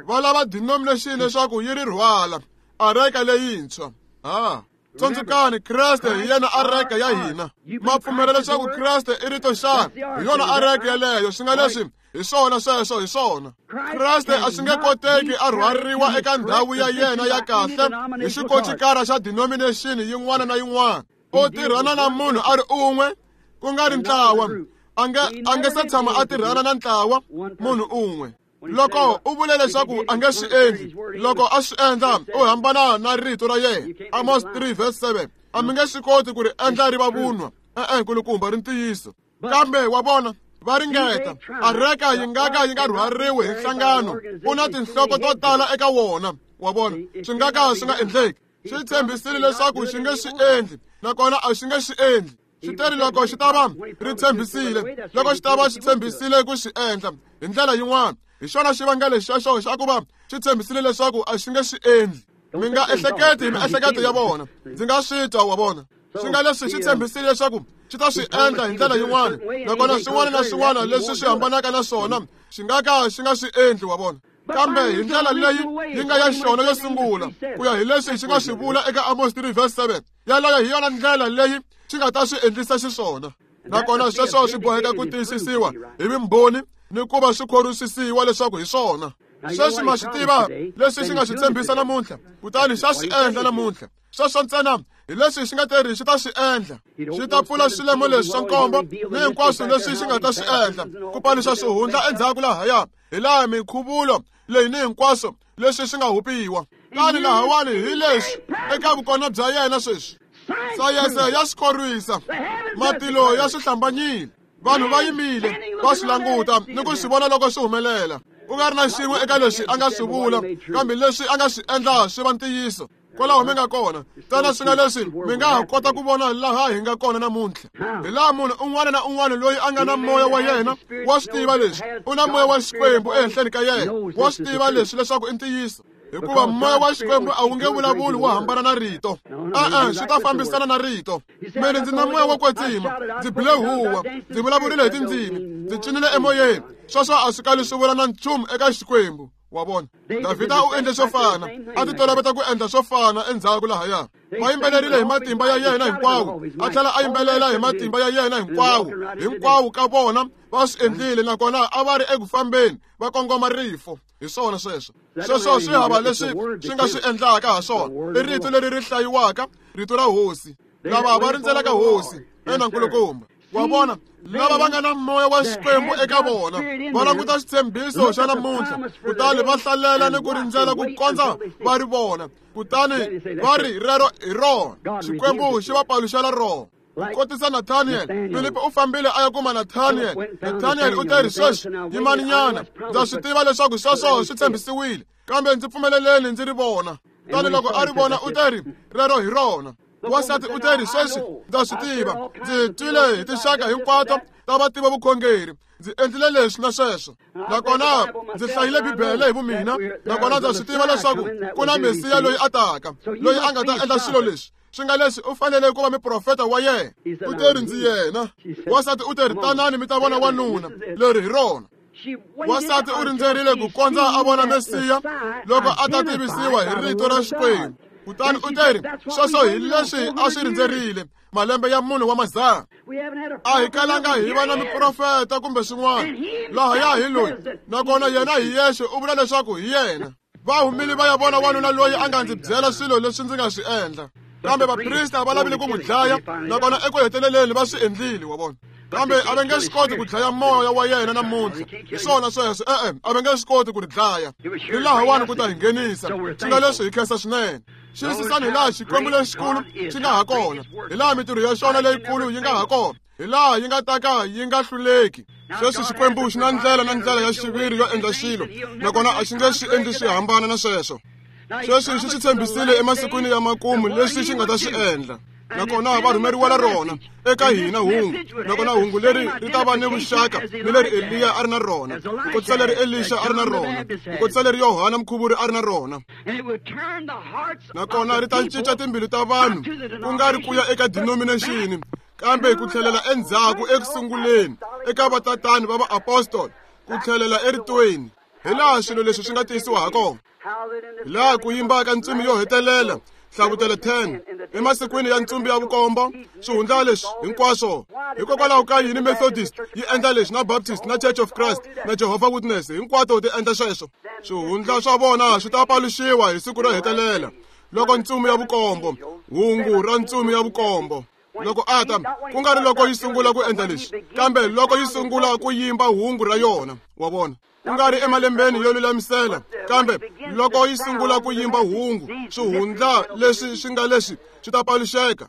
S1: Va lava denomination leswaku yi ri rhwala, areka leyintshwa. Ha. Tsundzukani, Kreste hi yena areka ya hina. Ma pfumela leswaku Kreste i rito xana? Hi yona areka yeleyo, swi nga leswi hi swona sweswo hi swona. Kreste a swi nge koteki a rhwariwa eka ndhawu ya yena ya kahle hi xikocikara xa denomination yin'wana na yin'wana. U tirhana na munhu a ri un'we, ku nga ri ntlawa. A nge se tshama a tirhana na ntlawa, munhu un'we. Loko u vule leswaku a nge swi endli, loko a swi endla u hambana na rito ra yena. Amos 3 verse 7. A mi nge swi koti ku ri endla ri va vunwa. E-e, nkulukumba, ri ntiyiso. Kambe wa vona, Va ringeta. Areka yi nga ka yi nga rhwariwi hi nhlangano. U na tinhloko to tala eka wona. Wa vona, swi nga ka swi nga endleki. Xi tshembisile leswaku xi nge swi endli, nakona a xi nge swi endli. Xi teri loko xi ta va ri tshembisile, loko xi ta va xi tshembisile ku xi endla hi ndlela yin'wana. Hi xona xivangelo xexo xa ku va xi tshembisile leswaku a xi nge swi endli. Mi nga ehleketi hi miehleketo ya vona. Ndzi nga swi twa, wa vona. Swi nga leswi xi tshembisile leswaku xi ta swi endla hi ndlela yin'wana, nakona swin'wana na swin'wana leswi swi hambanaka na swona xi nga ka xi nga swi endli, wa vona. Kambe hi ndlela leyi yi nga ya xona yo sungula, ku ya hi leswi xi nga swi vula eka Amos 3 verse 7, yaleyo hi yona ndlela leyi xi nga ta swi endlisa xiswona. Nakona sweswo swi boheka ku tiyisisiwa hi vumbhoni ni ku va swi khorwisisiwa leswaku hi swona. Sweswi ma swi tiva leswi xi nga swi tshembisa namuntlha, kutani xa swi endla namuntlha. Sweswo ntsena hi leswi xi nga teri xi ta swi endla. Xi ta pfula swilemo leswi swa nkombo ni hinkwaswo leswi xi nga ta swi endla, ku paluxa swihundla endzhaku lahaya, hi laha minkhuvulo leyi ni hinkwaswo leswi swi nga hupiwa. Tani lahawani hi leswi eka vukona bya yena sweswi. Sayense ya swi khorwisa, matilo ya swi hlambanyile, vanhu va yimile va swi languta ni ku swi vona loko swi humelela. Ku nga ri na xin'we eka leswi a nga swi vula, kambe leswi a nga swi endla swi va ntiyiso. Kwalaho mi nga kona, ntsena swi nga leswi mi nga ha kota ku vona laha hi nga kona namuntlha. Hi laha munhu un'wana na un'wana loyi a nga na moya wa yena wa swi tiva leswi, u na moya wa Xikwembu ehenhleni ka yena, wa swi tiva leswi leswaku i ntiyiso. Hikuva moya wa Xikwembu a wu nge vulavuli wu hambana na rito. E-e, swi ta fambisana na rito. Mina ndzi na moya wo kwetsima, ndzi bile huwa, ndzi vulavurile hi tindzimi, ndzi cinile emoyeni. Sweswo a swi kali swi vula na nchumu eka Xikwembu. Wa vona, Davhida u endle swo fana, a ti toloveta ku endla swo fana endzhaku lahaya. Va yimbelerile hi matimba ya yena hinkwawo, a tlhela a yimbelela hi matimba ya yena hinkwawo. Hinkwawo ka vona va swi endlile, nakona a va ri eku fambeni va kongoma rifo. Hi swona sweswo. Sweswo swi hava leswi swi nga swi endlaka ha swona. I rito leri ri hlayiwaka, rito ra hosi. Lava va rindzelaka hosi, ena nkulukumba. Wa vona, lava va nga na moya wa Xikwembu eka vona va languta xitshembiso xa namuntlha, kutani va hlalela ni ku rindzela ku kondza va ri vona, kutani va ri rero hi rona. Xikwembu xi va paluxela rona. Kotisa Nathaniel, Filipi u fambile a ya kuma Nathaniel. Nathaniel u teri, sweswi yimani nyana, ndza swi tiva leswaku sweswo swi tshembisiwile, kambe ndzi pfumeleleni ndzi ri vona. Kutani loko a ri vona u teri, rero hi rona. Wansati u teri, sweswi ndza swi tiva, ndzi twile hi tinxaka hinkwato ta vativi vukhongeri, ndzi endlile leswi na sweswo, nakona ndzi hlayile Bibele hi vumina, nakona ndza swi tiva leswaku ku na Mesiya loyi a taka, loyi a nga ta endla swilo leswi. Swi nga leswi u fanele ku va muprofeta wa yena. U teri, ndzi yena. Wansati u teri, tanani mi ta vona wanuna, leri hi rona. Wansati u rindzerile ku kondza a vona Mesiya loko a ta tivisiwa hi rito ra Xikwembu. Kutani u teri, sweswo hi leswi a swi rindzerile malembe ya munhu wa mazana. A hi kalanga hi va na muprofeta kumbe swin'wana. Lahaya hi loyi, nakona yena hi yexe u vula leswaku hi yena. Va humile va ya vona wanuna loyi a nga ndzi byela swilo leswi ndzi nga swi endla. Kambe vaprista va lavile ku n'wi dlaya, nakona eku heteleleni va swi endlile, wa vona. Kambe a va nge swi koti ku dlaya moya wa yena namuntlha. Hi swona sweswo, e-e, a va nge swi koti ku ri dlaya. Ri lahawani ku ta hi nghenisa. Swi nga leswi hi khensa swinene. Xiyisisani hi laha Xikwembu lexikulu xi nga ha kona, hi laha mintirho ya xona leyikulu yi nga ha kona, hi laha yi nga ta ka yi nga hluleki. Sweswi Xikwembu xi na ndlela na ndlela ya xiviri yo endla xilo, nakona a xi nge swi endli swi hambana na sweswo. Sweswi xi swi tshembisile emasikwini ya makumu leswi xi nga ta swi endla, nakona va rhumeriwela rona eka hina hungu, nakona hungu leri ri ta va ni vuxaka ni leri Eliya a ri na rona, ku kotisa leri Elisha a ri na rona, ku kotisa leri Yohana Mukhuvuri a ri na rona. Nakona ri ta cinca timbilu ta vanhu, ku nga ri ku ya eka denomination, kambe ku tlhelela endzhaku eku sunguleni eka vatatani va vaapostoli, ku tlhelela eritweni, hi laha swilo leswi swi nga tiyisiwa ha kona. Hi laha ku yimbaka ntsumi yo hetelela, Hlavutelo 10, emasikwini ya ntsumbi ya vukombo, swihundla leswi hinkwaswo. Hikokwalaho ka yini Methodist yi endla leswi, na Baptist, na Church of Christ, na Jehovah Witness, hinkwato ti endla sweswo? Swihundla swa vona swi ta paluxiwa hi siku ro hetelela, loko ntsumi ya vukombo, hungu ra ntsumi ya vukombo, loko a ta, ku nga ri loko yi sungula ku endla leswi, kambe loko yi sungula ku yimba hungu ra yona, wa vona. Ku nga ri emalembeni yo lulamisela, kambe loko yi sungula ku yimba hungu, swihundla leswi swi nga leswi swi ta paluxeka.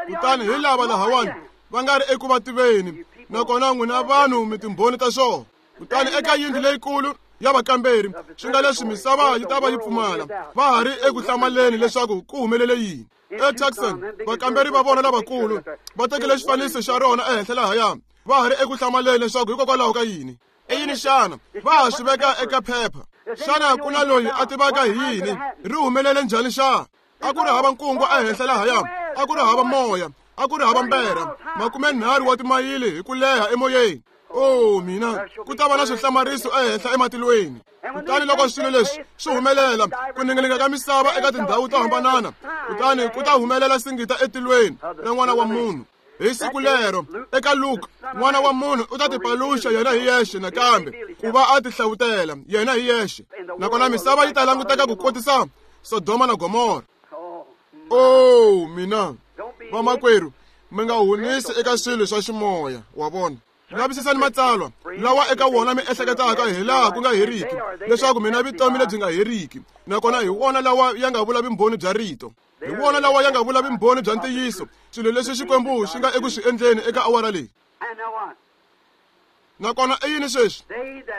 S1: Kutani hi lava lahawani va nga ri eku va tiveni. Nakona n'wina vanhu mi timbhoni ta swona. Kutani eka yindlu leyikulu ya vakamberi, swi nga leswi misava yi ta va yi pfumala, va ha ri eku hlamaleni leswaku ku humelele yini. ETucson, vakamberi va vona lavakulu va tekile xifaniso xa rona ehenhla lahaya, va ha ri eku hlamaleni leswaku hikokwalaho ka yini. I yini xana? Va ha swi veka eka phepha. Xana ku na loyi a tivaka hi yini? Ri humelele njhani xana? A ku ri hava nkungu ehenhla lahaya, a ku ri hava moya, a ku ri hava mberha, 30 wa timayili hi ku leha emoyeni. Oh mina, ku ta va na swihlamariso ehenhla ematilweni. Kutani loko swilo leswi swi humelela, ku ningininga ka misava eka tindhawu to hambanana, kutani ku ta humelela singita etilweni ra N'wana wa Munhu. Hi siku lero, eka Luka, N'wana wa Munhu u ta tipaluxa yena hi yexe nakambe, ku va a tihlawutela yena hi yexe. Nakona misava yi ta languteka ku kotisa Sodoma na Gomora. Oh mina, vamakwerhu, mi nga hunisi eka swilo swa ximoya, wa vona. Lavisisani matsalwa lawa eka wona mi ehleketaka hi laha ku nga heriki, leswaku mina vutomi lebyi nga heriki. Nakona hi wona lawa ya nga vula vumbhoni bya rito. Hi wona lawa ya nga vula vumbhoni bya ntiyiso, swilo leswi Xikwembu xi nga eku swi endleni eka awara leyi. Nakona i yini sweswi?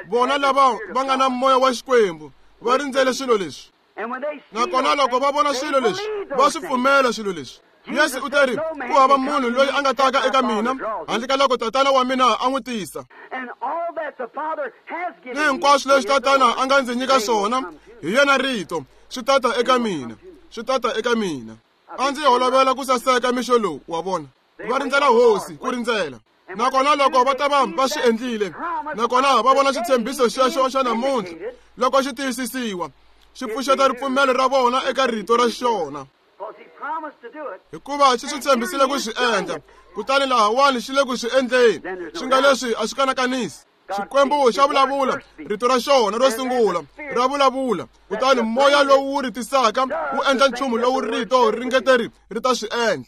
S1: Vona lava va nga na moya wa Xikwembu va rindzele swilo leswi. Nakona loko va vona swilo leswi, va swi pfumela swilo leswi. Yesu u teri, ku hava munhu loyi a nga taka eka mina handle ka loko Tatana wa mina a n'wi tisa. Ni hinkwaswo leswi Tatana a nga ndzi nyika swona, hi yena rito, swi tata eka mina, swi tata eka mina. A ndzi holovela ku saseka mixo lowu, wa vona. Va rindzela Hosi, ku rindzela. Nakona loko va ta va va swi endlile, nakona va vona xitshembiso xexo xa namuntlha loko xi tiyisisiwa, xi pfuxeta ripfumelo ra vona eka rito ra xona. Hikuva xi swi tshembisile ku swi endla, kutani lahawani xi le ku swi endleni. Swi nga leswi a swi kanakanisi. Xikwembu xa vulavula, rito ra xona ro sungula ra vulavula, kutani moya lowu wu ri tisaka wu endla nchumu lowu rito ri ngeteri ri ta swi endla.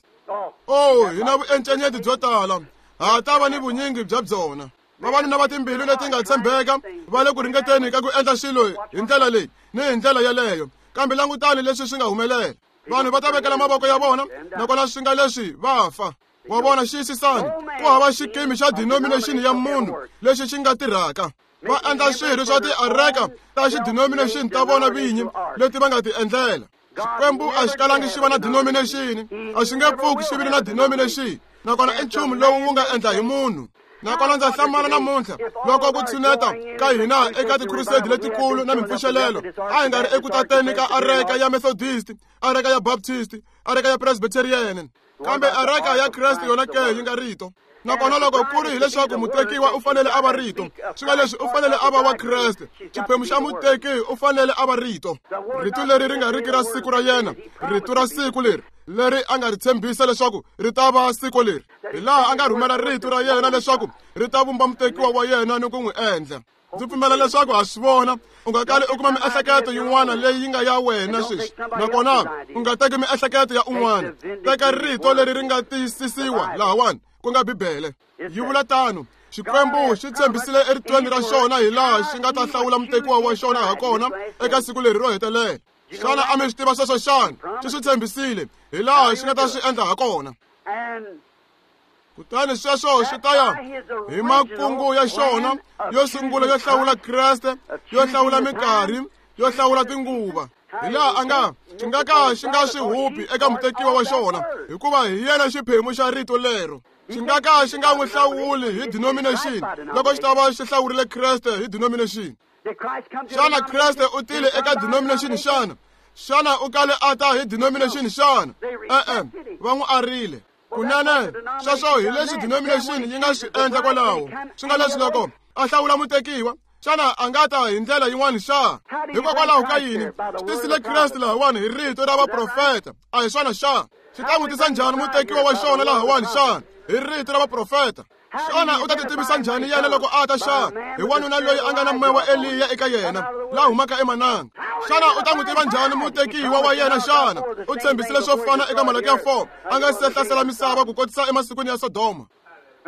S1: Oh, hi na vuencenyeti byo tala, ha ta va ni vunyingi bya byona. Vavanuna va timbilu leti nga tshembeka va le ku ringeteni ka ku endla swilo hi ndlela leyi ni hi ndlela yeleyo, kambe langutani leswi swi nga humelela. Vanhu va ta vekela mavoko ya vona, nakona swi nga leswi va fa. Wa vona, xiyisisani, ku hava xikimi xa denomination ya munhu lexi xi nga tirhaka. Va endla swirho swa tiareka ta xidenomination ta vona vinyi leti va nga ti endlela. Xikwembu a xi kalangi xi va na denomination, a xi nge pfuki xi vile na denomination. Nakona i nchumu lowu wu nga endla hi munhu. Nakona ndza hlamala namuntlha loko ku tshuneta ka hina eka tikhurusedi letikulu na mimpfuxelelo, a hi nga ri eku tateni ka areka ya Methodist, areka ya Baptist, areka ya Presbyterian, kambe areka ya Kreste yona ke yi nga rito. Nakona loko ku ri hileswaku mutekiwa u fanele a va rito, swi nga leswi u fanele a va wa Kreste, xiphemu xa muteki u fanele a va rito. Rito leri ri nga riki ra siku ra yena, rito ra siku leri leri a nga ri tshembisa leswaku ri ta va siku leri, hi laha a nga rhumela rito ra yena leswaku ri ta vumba mutekiwa wa yena ni ku n'wi endla. Ndzi pfumela leswaku ha swi vona, u nga kali u kuma miehleketo yin'wana leyi yi nga ya wena sweswi, nakona u nga teki miehleketo ya un'wana. Teka rito leri ri nga tiyisisiwa lahawani, ku nga Bibele. Yi vula tano, Xikwembu xi tshembisile eritweni ra xona hi laha xi nga ta hlawula mutekiwa wa xona ha kona eka siku leri ro hetelela. Xana a mi swi tiva sweswo xana? Xi swi tshembisile hi laha xi nga ta swi endla ha kona. Kutani sweswo swi ta ya hi makungu ya xona yo sungula yo hlawula Kreste, yo hlawula minkarhi, yo hlawula tinguva. Hi laha a nga xi nga ka xi nga swi hupi eka mutekiwa wa xona, hikuva hi yena xiphemu xa rito lero. Xi nga ka xi nga n'wi hlawuli hi denomination loko xi ta va xi hlawurile Kreste hi denomination. Xana Kreste u tile eka denomination xana? Xana u kale a ta hi denomination xana? E-e, va n'wi arile. Kunene, sweswo hi leswi denomination yi nga swi endla kwalaho. Swi nga leswi loko a hlawula mutekiwa, xana a nga ta hi ndlela yin'wana xa? Hikokwalaho ka yini xi tisile Kreste lahawani hi rito ra vaprofeta? A hi swona xa? Xi ta n'wi tisa njhani mutekiwa wa xona lahawani xana? Hi rito ra vaprofeta. Xana u ta titivisa njhani yena loko a ta xa? Hi wanuna loyi a nga na moya wa Eliya eka yena, la humaka emananga. Xana u ta n'wi tiva njhani mutekiwa wa yena xana? U tshembisile swo fana eka Malakiya 4, a nga se hlasela misava ku kotisa emasikwini ya Sodoma.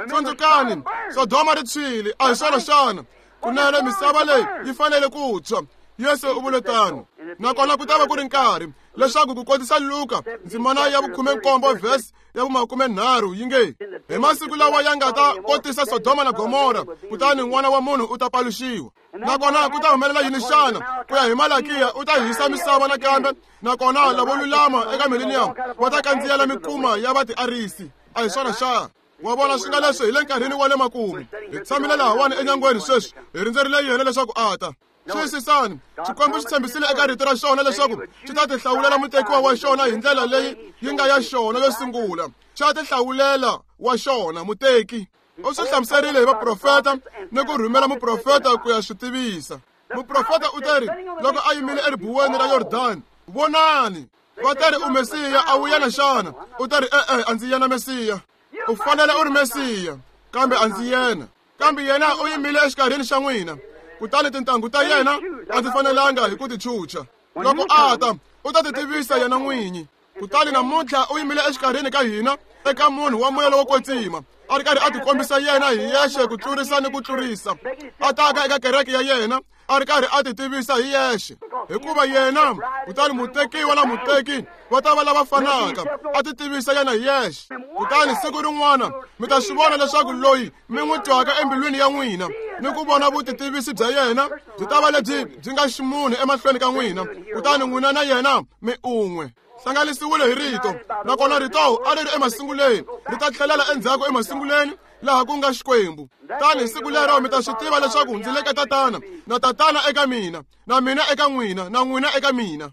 S1: Tsundzukani, Sodoma ri tshwile, a hi swona xana? Kunene misava leyi yi fanele ku tshwa. Yesu u vule tano. Nakona ku ta va ku ri nkarhi Leswaku ku kotisa Luka ndzimana ya 17 verse ya 13 yi nge, hi masiku lawa ya nga ta kotisa Sodoma na Gomora, kutani n'wana wa munhu u ta paluxiwa. Nakona ku ta humelela yini xana? Ku ya hi Malakiya u ta hisa misava nakambe, nakona lavo lulama eka millennium va ta kandziyela mikuma ya vatiarisi. A hi swona xana? Wa vona swi nga leswi hi le nkarhini wa le makumu. Hi tshamile lahawani enyangweni sweswi, hi rindzerile yena leswaku a ta. Xiyisisani, Xikwembu xi tshembisile eka rito ra xona leswaku xi ta tihlawulela mutekiwa wa xona hi ndlela leyi yi nga ya xona yo sungula. Xa tihlawulela wa xona muteki. U swi hlamuserile hi vaprofeta ni ku rhumela muprofeta ku ya swi tivisa. Muprofeta u teri loko a yimile eribuweni ra Yordani, vonani, va teri u Mesiya, a wu yena xana? U teri e-e, a ndzi yena Mesiya. U fanele u ri Mesiya, kambe a ndzi yena. Kambe yena u yimile exikarhini xa n'wina, kutani tintangu ta yena a ndzi fanelanga hi ku ti chucha. Loko a ta, u ta ti tivisa yena n'winyi. Kutani namuntlha u yimile exikarhini ka hina eka munhu wa moya lowo kwetsima, a ri karhi a tikombisa yena hi yexe ku tlurisa ni ku tlurisa, a taka eka kereke ya yena a ri karhi a ti tivisa hi yexe, hikuva yena kutani mutekiwa na muteki va ta va lava fanaka, a ti tivisa yena hi yexe. Kutani siku rin'wana mi ta swi vona leswaku loyi mi n'wi twaka embilwini ya n'wina ni ku vona vutitivisi bya yena byi ta va lebyi byi nga ximunhu emahlweni ka n'wina, kutani n'wina na yena mi un'we. Hlanganisiwile hi rito, nakona rito a ri ri emasunguleni, ri ta tlhelela endzhaku emasunguleni laha ku nga Xikwembu. Tani siku lero mi ta swi tiva leswaku ndzi le ka Tatana, na Tatana eka mina, na mina eka n'wina, na n'wina eka mina.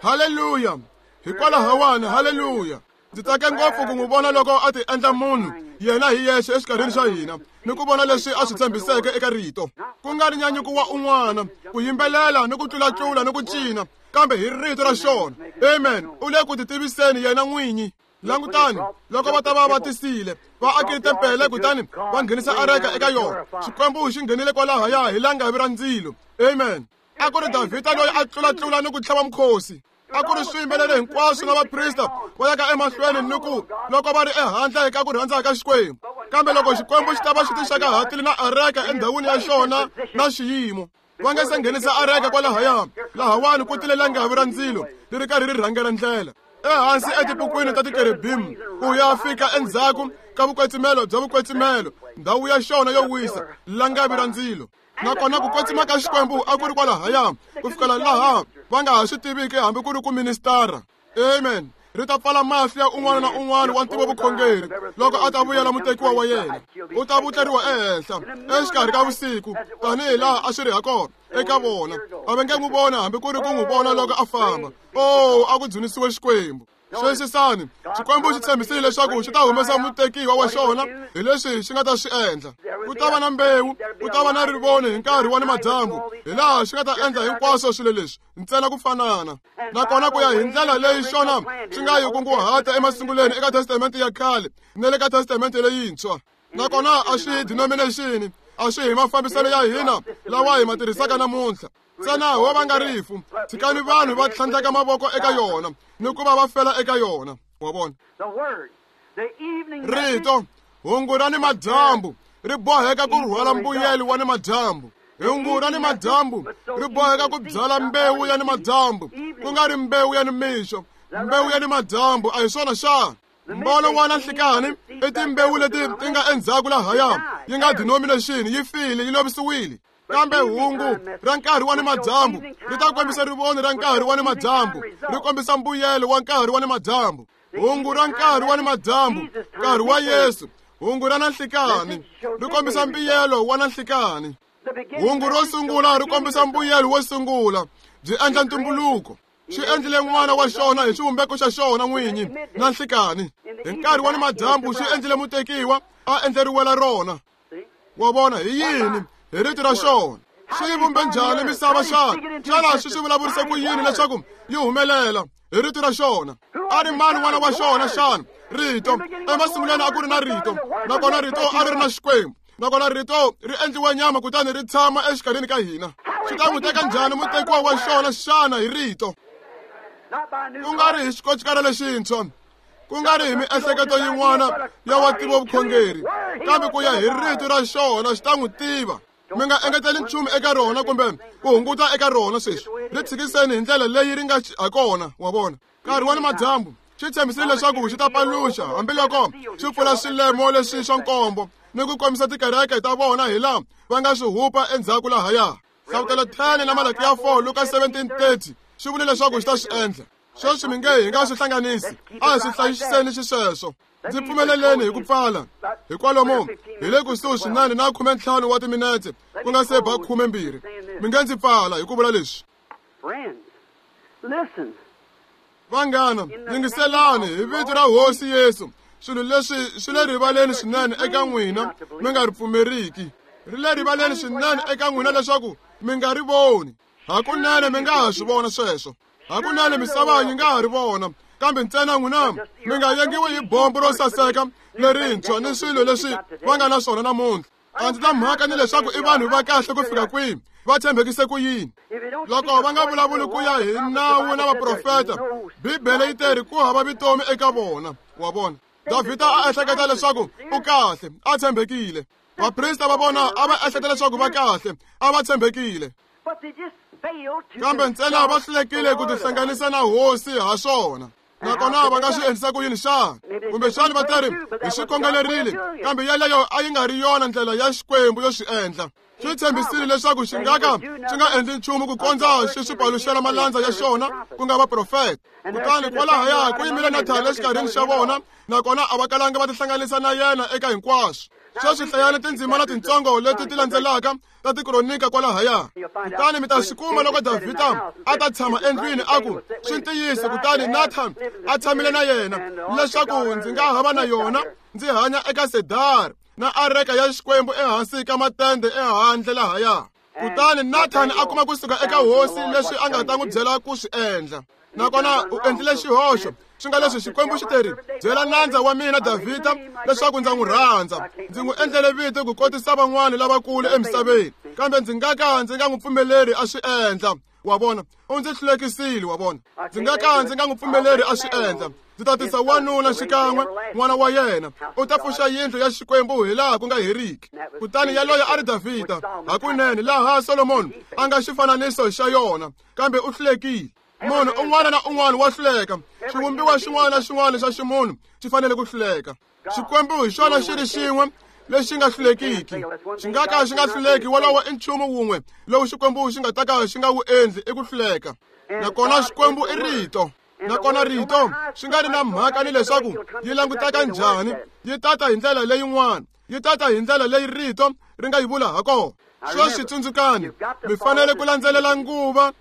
S1: Haleluya! Hikwalahawani, haleluya! Ndzi tsake ngopfu ku n'wi vona loko a ti endla munhu yena hi yexe exikarhini xa hina, ni ku vona leswi a swi tshembiseke eka rito. Ku nga ri nyanyuko wa un'wana, ku yimbelela ni ku tlulatlula ni ku cina, kambe hi rito ra xona. Amen. U le ku titiviseni yena n'winyi. Langutani, loko va ta va va tisile, va akile tempele kutani va nghenisa areka eka yona. Xikwembu xi nghenile kwalahaya hi langavi ra ndzilo. Amen. A ku ri Davhida loyi a tlulatlula ni ku tlhava mukhosi. A ku ri swiyimbeleri hinkwaswo na vaprista va yaka emahlweni ni ku loko va ri ehandle ka ku rhandza ka Xikwembu. Kambe loko Xikwembu xi ta va xi tixaka na areka endhawini ya xona na xiyimo, va nga se nghenisa areka kwalahaya, lahawani ku tile langavi ra ndzilo ri ri karhi ri rhangela ndlela ehansi etipukwini ta tikerubim ku ya fika endzhaku ka vukwetsimelo bya vukwetsimelo, ndhawu ya xona yo wisa, langavi ra ndzilo. Nakona ku kwetsima ka Xikwembu a ku ri kwalahaya ku fikela laha va nga ha swi tiviki hambi ku ri ku ministara. Amen. Ri ta pfala mahlo ya un'wana na un'wana wa ntivo vukhongeri loko a ta vuyela mutekiwa wa yena. U ta vutleriwa ehenhla exikarhi ka vusiku tanihi laha a swi ri hakona eka vona. A va nge n'wi vona hambi ku ri ku n'wi vona loko a famba. Oh, a ku dzunisiwe Xikwembu. Xiyisisani, Xikwembu xi tshembisile leswaku xi ta humesa mutekiwa wa xona hi leswi xi nga ta swi endla. Ku ta va na mbewu, ku ta va na rivoni hi nkarhi wa nimadyambu, hi laha xi nga ta endla hinkwaswo swilo leswi ntsena ku fanana. Nakona ku ya hi ndlela leyi xona xi nga yi kunguhata emasunguleni eka Testamente ya khale na le ka Testamente leyintshwa. Nakona a swi hi denomination, a swi hi mafambiselo ya hina lawa hi ma tirhisaka namuntlha. Ntsena ho va nga rifu, tshikani vanhu va tlhandleka mavoko eka yona ni ku va va fela eka yona. Wa vona? Rito hungu ra nimadyambu ri boheka ku rhwala mbuyelo wa nimadyambu. Hungu ra nimadyambu ri boheka ku byala mbewu ya nimadyambu, ku nga ri mbewu ya nimixo. Mbewu ya nimadyambu a hi swona xana? Mbono wa nanhlikani i timbewu leti ti nga endzhaku lahaya, yi nga denomination, yi file, yi lovisiwile. Kambe hungu ra nkarhi wa nimadyambu ri ta kombisa rivoni ra nkarhi wa nimadyambu, ri kombisa mbuyelo wa nkarhi wa nimadyambu. Hungu ra nkarhi wa nimadyambu, nkarhi wa Yesu, hungu ra nanhlikani ri kombisa mbuyelo wa nanhlikani. Hungu ro sungula ri kombisa mbuyelo wo sungula, byi endla ntumbuluko. Xi endlile n'wana wa xona hi xivumbeko xa xona n'winyi nanhlikani. Hi nkarhi wa nimadyambu xi endlile mutekiwa a endleriwela rona. Wa vona hi yini? Hi rito ra xona. Xi vumbe njhani misava xana? Xana xi swi vulavurise ku yini leswaku yi humelela? Hi rito ra xona. A ri mani n'wana wa xona xana? Rito. Emasungulweni a ku ri na rito, nakona rito a ri ri na Xikwembu, nakona rito ri endliwe nyama kutani ri tshama exikarhini ka hina. Xi ta n'wi teka njhani mutekiwa wa xona xana hi rito? Ku nga ri hi xikochikara lexintshwa, ku nga ri hi miehleketo yin'wana ya wa ntivo vukhongeri, kambe ku ya hi rito ra xona xi ta n'wi tiva. Mi nga engeteli nchumu eka rona kumbe ku hunguta eka rona sweswi. Ri tshikiseni hi ndlela leyi ri nga ha kona, wa vona. Nkarhi wa ni madyambu xi tshembisile leswaku xi ta paluxa hambiloko xi pfula swilemo leswi swa nkombo ni ku kombisa tikereke ta vona hi laha va nga swi hupa endzhaku lahaya. Hlavutelo 10 na Malaki ya 4 Luka 17:30 xi vule leswaku xi ta swi endla. Sweswi mi nge hi nga swi hlanganisi, a hi swi hlayiseni xisweswo. Ndzi pfumeleleni hi ku pfala hi kwalomu hi le kusuhi swinene na 15 wa timinetse ku nga se ba 12. Mi nge ndzi pfala hi ku vula leswi. Vanghana, yingiselani hi vito ra Hosi Yesu. Swilo leswi swi le rivaleni swinene eka n'wina mi nga ri pfumeriki. Ri le rivaleni swinene eka n'wina leswaku mi nga ri voni. Hakunene mi nga ha swi vona sweswo. Hakunene misava yi nga ha ri vona, kambe ntsena n'wina mi nga yengiwi hi bombo ro saseka lerintshwa ni swilo leswi va nga na swona namuntlha. A ndzi na mhaka ni leswaku i vanhu va kahle ku fika kwihi, va tshembekise ku yini. Loko va nga vulavuli ku ya hi nawu na vaprofeta, Bibele yi teri ku hava vutomi eka vona, wa vona. Davhida a ehleketa leswaku u kahle, a tshembekile. Vaprista va vona a va ehleketa leswaku va kahle, a va tshembekile. Kambe ntsena va hlulekile ku tihlanganisa na Hosi ha swona. Nakona va nga swi endlisa ku yini xana? Kumbexana va teri hi swi khongelerile, kambe yeleyo a yi nga ri yona ndlela ya Xikwembu yo swi endla. Xi tshembisile leswaku xi nga ka xi nga endli nchumu ku kondza xi swi paluxela malandza ya xona, ku nga vaprofeta. Kutani kwalahaya ku yimile Nathani exikarhini xa vona, nakona a va kalanga va tihlanganisa na yena eka hinkwaswo. Sweswi hlayani tindzimana tintsongo leti ti landzelaka ta tikronika kwalahaya. Kutani mi ta swi kuma loko Davhida a ta tshama endlwini a ku, swi ntiyiso, kutani Nathan a tshamile na yena, leswaku ndzi nga hava na yona ndzi hanya eka sedari na areka ya Xikwembu ehansi ka matende ehandle lahaya. Kutani Nathan a kuma kusuka eka Hosi leswi a nga ta n'wi byela ku swi endla. Nakona u endlile xihoxo, swi nga leswi Xikwembu xi teri, byela nandza wa mina Davhida leswaku ndza n'wi rhandza. Ndzi n'wi endlele vito ku kotisa van'wana lavakulu emisaveni, kambe ndzi nga ka ndzi nga n'wi pfumeleri a swi endla. Wa vona, u ndzi hlulekisile, wa vona. Ndzi nga ka ndzi nga n'wi pfumeleri a swi endla. Ndzi ta tisa wanuna xikan'we, n'wana wa yena, u ta pfuxa yindlu ya Xikwembu hi laha ku nga heriki. Kutani yaloye a ri Davhida, hakunene laha Solomoni a nga xifananiso xa yona, kambe u hlulekile. Munhu un'wana na un'wana wa hluleka. Xivumbiwa xin'wana na xin'wana xa ximunhu xi fanele ku hluleka. Xikwembu hi xona xi ri xin'we lexi nga hlulekiki. Xi nga ka xi nga hluleki, wolowo i nchumu wun'we lowu Xikwembu xi nga ta ka xi nga wu endli, i ku hluleka. Nakona Xikwembu i Rito. Nakona Rito swi nga ri na mhaka ni leswaku yi languteka njhani, yi tata hi ndlela leyin'wana, yi tata hi ndlela leyi Rito ri nga yi vula ha kona. Sweswi tsundzukani, mi fanele ku landzelela nguva,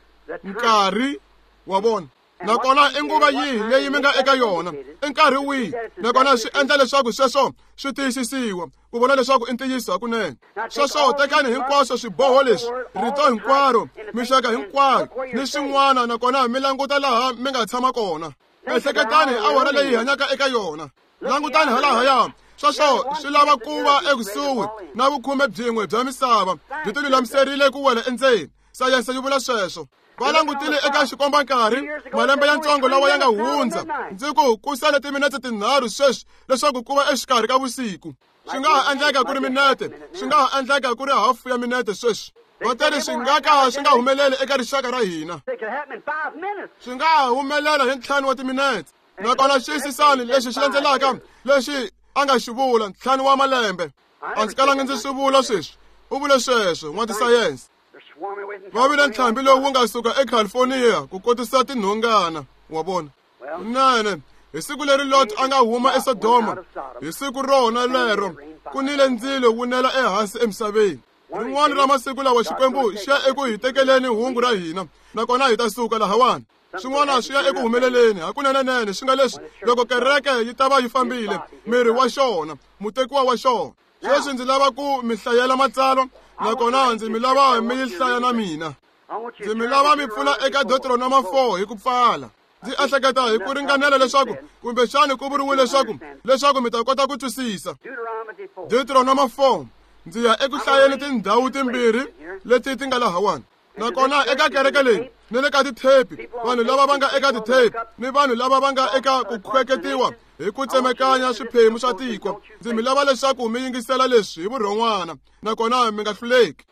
S1: nkarhi, wa vona. Nakona i nguva yihi leyi mi nga eka yona, i nkarhi wihi, nakona swi endla leswaku sweswo swi tiyisisiwa ku vona leswaku i ntiyiso hakunene. Sweswo tekani hinkwaswo swiboho leswi, rito hinkwaro, mixaka hinkwayo ni swin'wana, nakona mi languta laha mi nga tshama kona. Ehleketani hi awara leyi hi hanyaka eka yona. Langutani halahaya. Sweswo swi lava ku va ekusuhi na vukhume byin'we bya misava byi tilulamiserile ku wela endzeni. Sayense yi vula sweswo. Va langutile eka xikombankarhi malembe ya ntsongo lawa ya nga hundza. Ndzi ku ku sale timinetse tinharhu sweswi leswaku ku va exikarhi ka vusiku. Swi nga ha endleka ku ri minete, swi nga ha endleka ku ri hafu ya minete sweswi. Va teri swi nga ka swi nga humeleli eka rixaka ra hina. Swi nga ha humelela hi 5 wa timinetse. Nakona xiyisisani lexi xi landzelaka lexi a nga xi vula, 5 wa malembe. A ndzi kalanga ndzi swi vula sweswi. U vule sweswo n'watisayense. Va vile ntlhambi lowu wu nga suka eCalifornia ku kotisa tinhongana, wa vona. Kunene, hi siku leri Lot a nga huma eSodoma, hi siku rona lero ku nile ndzilo wu nela ehansi emisaveni. Rin'wana ra masiku lawa Xikwembu xi ya eku hi tekeleni hungu ra hina, nakona hi ta suka lahawani. Swin'wana swi ya eku humeleleni hakunenenene, swi nga leswi loko kereke yi ta va yi fambile, miri wa xona, mutekiwa wa xona. Sweswi ndzi lava ku mi hlayela matsalwa, nakona ndzi mi lava mi yi hlaya na mina. Ndzi mi lava mi pfula eka Deuteronoma 4 hi ku pfala. Ndzi ehleketa hi ku ringanela leswaku kumbexani ku vuriwe leswaku mi ta kota ku twisisa. Deuteronoma 4, ndzi ya eku hlayeni tindhawu timbirhi leti ti nga lahawani. Nakona eka kereke leyi ni le ka tithepi, vanhu lava va nga eka tithepi ni vanhu lava va nga eka ku khweketiwa hi ku tsemekanya swiphemu swa tiko, ndzi mi lava leswaku mi yingisela leswi hi vurhon'wana, nakona mi nga hluleki.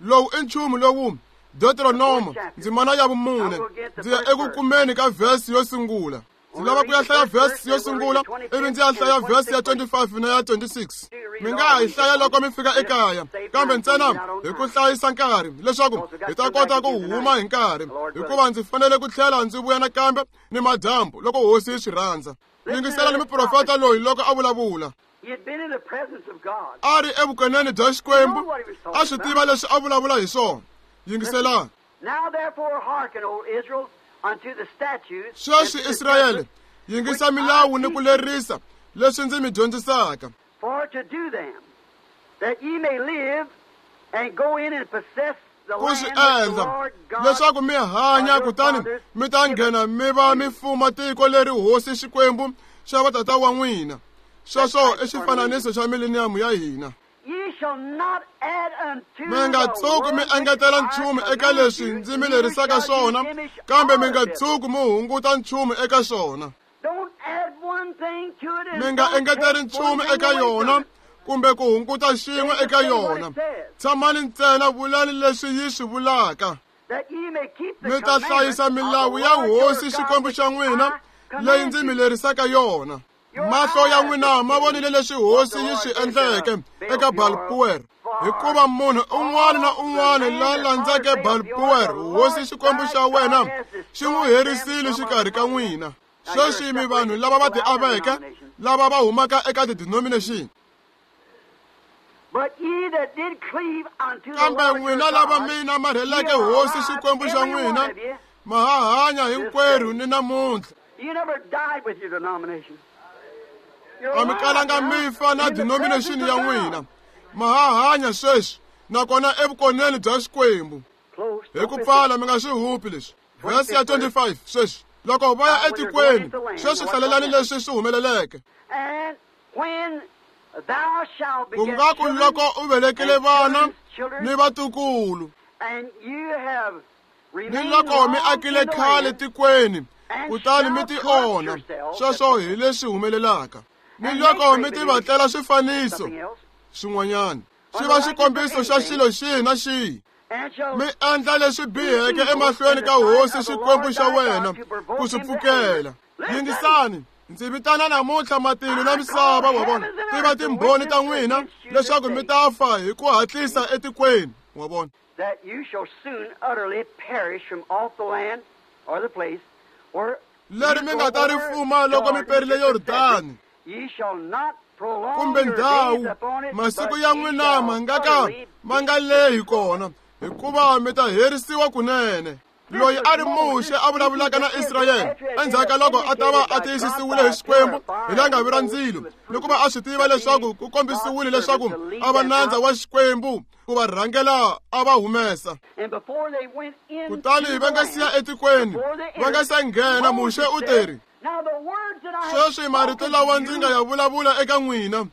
S1: Lowu i nchumu lowu Deuteronomo ndzimana ya vumune. Ndzi ya eku kumeni ka vhesi yo sungula. Ndzi lava ku ya hlaya vhesi yo sungula ivi ndzi ya hlaya vhesi ya 25 na ya 26. Mi nga ha yi hlaya loko mi fika ekaya, kambe ntsena hi ku hlayisa nkarhi leswaku hi ta kota ku huma hi nkarhi, hikuva ndzi fanele ku tlhela ndzi vuya nakambe ni madyambu loko hosi yi swi rhandza. Yingisela ni muprofeta loyi loko a vulavula. A ri evukoneni bya Xikwembu, a swi tiva leswi a vulavula hi swona. Yingiselani. Sweswi Israyele, yingisa milawu ni ku lerisa leswi ndzi mi dyondzisaka. Ku swi endla leswaku mi hanya, kutani mi ta nghena mi va mi fuma tiko leri hosi Xikwembu xa vatata wa n'wina. Sweswo i xifananiso xa mileniyamu ya hina. Mi nga tshuki mi engetela nchumu eka leswi ndzi mi lerisaka swona, kambe mi nga tshuki mi hunguta nchumu eka swona. Mi nga engeteri nchumu eka yona kumbe ku hunguta xin'we eka yona. Tshamani ntsena vulani leswi yi swi vulaka. Mi ta hlayisa milawu ya hosi Xikwembu xa n'wina leyi ndzi mi lerisaka yona. Mahlo ya n'wina ma vonile leswi hosi yi swi endleke eka Baal-Peor, hikuva munhu un'wana na un'wana la landzeke Baal-Peor, hosi Xikwembu xa wena xi n'wi herisile xikarhi ka n'wina. Sweswi mi vanhu lava va tiaveke, lava va humaka eka ti-denomination. Kambe n'wina lava mi namarheleke hosi Xikwembu xa n'wina, ma ha hanya hinkwerhu ni namuntlha. A mi kalanga mi fa na denomination ya n'wina. Ma ha hanya sweswi, nakona evukoneni bya Xikwembu. Hi ku pfala, mi nga swi hupi leswi. Vhesi ya 25 sweswi. Loko va ya etikweni, sweswi hlalelani leswi swi humeleleke. Ku nga ku loko u velekile vana ni vatukulu, ni loko mi akile khale tikweni, kutani mi ti onha, sweswo hi leswi humelelaka. Ni loko mi ti vatlela swifaniso swin'wanyana, swi va xikombiso xa xilo xihi na xihi, mi endla leswi biheke emahlweni ka hosi Xikwembu xa wena ku swi pfukela. Yingisani, ndzi vitana namuntlha matilo na misava, wa vona, ti va timbhoni ta n'wina leswaku mi ta fa hi ku hatlisa etikweni, wa vona. Leri mi nga ta ri fuma loko mi perile Yordani, kumbe ndhawu, masiku ya n'wina ma nga ka ma nga lehi kona, hikuva mi ta herisiwa kunene. Loyi a ri Muxe a vulavulaka na Israyele endzhaku ka loko a ta va a tiyisisiwile hi Xikwembu hi langavi ra ndzilo, ni ku va a swi tiva leswaku ku kombisiwile leswaku a va nandza wa Xikwembu ku va rhangela a va humesa. Kutani va nga siya etikweni, va nga se nghena, Muxe u teri, sweswi marito lawa ndzi nga ya vulavula eka n'wina,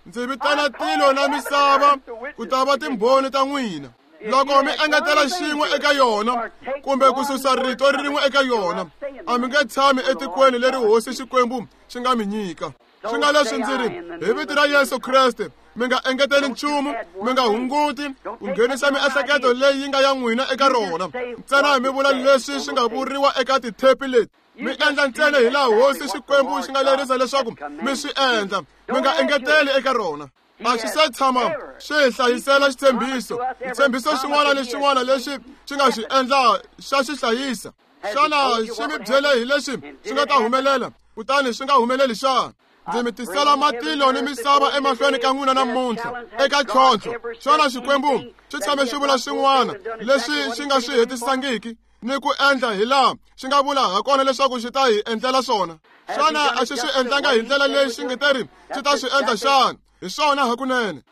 S1: ndzi vitana tilo na misava ku ta va timbhoni ta n'wina. Loko mi engetela xin'we eka yona kumbe ku susa rito rin'we eka yona, a mi nge tshami etikweni leri hosi Xikwembu xi nga mi nyika. Swi nga leswi ndzi ri, hi vito ra Yesu Kreste, mi nga engeteli nchumu, mi nga hunguti ku nghenisa miehleketo leyi yi nga ya n'wina eka rona. Ntsena mi vula leswi swi nga vuriwa eka tithepi leti. Mi endla ntsena hi laha hosi Xikwembu xi nga lerisa leswaku mi swi endla. Mi nga engeteli eka rona. A xi se tshama swi hi hlayisela xitshembiso. Xitshembiso xin'wana ni xin'wana lexi xi nga xi endla xa xi hlayisa. Xana xi mi byele hi leswi swi nga ta humelela, kutani swi nga humeleli xana? Ndzi mi tisela matilo ni misava emahlweni ka n'wina namuntlha eka ntlhontlho. Xana Xikwembu xi tshame xi vula swin'wana leswi xi nga swi hetisangiki ni ku endla hi laha xi nga vula hakona leswaku xi ta hi endlela swona? Xana a xi swi endlanga hi ndlela leyi xi nge teri xi ta swi endla xana? Hi swona hakunene.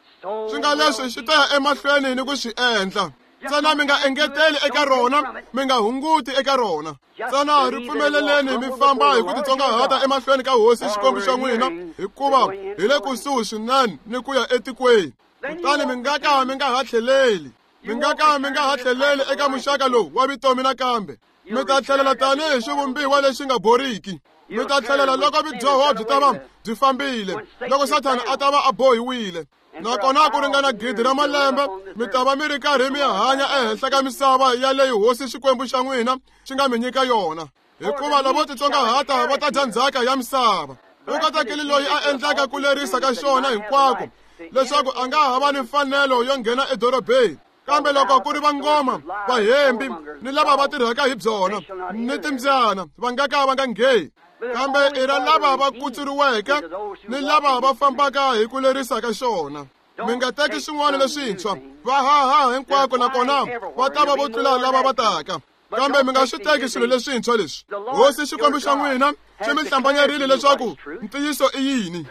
S1: Swi nga leswi xi ta ya emahlweni ni ku swi endla. Ntsena mi nga engeteli eka rona, mi nga hunguti eka rona. Ntsena ri pfumeleleni mi famba hi ku titsongahata emahlweni ka hosi Xikwembu xa n'wina, hikuva hi le kusuhi swinene ni ku ya etikweni. Kutani mi nga ka mi nga ha tlheleli, mi nga ka mi nga ha tlheleli eka muxaka lowu wa vutomi nakambe. Mi ta tlhelela tanihi xivumbiwa lexi nga boriki. Mi ta tlhelela loko vudyoho byi ta va byi fambile, loko Sathana a ta va a bohiwile. Nakona ku ringana 1,000 ra malembe mi ta va mi ri karhi mi hanya ehenhla ka misava yaleyo hosi Xikwembu xa n'wina xi nga mi nyika yona. Hikuva lavo titsongahata va ta dya ndzhaka ya misava. U katekile loyi a endlaka ku lerisa ka xona hinkwako, leswaku a nga ha va ni mfanelo yo nghena edorobeni. Kambe loko ku ri vangoma, vahembi ni lava va tirhaka hi byona ni timbyana, va nga ka va nga ngheni. Kambe i ra lava va kutsuriweke ni lava va fambaka hi ku lerisa ka xona. Mi nga teki swin'wana leswintshwa, va haha hinkwako nakona va ta va vo tlula lava va taka. Kambe mi nga swi teki swilo leswintshwa leswi. Hosi Xikwembu xa n'wina xi mi hlambanyerile leswaku ntiyiso i yini.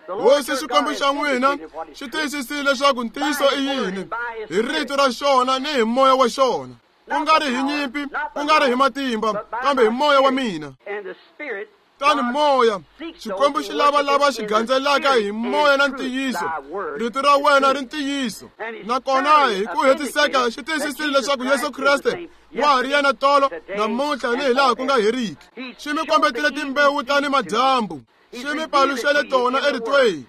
S1: Hosi Xikwembu xa n'wina xi tiyisisile leswaku ntiyiso i yini hi rito ra xona ni hi moya wa xona, ku nga ri hi nyimpi, ku nga ri hi matimba, kambe hi moya wa mina. Tani moya, Xikwembu xi lava lava xi gandzelaka hi moya na ntiyiso. Rito ra wena ri ntiyiso. Nakona hi ku hetiseka xi tiyisisile leswaku Yesu Kreste wa ha ri yena tolo, namuntlha ni hilaha ku nga heriki. Xi mi kombetile timbewu ta ni madyambu, xi mi paluxele tona eritweni,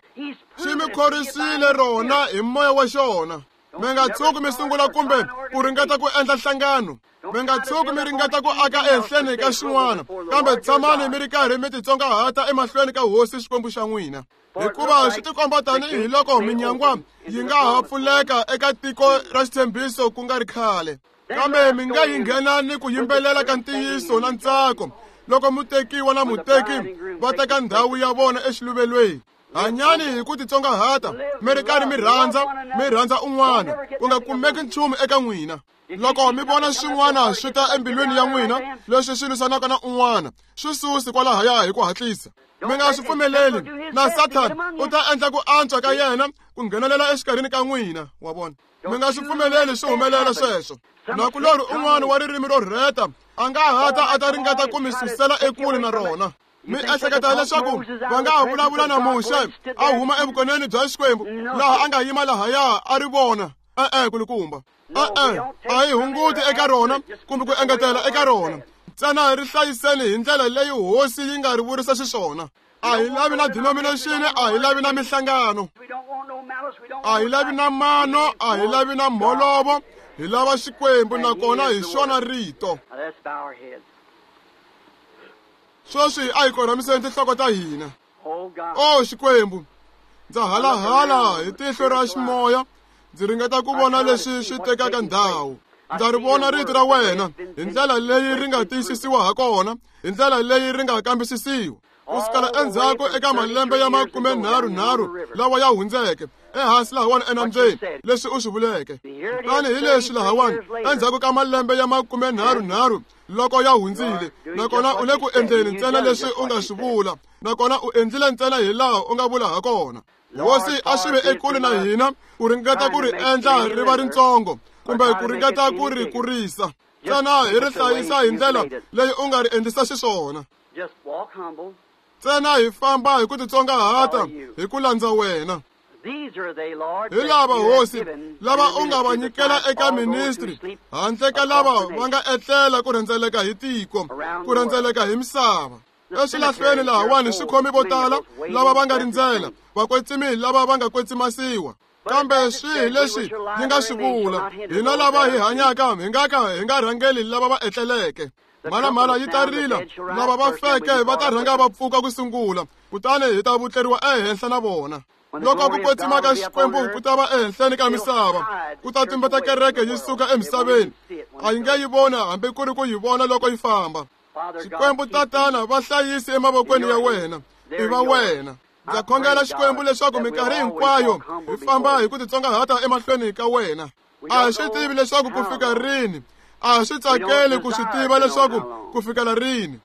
S1: xi mi khorisile rona hi moya wa xona. Mi nga tshuki mi sungula kumbe ku ringeta ku endla nhlangano. Mi nga tshuki mi ringeta ku aka ehenhleni ka xin'wana, kambe tshamani mi ri karhi mi titsongahata emahlweni ka hosi Xikwembu xa n'wina. Hikuva swi tikomba tanihi loko minyangwa yi nga ha pfuleka eka tiko ra xitshembiso ku nga ri khale. Kambe mi nga yi nghena ni ku yimbelela ka ntiyiso na ntsako loko mutekiwa na muteki va teka ndhawu ya vona exiluvelweni. Hanyani hi ku titsongahata, mi ri karhi mi rhandza un'wana, ku nga kumeki nchumu eka n'wina. Loko mi vona swin'wana swi ta embilwini ya n'wina leswi swi lwisanaka na un'wana, swi susi kwalahaya hi ku hatlisa. Mi nga swi pfumeleli, na Sathana u ta endla ku antswa ka yena ku nghenelela exikarhini ka n'wina. Wa vona? Mi nga swi pfumeleli swi humelela sweswo. Nakulorhi un'wana wa ririmi ro rheta a nga hata a ta ringeta ku mi susela ekule na rona. Mi ehleketa leswaku va nga ha vulavula na Muxe a huma evukoneni bya Xikwembu laha a nga yima lahaya a ri vona? E-e, kulukumba. E-e, a hi hunguti eka rona kumbe ku engetela eka rona. Ntsena ri hlayiseni hi ndlela leyi hosi yi nga ri vurisa xiswona. A hi lavi na denomination, a hi lavi na minhlangano, a hi lavi na mano, a hi lavi na mholovo. Hi lava Xikwembu nakona hi xona rito. Sweswi a hi korhamiseni tinhloko ta hina. O Xikwembu, ndza halahala hi tihlo ra ximoya, ndzi ringeta ku vona leswi swi tekaka ndhawu. Ndza ri vona rito ra wena hi ndlela leyi ri nga tiyisisiwa ha kona, hi ndlela leyi ri nga kambisisiwa. Ku sukela endzhaku eka malembe ya 33 lawa ya hundzeke, ehansi lahawani enambyeni, leswi u swi vuleke. Kutani hi leswi lahawani, endzhaku ka malembe ya 33 loko ya hundzile, nakona u le ku endleni ntsena leswi u nga swi vula, nakona u endlile ntsena hi laha u nga vula ha kona. Hosi a swi ve ekule na hina ku ringeta ku ri endla ri va rintsongo kumbe ku ringeta ku ri kurisa. Ntsena hi ri hlayisa hi ndlela leyi u nga ri endlisa xiswona. Ntsena hi famba hi ku titsongahata hi ku landza wena. Hi lava hosi lava u nga va nyikela eka ministry, handle ka lava va nga etlela ku rhendzeleka hi tiko, ku rhendzeleka hi misava. Eswilahlweni lahawani swi khomi vo tala lava va nga rindzela, vakwetsimi lava va nga kwetsimasiwa. Kambe swihi leswi yi nga swi vula, hina lava hi hanyaka hi nga ka hi nga rhangeli lava va etleleke. Mhalamhala yi ta rila, lava va feke va ta rhanga va pfuka ku sungula, kutani hi ta vutleriwa ehenhla na vona. Loko ku kwetsima ka Xikwembu ku ta va ehenhleni ka misava, ku ta tumbeta kereke yi suka emisaveni. A yi nge yi vona hambi ku ri ku yi vona loko yi famba. Xikwembu Tatana, va hlayisi emavokweni ya wena, i va wena. Ndza khongela Xikwembu leswaku minkarhi hinkwayo hi famba hi ku titsongahata emahlweni ka wena. A hi swi tivi leswaku ku fika rini, a hi swi tsakeli ku swi tiva leswaku ku fikela rini.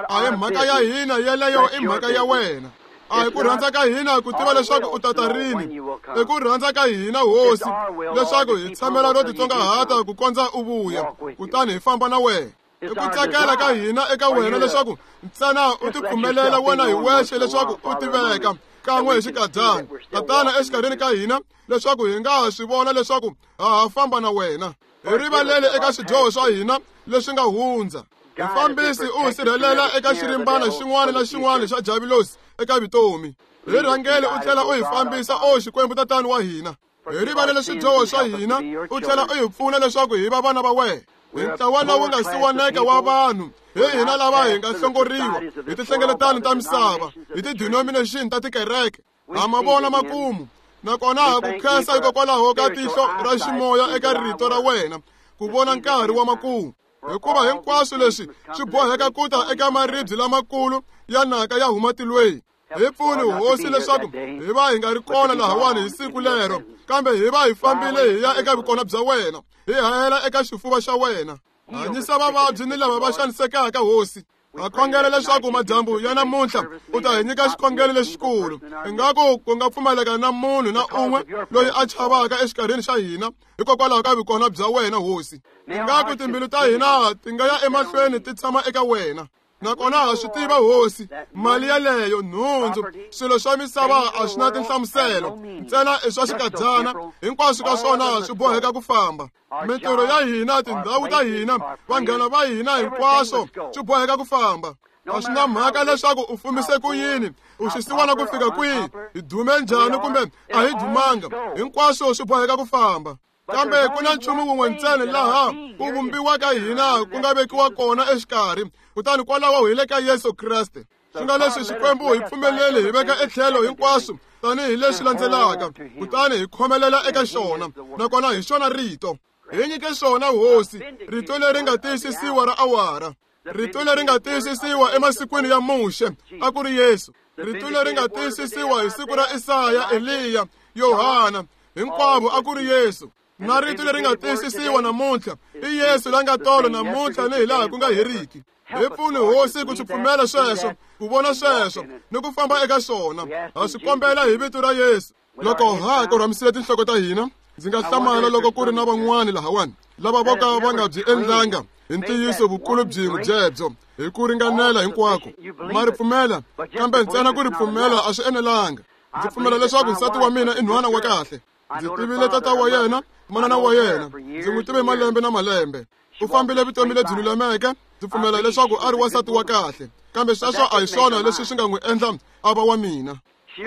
S1: A hi mhaka ya hina yeleyo, i mhaka ya wena. A hi ku rhandza ka hina ku tiva leswaku u tata rini, i ku rhandza ka hina hosi leswaku hi tshamela ro titsongahata ku kondza u vuya, kutani hi famba na wena. I ku tsakela ka hina eka wena leswaku ntsena u tipfumelela wena hi wexe leswaku u tiveka kan'we hi xikadyana, Tatana, exikarhini ka hina, leswaku hi nga ha swi vona leswaku ha ha famba na wena. Hi rivalele eka swidyoho swa hina leswi nga hundza. Hi fambisi u hi sirhelela eka xirimbana xin'wana na xin'wana xa javulosi eka vutomi. Hi rhangele u tlhela u hi fambisa, o Xikwembu Tatana wa hina. Hi rivalele swidyoho swa hina, u tlhela u hi pfuna leswaku hi va vana va wena. Hi ntlawa lowu nga siwaneke wa vanhu, hi hina lava hi nga hlongoriwa hi tinhlengeletano ta misava, hi ti-denomination ta tikereke. Ha ma vona makumu, nakona ha ku khensa hikokwalaho ka tihlo ra ximoya eka rito ra wena ku vona nkarhi wa makumu. Hikuva hinkwaswo leswi swi boheka ku ta eka maribye lamakulu ya naka ya huma tilweni. Hi pfuni Hosi leswaku hi va hi nga ri kona lahawani hi siku lero, kambe hi va hi fambile hi ya eka vukona bya wena, hi hahela eka xifuva xa wena. Hanyisa vavabyi ni lava va xanisekaka, Hosi. Ha khongela leswaku madyambu ya namuntlha u ta hi nyika xikhongelo lexikulu, ingaku ku nga pfumaleka na munhu na un'we loyi a chavaka exikarhini xa hina hikokwalaho ka vukona bya wena, Hosi. Ingaku timbilu ta hina ti nga ya emahlweni ti tshama eka wena. Nakona ha swi tiva, Hosi, mali yaleyo, nhundzu, swilo swa misava a swi na tinhlamuselo, ntsena i swa xikadyana, hinkwaswo ka swona swi boheka ku famba. Mintirho ya hina, tindhawu ta hina, vanghana va hina, hinkwaswo swi boheka ku famba. A swi na mhaka leswaku u fumise ku yini, u xisiwana ku fika kwihi, hi dume njhani kumbe a hi dumanga, hinkwaswo swi boheka ku famba. Kambe ku na nchumu wun'we ntsena laha ku vumbiwa ka hina ku nga vekiwa kona exikarhi, kutani kwalaho hi le ka Yesu Kreste. Swi nga leswi Xikwembu hi pfumeleli hi veka etlhelo hinkwaswo tanihi leswi landzelaka, kutani hi khomelela eka xona, nakona hi xona rito. Hi nyike xona, Hosi, rito leri nga tiyisisiwa ra awara. Rito leri nga tiyisisiwa emasikwini ya Muxe a ku ri Yesu. Rito leri nga tiyisisiwa hi siku ra Isaya, Eliya, Yohana, hinkwavo a ku ri Yesu. Na rito leri nga tiyisisiwa namuntlha i Yesu la nga tolo namuntlha ni hilaha ku nga heriki. Hi pfuni, Hosi, ku swi pfumela sweswo, ku vona sweswo ni ku famba eka swona. Ha swi kombela hi vito ra Yesu. Loko ha korhamisile tinhloko ta hina, ndzi nga hlamala loko ku ri na van'wani lahawani lava vo ka va nga byi endlanga hi ntiyiso vukulu byin'we byebyo hi ku ringanela hinkwako. Ma ri pfumela, kambe ntsena ku ri pfumela a swi enelanga. Ndzi pfumela leswaku nsati wa mina i nhwana wa kahle. Ndzi tivile tata wa yena, manana wa yena, ndzi n'wi tive malembe na malembe. U fambile vutomi lebyi lulameke. Ndzi pfumela leswaku a ri wansati wa kahle, kambe sweswo a hi swona leswi swi nga n'wi endla a va wa mina.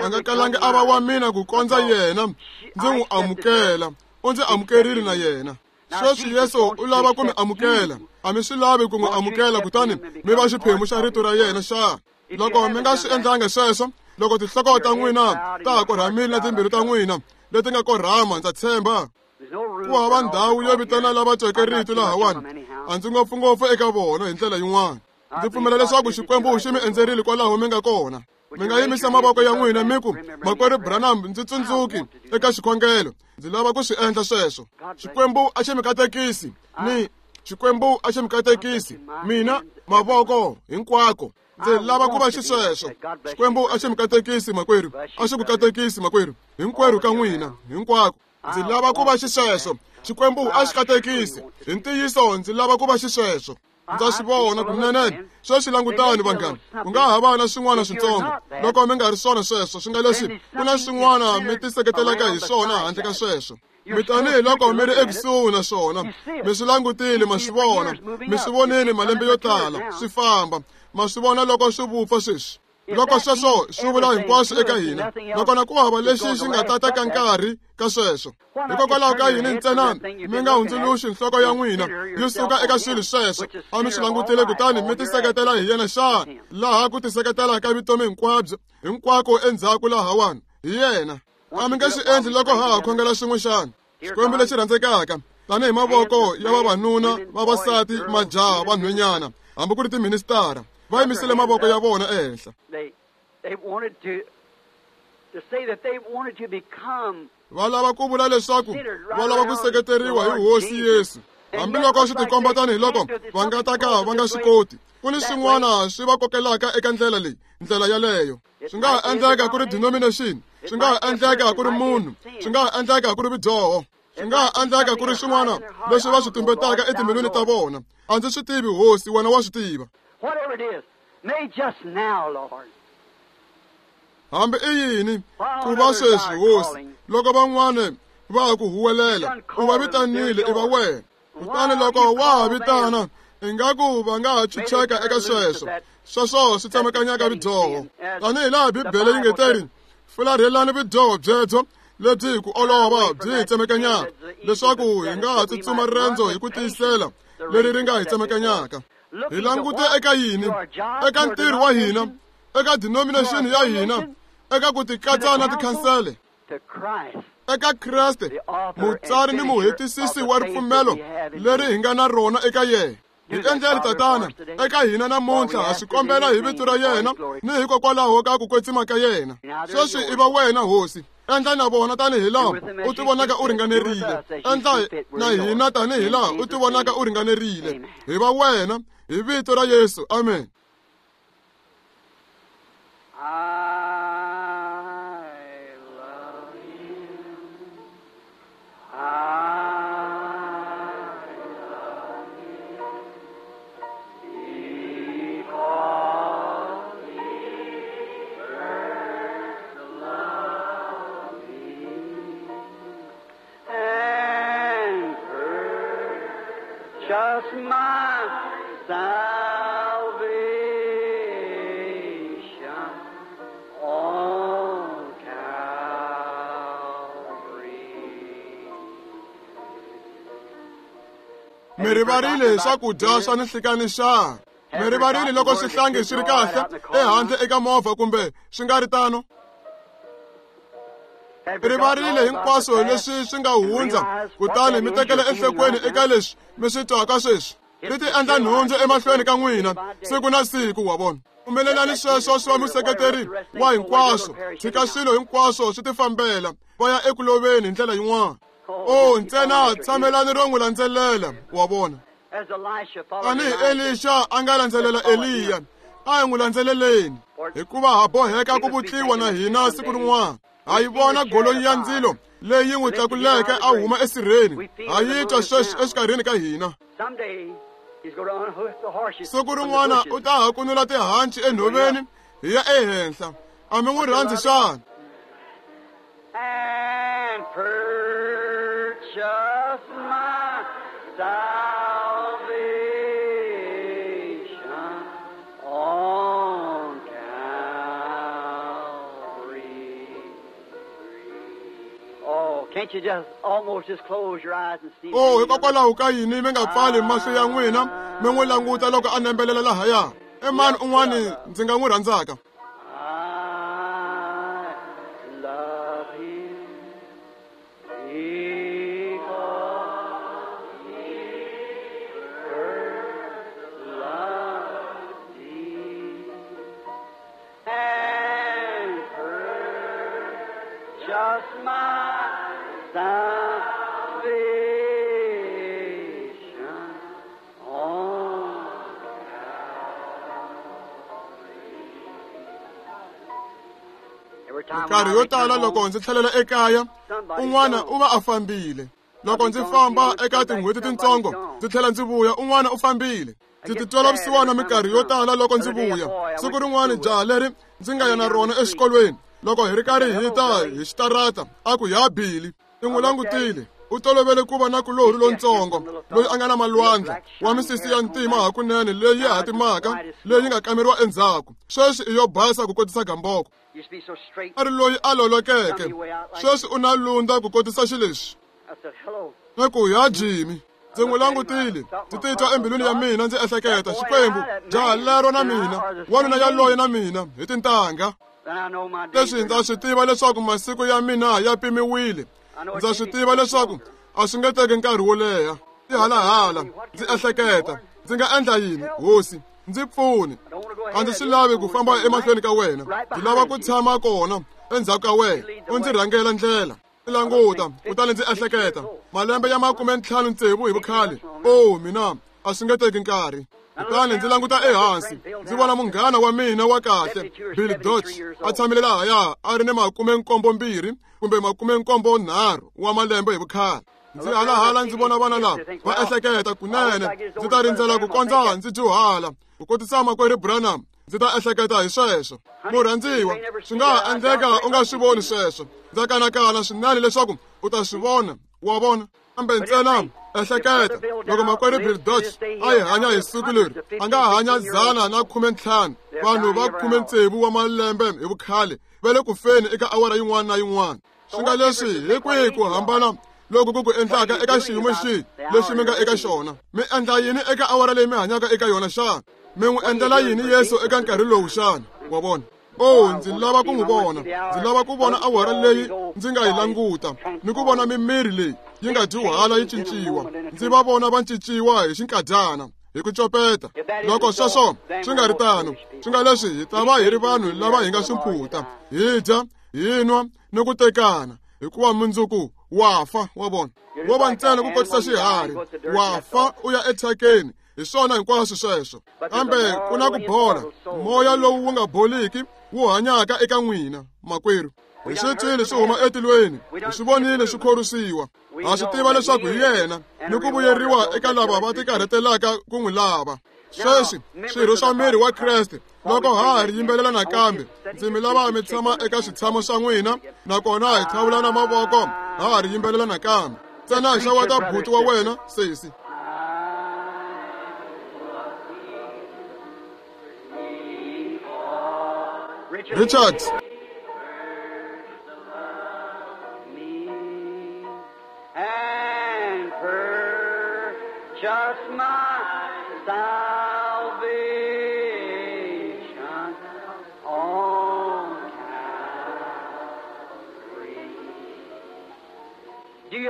S1: A nga kalangi a va wa mina ku kondza yena ndzi n'wi amukela. U ndzi amukerile na yena. Sweswi Yesu u lava ku mi amukela. A mi swi lavi ku n'wi amukela kutani mi va xiphemu xa rito ra yena xa? Loko mi nga swi endlanga sweswo, loko tinhloko ta n'wina ta ha korhamile na timbilu ta n'wina leti nga korhama, ndza tshemba ku hava ndhawu yo vitana lava tweke rito lahawani. A ndzi ngopfungopfu eka vona hi ndlela yin'wana. Ndzi pfumela leswaku Xikwembu xi mi endzerile kwalaho mi nga kona. Mi nga yimisa mavoko ya n'wina mi ku, Makwerhu Branham, ndzi tsundzuki eka xikhongelo. Ndzi lava ku swi endla sweswo. Xikwembu a xi mi katekisi ni Xikwembu a xi mi katekisi mina, mavoko hinkwako. Ndzi lava ku va xisweswo. Xikwembu a xi mi katekisi, makwerhu. A xi ku katekisi, makwerhu, hinkwerhu ka n'wina, hinkwako. Ndzi lava ku va xisweswo. Xikwembu a xi katekisi. Hi ntiyiso ndzi lava ku va xisweswo. Ndza swi vona kunene. Sweswi langutani, vanghana, ku nga ha va na swin'wana switsongo loko mi nga ri swona sweswo. Swi nga leswi ku na swin'wana mi tiseketelaka hi swona handle ka sweswo. Mi tanihi loko mi ri ekusuhi na swona, mi swi langutile, ma swi vona, mi swi vonile malembe yo tala swi famba, ma swi vona loko swi vupfa sweswi. Loko sweswo swi vula hinkwaswo eka hina, nakona ku hava lexi xi nga ta teka nkarhi ka sweswo. Hikokwalaho ka yini ntsena mi nga hundzuluxi nhloko ya n'wina yi suka eka swilo sweswo a mi swi langutile kutani mi tiseketela hi yena xana? Laha ku tiseketela ka vutomi hinkwabyo hinkwako endzhaku lahawani hi yena. A mi nge swi endli loko ha ha khongela swin'we xana? Xikwembu lexi rhandzekaka, tanihi mavoko ya vavanuna, vavasati, majaha, vanhwenyana, hambi ku ri tiministara, va yimisile mavoko ya vona ehenhla. Va lava ku vula leswaku va lava ku seketeriwa hi Hosi Yesu, hambiloko swi tikomba tanihiloko va nga ta ka va nga swi koti. Ku ni swin'wana swi va kokelaka eka ndlela leyi, ndlela yaleyo. Swi nga ha endleka ku ri denomination, swi nga ha endleka ku ri munhu, swi nga ha endleka ku ri vudyoho, swi nga ha endleka ku ri swin'wana leswi va swi tumbetaka etimbilwini ta vona. A ndzi swi tivi, Hosi, wena wa swi tiva. Hambi i yini ku va sweswi, Hosi, loko van'wana va ha ku huwelela, u va vitanile, i va wena. Kutani loko wa ha vitana, Ingaku va nga ha chucheka eka sweswo. Sweswo swi tsemakanyaka vudyoho. Tanihi laha Bibele yi nge teri, fularhelani vudyoho byebyo lebyi hi ku olova byi hi tsemakanyaka, leswaku hi nga ha tsutsuma riendzo hi ku tiyisela leri ri nga hi tsemakanyaka. Hi langute eka yini? Eka ntirho wa hina, eka denomination ya hina, eka ku tikatsa na tikhansele, eka Kreste, mutsari ni muhetisisi wa ripfumelo leri hi nga na rona eka yena. Hi endleli Tatana eka hina namuntlha, ha swi kombela hi vito ra yena ni hikokwalaho ka ku kwetsima ka yena. Sweswi i va wena, Hosi. Endla na vona tanihi laha u tivonaka u ringanerile. Endla na hina tanihi laha u tivonaka u ringanerile. Hi va wena hi vito ra Yesu. Amen.
S2: I love you. I love you because He first loved me and purchased my salvation on Calvary.
S1: Mi rivarile swakudya swa ninhlikani xa? Mi rivarile loko xihlangi xi ri kahle ehandle eka movha kumbe swi nga ri tano? Rivarile hinkwaswo leswi swi nga hundza, kutani mi tekela enhlokweni eka leswi mi swi twaka sweswi. Ri ti endla nhundzu emahlweni ka n'wina siku na siku, wa vona. Pfumelelani sweswo swi va museketeri wa hinkwaswo. Tshika swilo hinkwaswo swi tifambela, va ya eku loveni hi ndlela yin'wana. O, ntsena tshamelani ro n'wi landzelela, wa vona. Tanihi Elisha a nga landzelela Eliya, a hi n'wi landzeleleni, hikuva ha boheka ku vutliwa na hina siku rin'wana. Ha yi vona golonyi ya ndzilo leyi n'wi tlakuleke a huma esirheni. Ha yi twa sweswi exikarhini ka hina. Siku rin'wana u ta hakunula tihanci enhoveni hi ya ehenhla. A mi n'wi rhandzi xana?
S2: And purchase my salvation on Calvary. Oh, can't you just almost just close your eyes and see?
S1: Oh, hikokwalaho ka yini mi nga pfali mahlo ya n'wina mi n'wi languta loko a nembelela lahaya? I mani un'wani ndzi nga n'wi rhandzaka?
S2: I love him because he first loved me and purchased my salvation on
S1: Minkarhi yo tala loko ndzi tlhelela ekaya, un'wana u va a fambile. Loko ndzi famba eka tin'hweti tintsongo ndzi tlhela ndzi vuya, un'wana u fambile. Ndzi titwela vusiwana minkarhi yo tala loko ndzi vuya. Siku rin'wana jaha leri ndzi nga ya na rona exikolweni, loko hi ri karhi hi ta hi xitarata, a ku ya Billy. Ndzi n'wi langutile. U tolovele ku va na kulorhi lontsongo loyi a nga na malwandla wa misisi ya ntima hakunene leyi hatimaka leyi nga kameriwa endzhaku. Sweswi i yo basa ku kotisa gamboko. A ri loyi a lolokeke. Sweswi u na lunda ku kotisa xileswi. Na ku ya Jimmy. Ndzi n'wi langutile, ndzi titwa embilwini ya mina ndzi ehleketa, Xikwembu, jaha lero na mina, wanuna yaloye na mina, hi tintangha. Leswi ndza swi tiva leswaku masiku ya mina ya pimiwile. Ndza swi tiva leswaku a swi nge teki nkarhi wo leha. Tihalahala, ndzi ehleketa, ndzi nga endla yini, Hosi? Ndzi pfuni. A ndzi swi lavi ku famba emahlweni ka wena. Ndzi lava ku tshama kona endzhaku ka wena, u ndzi rhangela ndlela. Ndzi languta, kutani ndzi ehleketa, malembe ya 56 hi vukhale. Oh, mina, a swi nge teki nkarhi. Kutani ndzi languta ehansi, ndzi vona munghana wa mina wa kahle, Bill Dodge, a tshamile lahaya a ri ni 72 kumbe 73 wa malembe hi vukhale. Ndzi halahala ndzi vona vana lava va ehleketa, kunene ndzi ta rindzela ku kondza ndzi dyuhala ku kotisa makwerhu Branham. Ndzi ta ehleketa hi sweswo. Murhandziwa, swi nga ha endleka u nga swi voni sweswo. Ndza kanakana swinene leswaku u ta swi vona, wa vona. Kambe ntsena Ehleketa loko makwerhu Bill Dodge a hi hanya hi siku leri, a nga hanya 115, vanhu va 16 wa malembe hi vukhale va le ku feni eka awara yin'wana na yin'wana. Swi nga leswi hi kwihi ku hambana loku ku ku endlaka eka xiyimo xihi lexi mi nga eka xona? Mi endla yini eka awara leyi mi hanyaka eka yona xana? Mi n'wi endlela yini Yesu eka nkarhi lowu xana? Wa vona? Oh, ndzi lava ku n'wi vona. Ndzi lava ku vona awara leyi ndzi nga yi languta ni ku vona mimiri leyi yi nga dyuhala yi cinciwa. Ndzi va vona va cinciwa hi xinkadyana, hi ku copeta. Loko sweswo swi nga ri tano, swi nga leswi hi ta va hi ri vanhu lava hi nga swimphuta, hi dya, hi nwa ni ku tekana, hikuva mundzuku wa fa. Wa vona, wo va ntsena ku kotisa xiharhi, wa fa u ya ethyakeni. Hi swona hinkwaswo sweswo. Kambe ku na ku bola, moya lowu wu nga boliki wu hanyaka eka n'wina, makwerhu. Hi swi twile swi huma etilweni, hi swi vonile swi khorwisiwa. Ha swi tiva leswaku hi yena, ni ku vuyeriwa eka lava va tikarhatelaka ku n'wi lava. Sweswi swirho swa miri wa Kreste, loko ha ha ri yimbelela nakambe, ndzi mi lava mi tshama eka switshamo swa n'wina, nakona hi tlhavulana mavoko ha ha ri yimbelela nakambe. Ntsena xeweta buti wa wena, sesi. Richard.
S2: And purchase my salvation on Calvary.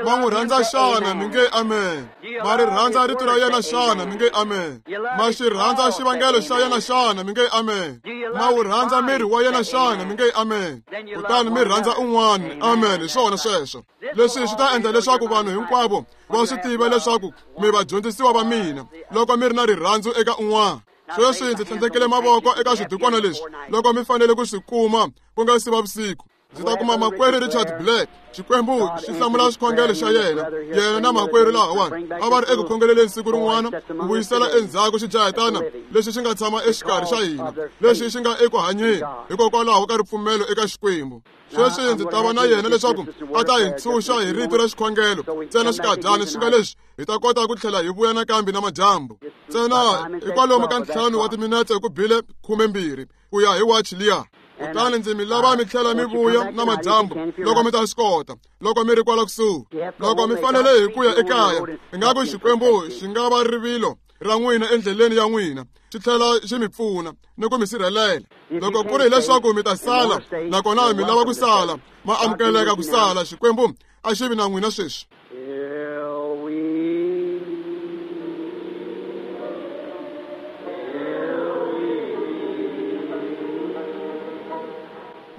S1: Ma n'wi rhandza xana? Mi nge amen. Ma ri rhandza rito ra yena xana? Mi nge amen. Ma xi rhandza xivangelo xa yena xana? Mi nge amen. Ma wu rhandza miri wa yena xana? Mi nge amen. Kutani mi rhandza un'wana. Amen. Hi swona sweswo. Leswi swi ta endla leswaku vanhu hinkwavo va swi tiva leswaku mi vadyondzisiwa va mina, loko mi ri na rirhandzu eka un'wana. Sweswi ndzi tlhandlekele mavoko eka swidukwana leswi loko mi fanele ku swi kuma ku nga si va vusiku. Ndzi ta kuma makwerhu Richard Black. Xikwembu xi hlamula xikhongelo xa yena. Yena na makwerhu lahawani a va ri eku khongeleleni siku rin'wana ku vuyisela endzhaku xijahetana lexi xi nga tshama exikarhi xa hina, lexi xi nga eku hanyeni hikokwalaho ka ripfumelo eka Xikwembu. Sweswi ndzi ta va na yena leswaku a ta hi ntshunxa hi rito ra xikhongelo ntsena xinkadyana, swi nga leswi hi ta kota ku tlhela hi vuya nakambe na madyambu. Ntsena hi kwalomu ka 5 wa timinetse ku bile 12 ku ya hi wachi liya. Kutani ndzi mi lava mi tlhela mi vuya na madyambu loko mi ta swi kota, loko mi ri kwala kusuhi. Loko mi fanele hi ku ya ekaya, ingaku Xikwembu xi nga va rivilo ra n'wina endleleni ya n'wina, xi tlhela xi mi pfuna ni ku mi sirhelela. Loko ku ri hileswaku mi ta sala, nakona mi lava ku sala, ma amukeleka ku sala. Xikwembu a xi vi na n'wina sweswi.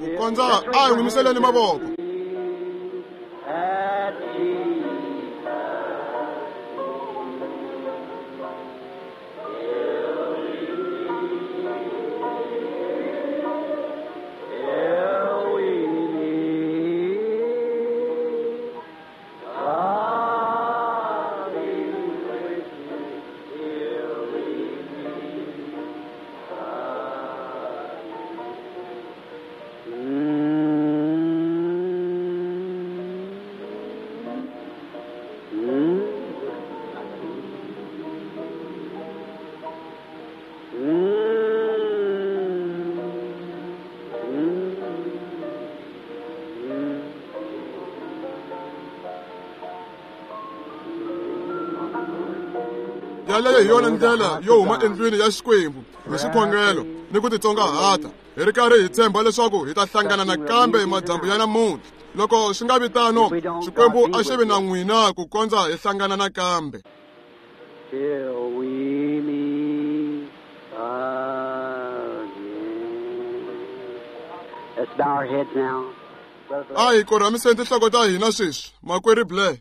S1: Ku kondza a hi n'wi mavoko. Yaleyo hi yona ndlela yo huma endlwini ya Xikwembu hi xikhongelo ni ku titsongahata, hi ri karhi hi tshemba leswaku hi ta hlangana nakambe madyambu ya namuntlha. Loko swi nga vi tano, Xikwembu a xi vi na n'wina ku kondza hi hlangana nakambe.
S2: Till we meet again. Let's bow our heads now.
S1: A hi korhamiseni tinhloko ta hina sweswi, makwerhu Blair.